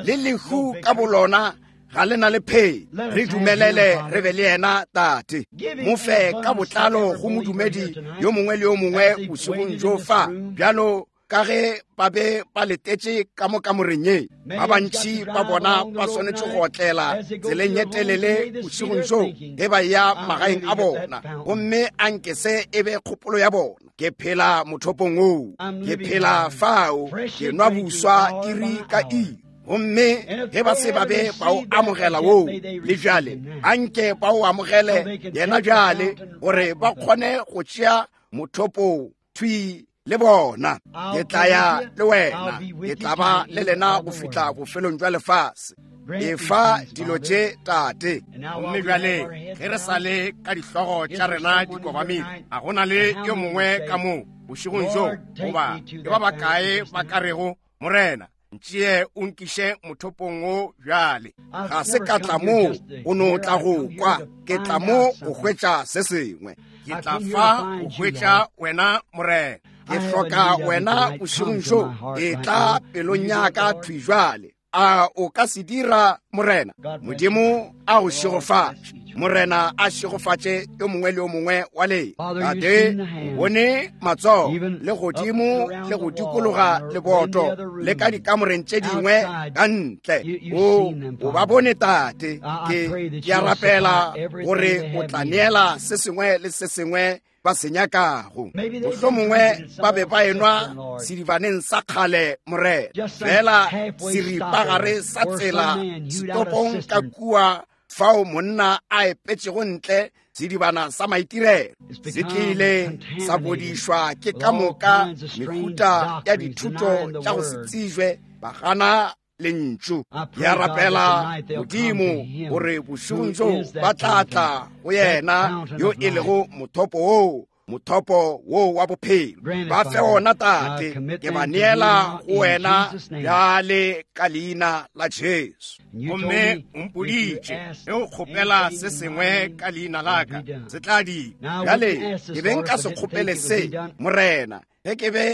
S2: Le lehu ka bolona ga le na le phei. Re dumelele re be le yena, Tate. Mo fe ka botlalo go modumedi yo mongwe le yo mongwe bošegong bjo fa, bjalo ka ge ba be ba letetše ka mo kamoreng ye. Ba bantši ba bona ba swanetše go otlela tseleng ye telele bošegong bjo ge ba eya magaeng a bona, gomme anke se e be kgopolo ya bona. Ke phela mothopong woo, ke phela fao, ke nwa buswa iri ka iri. Gomme ge ba se ba be ba o amogela woo le bjale, anke ba o amogele yena bjale, gore ba kgone go tšea mothopo thwi le bona. Ke tla ya le wena, ke tla ba le lena go fihla bofelong jwa lefase. Efa dilo tše, Tate. Gomme bjale ge re sa le ka dihlogo tša rena di kobamile, a go na le yo mongwe ka mo bošegong bjo, goba ke ba bakae ba ka rego, Morena, ntšee o nkiše mothopong wo bjale? Ga se ka tla mo o no tla go kwa, ke tla mo go hwetša se sengwe. Ke tla fa go hwetša wena, Morena. Ke hloka wena bošegong bjo. Etla pelong ya ka thwi bjale. A o ka se dira, Morena? Modimo a go šegofatše. Morena a šegofatše yo mongwe le yo mongwe wa lena. Tate, o bone matsogo le godimo le go dikologa leboto le ka dikamoreng tše dingwe ka ntle. O ba bone, Tate. Ke a rapela gore o tla neela se sengwe le se sengwe ba se nyakago. Mohlomongwe ba be ba enwa sedibaneng sa kgale, Morena, fela seripagare sa tsela setopong ka kua fao monna a epetšego ntle sedibana sa maitirelo, se tlile sa bodišwa ke ka moka mehuta ya dithuto tša go se tsejwe, ba gana lentšu. Ke a rapela, Modimo, gore bošegong bjo ba tla tla go yena yo e lego mothopo woo, mothopo woo wa bophelo. Ba fe ona, Tate. Ke ba neela go wena bjale ka leina la Jesu. Gomme o mpoditše, ge o kgopela se sengwe ka leina la ka, se tla dirwa. Bjale ke be nka se kgopele se, Morena, ge ke be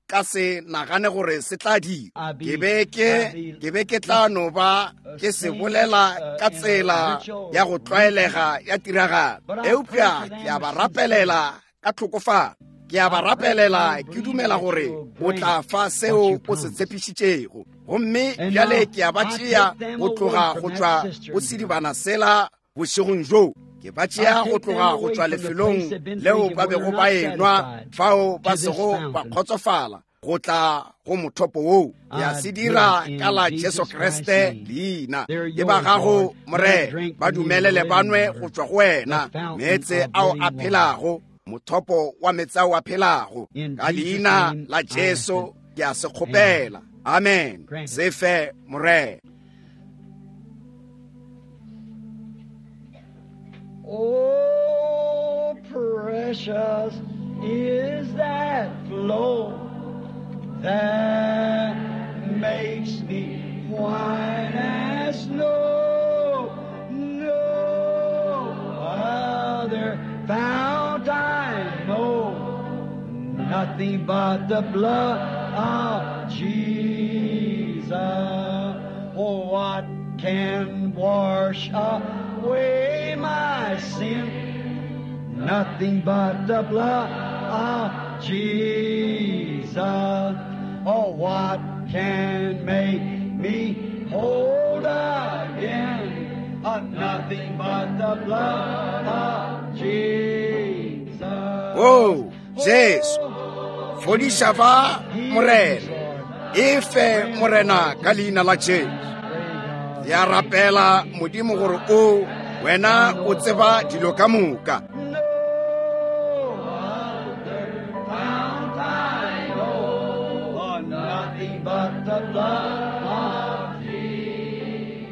S2: ka se nagane gore se tla dira. Ke be ke, ke be ke tla no ba ke se bolela ka tsela ya go tlwaelega ya tiragalo, eupša ke a ba rapelela ka tlhokofalo. Ke a ba rapelela ke dumela gore o tla fa seo o se tshepišitšego. Gomme bjale ke a ba tšea go tloga go tšwa go sedibana sela bošegong bjo. Ke ba tšea go tloga go tšwa lefelong leo ba bego ba enwa fao ba sego ba kgotsofala go tla go mothopo woo. Ya se dira ka la Jesu Kriste leina. Ke ba gago, Morena, ba dumelele ba nwe go tšwa go wena meetse ao a phelago, mothopo wa meetse ao a phelago. Ka leina la Jesu ke a se kgopela. Amen. Se fe, Morena.
S3: Oh, precious is that flow that makes me white as snow. No other fount I know, nothing but the blood of Jesus. Oh, what can wash away my sin? Nothing but the blood of Jesus. Oh, what can make me whole again? Oh, nothing but the blood of Jesus.
S2: Oh, Jesu, fodiša ba Morena, e fe Morena ka leina la Jesu. Ya rapela Modimo gore o wena o tseba dilo ka moka.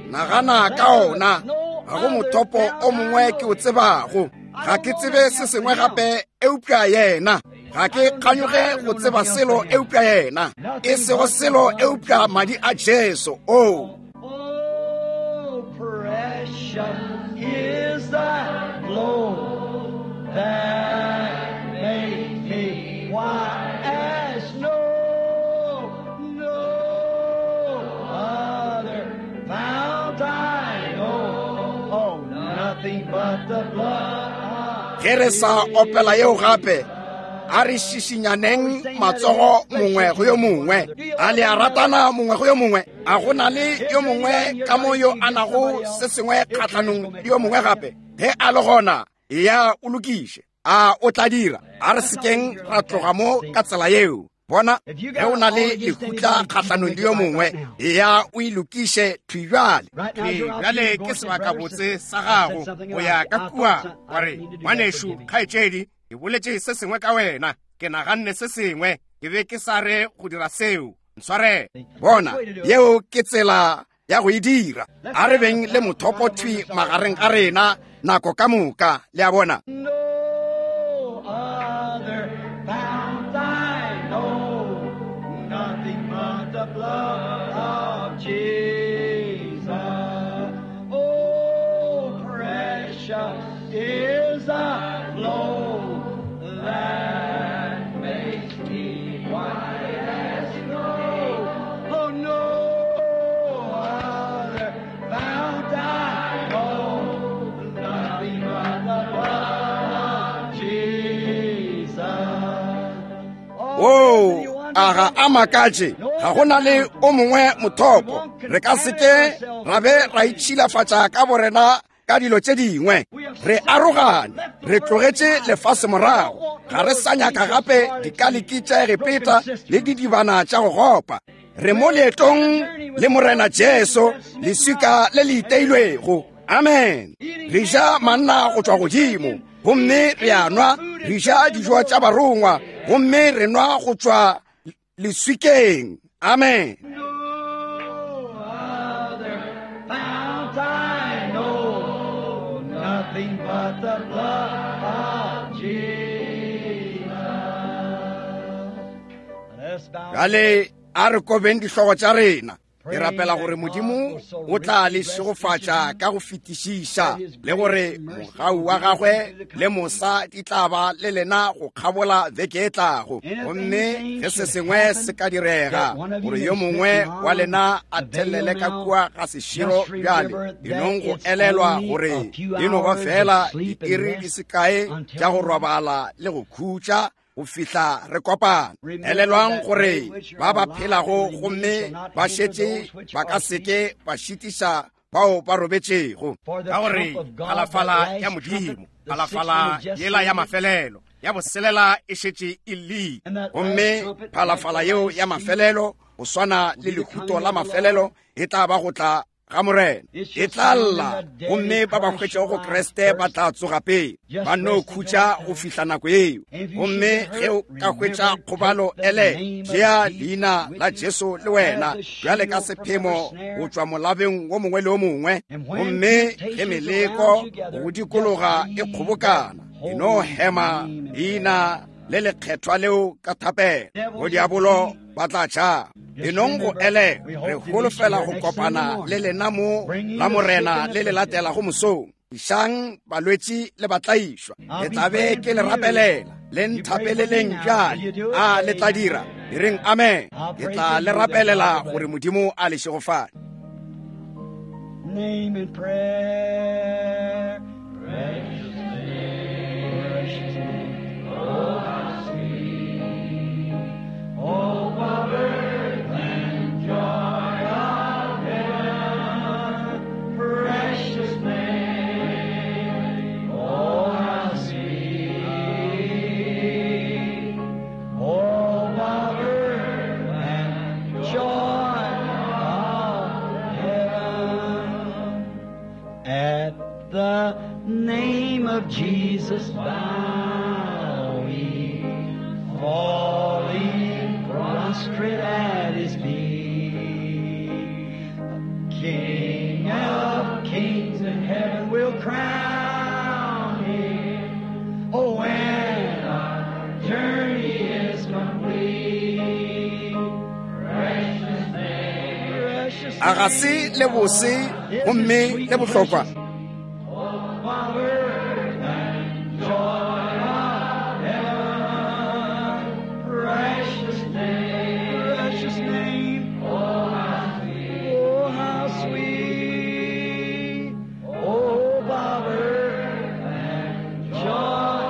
S2: Nagana ka ona, ga go mothopo o mongwe ke o tsebago. Ga ke tsebe se sengwe gape eupša yena. Ga ke kganyoge go tseba selo eupša yena. E sego selo eupša madi a Jesu. Oh.
S3: Oh, precious is that flow that makes me white as snow. No other fount I know. Oh, nothing but the blood.
S2: Ge re sa opela yeo gape, a re šišinyaneng matsogo mongwe go yo mongwe. A le a ratana mongwe go yo mongwe? A go na le yo mongwe ka mo yo a nago se sengwe kgahlanong le yo mongwe gape? Ge a le gona, eya o lokiše. A o tla dira? A re sekeng ra tloga mo ka tsela yeo. Bona, ge o na le lehutla kgahlanong le yo mongwe, eya o e lokiše thwi bjale. Thwi bjale ke sebakabotse sa gago go ya ka kua wa re, ngwanešu, kgaetšedi, ke boletše se sengwe ka wena, ke naganne se sengwe, ke be ke sa re go dira seo, ntshwarele. Bona, yeo ke tsela ya go e dira. A re beng le mothopo thwi magareng ga rena nako ka moka, le a bona.
S3: No other fount I know, nothing but the blood of Jesus. Oh, precious is the flow that makes me white as snow. Oh, no other fount I know, nothing but the blood of Jesus.
S2: Oh, a ga a makatše, ga go na le o mongwe mothopo. Re ka se ke ra be ra itšhilafatša ka borena ka dilo tše dingwe. Re arogane, re tlogetše lefase morago. Ga re sa nyaka gape dikaliki tša Egepeta le didibana tša go gopa. Re mo leetong le Morena Jesu, leswika le le iteilwego. Amen. Re ja manna go tšwa godimo, gomme re a nwa. Re ja dijo tša barongwa, gomme re nwa go tšwa leswikeng. Amen.
S3: No other fount I know, nothing but the blood of Jesus. Let's bow.
S2: Bjale a re kobeng dihlogo tša rena. Ke rapela gore Modimo o tla le šegofatša ka go fetišiša, le gore mogau wa gagwe le mosa di tla ba le lena go kgabola beke e tlago. Gomme ge se sengwe se ka direga gore yo mongwe wa lena a thelele ka kua ga seširo bjale, e nong go elelwa gore e no ba fela diiri di se kae tša go robala le go khutša go fihla re kopana. Elelwang gore ba ba phelago gomme ba šetše ba ka seke ba šitiša bao ba robetšego. Ka gore phalafala ya Modimo, phalafala yela ya mafelelo, ya boselela e šetše e llile. Gomme phalafala yeo ya mafelelo, go swana le lehuto la mafelelo, e tla ba go tla ga Morena. E tla lla, gomme ba ba hwetšego go Kriste ba tla tsoga pele. Ba no khutša go fihla nako yeo. Gomme ge o ka hwetša kgobalo, ele tšea leina la Jesu le wena bjale ka sephemo go tšwa molabeng wo mongwe le wo mongwe. Gomme ge meleko go dikologa e kgobokana, e no hema leina le lekgethwa leo ka thapelo. Bodiabolo ba tla tšhaba. Enong go ele, re holofela go kopana le lena mo la Morena le le latelago mosong. Išang balwetši le batlaišwa. Ke tla be ke le rapelela. Le nthapeleleng bjale. A le tla dira? E reng amen. Ke tla le rapelela gore Modimo a le šegofale.
S3: Name in prayer. Precious name, precious name. Oh, how sweet. Oh, earth and joy of heaven. Precious name. Oh, how sweet. Oh, earth and joy of heaven. At the name of Jesus bow we, falling prostrate at his feet. King of kings in heaven will crown him. Oh, when our journey is complete. Precious name, precious
S2: A ga se le bose gomme le bohlokwa?
S3: Precious name, precious name. Oh, how sweet. Oh, power and joy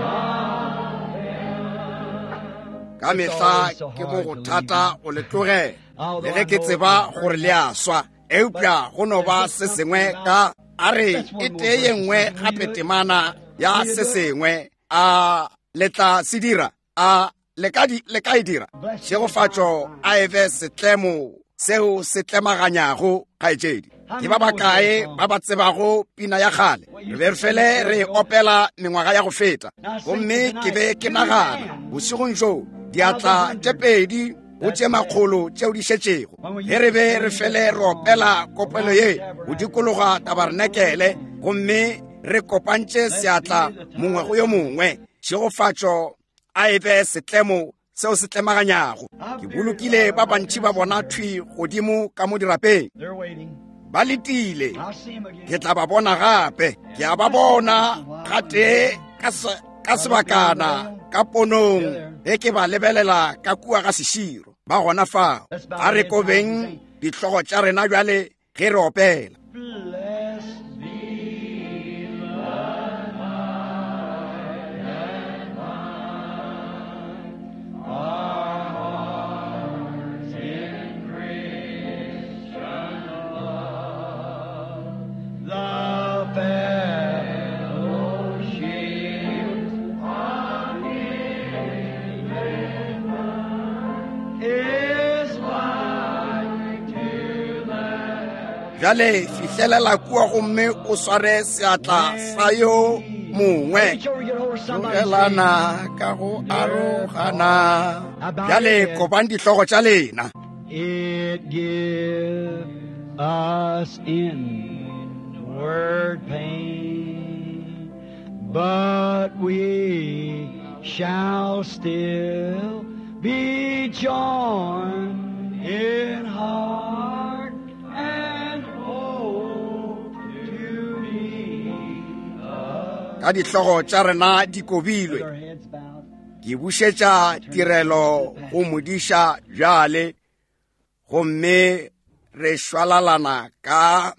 S3: of heaven.
S2: Ka mehla ke mo go thata go le tlogela, le ge ke tseba gore le a swa, eupša go no ba se sengwe ka a re e tee ye nngwe gape temana ya se sengwe. A le tla se dira? A le ka e dira? Tšhegofatšo a e be setlemo seo se tlemaganyago, kgaetšedi. Ke ba bakae ba ba tsebago pina ya kgale? Re be re fele re opela mengwaga ya go feta. Gomme ke be ke nagana bošegong bjo, diatla tše pedi go tše makgolo tšeo di šetšego, ge re be re fele re opela kopelo ye go dikologa tabarenekele, gomme re kopantše seatla mongwe go yo mongwe. Tšhegofatšo a e be setlemo seo se tlemaganyago. Ke bolokile ba bantši ba bona thwi godimo ka mo dirapeng, ba letile. Ke tla ba bona gape. Ke a ba bona gatee ka sebakana ka ponong ge ke ba lebelela ka kua ga seširo. Ba gona fao. A re kobeng dihlogo tša rena bjale ge re opela. Bjale fihlelela kua gomme o sware seatla sa yo mongwe. Tlogelana ka go arogana. Bjale kobang dihlogo tša lena.
S3: It give us inward pain, but we shall still be joined in heart and hope to be.
S2: Ka dihlogo tša rena di kobilwe, ke bušetša tirelo go modiša bjale, gomme re šwalalana ka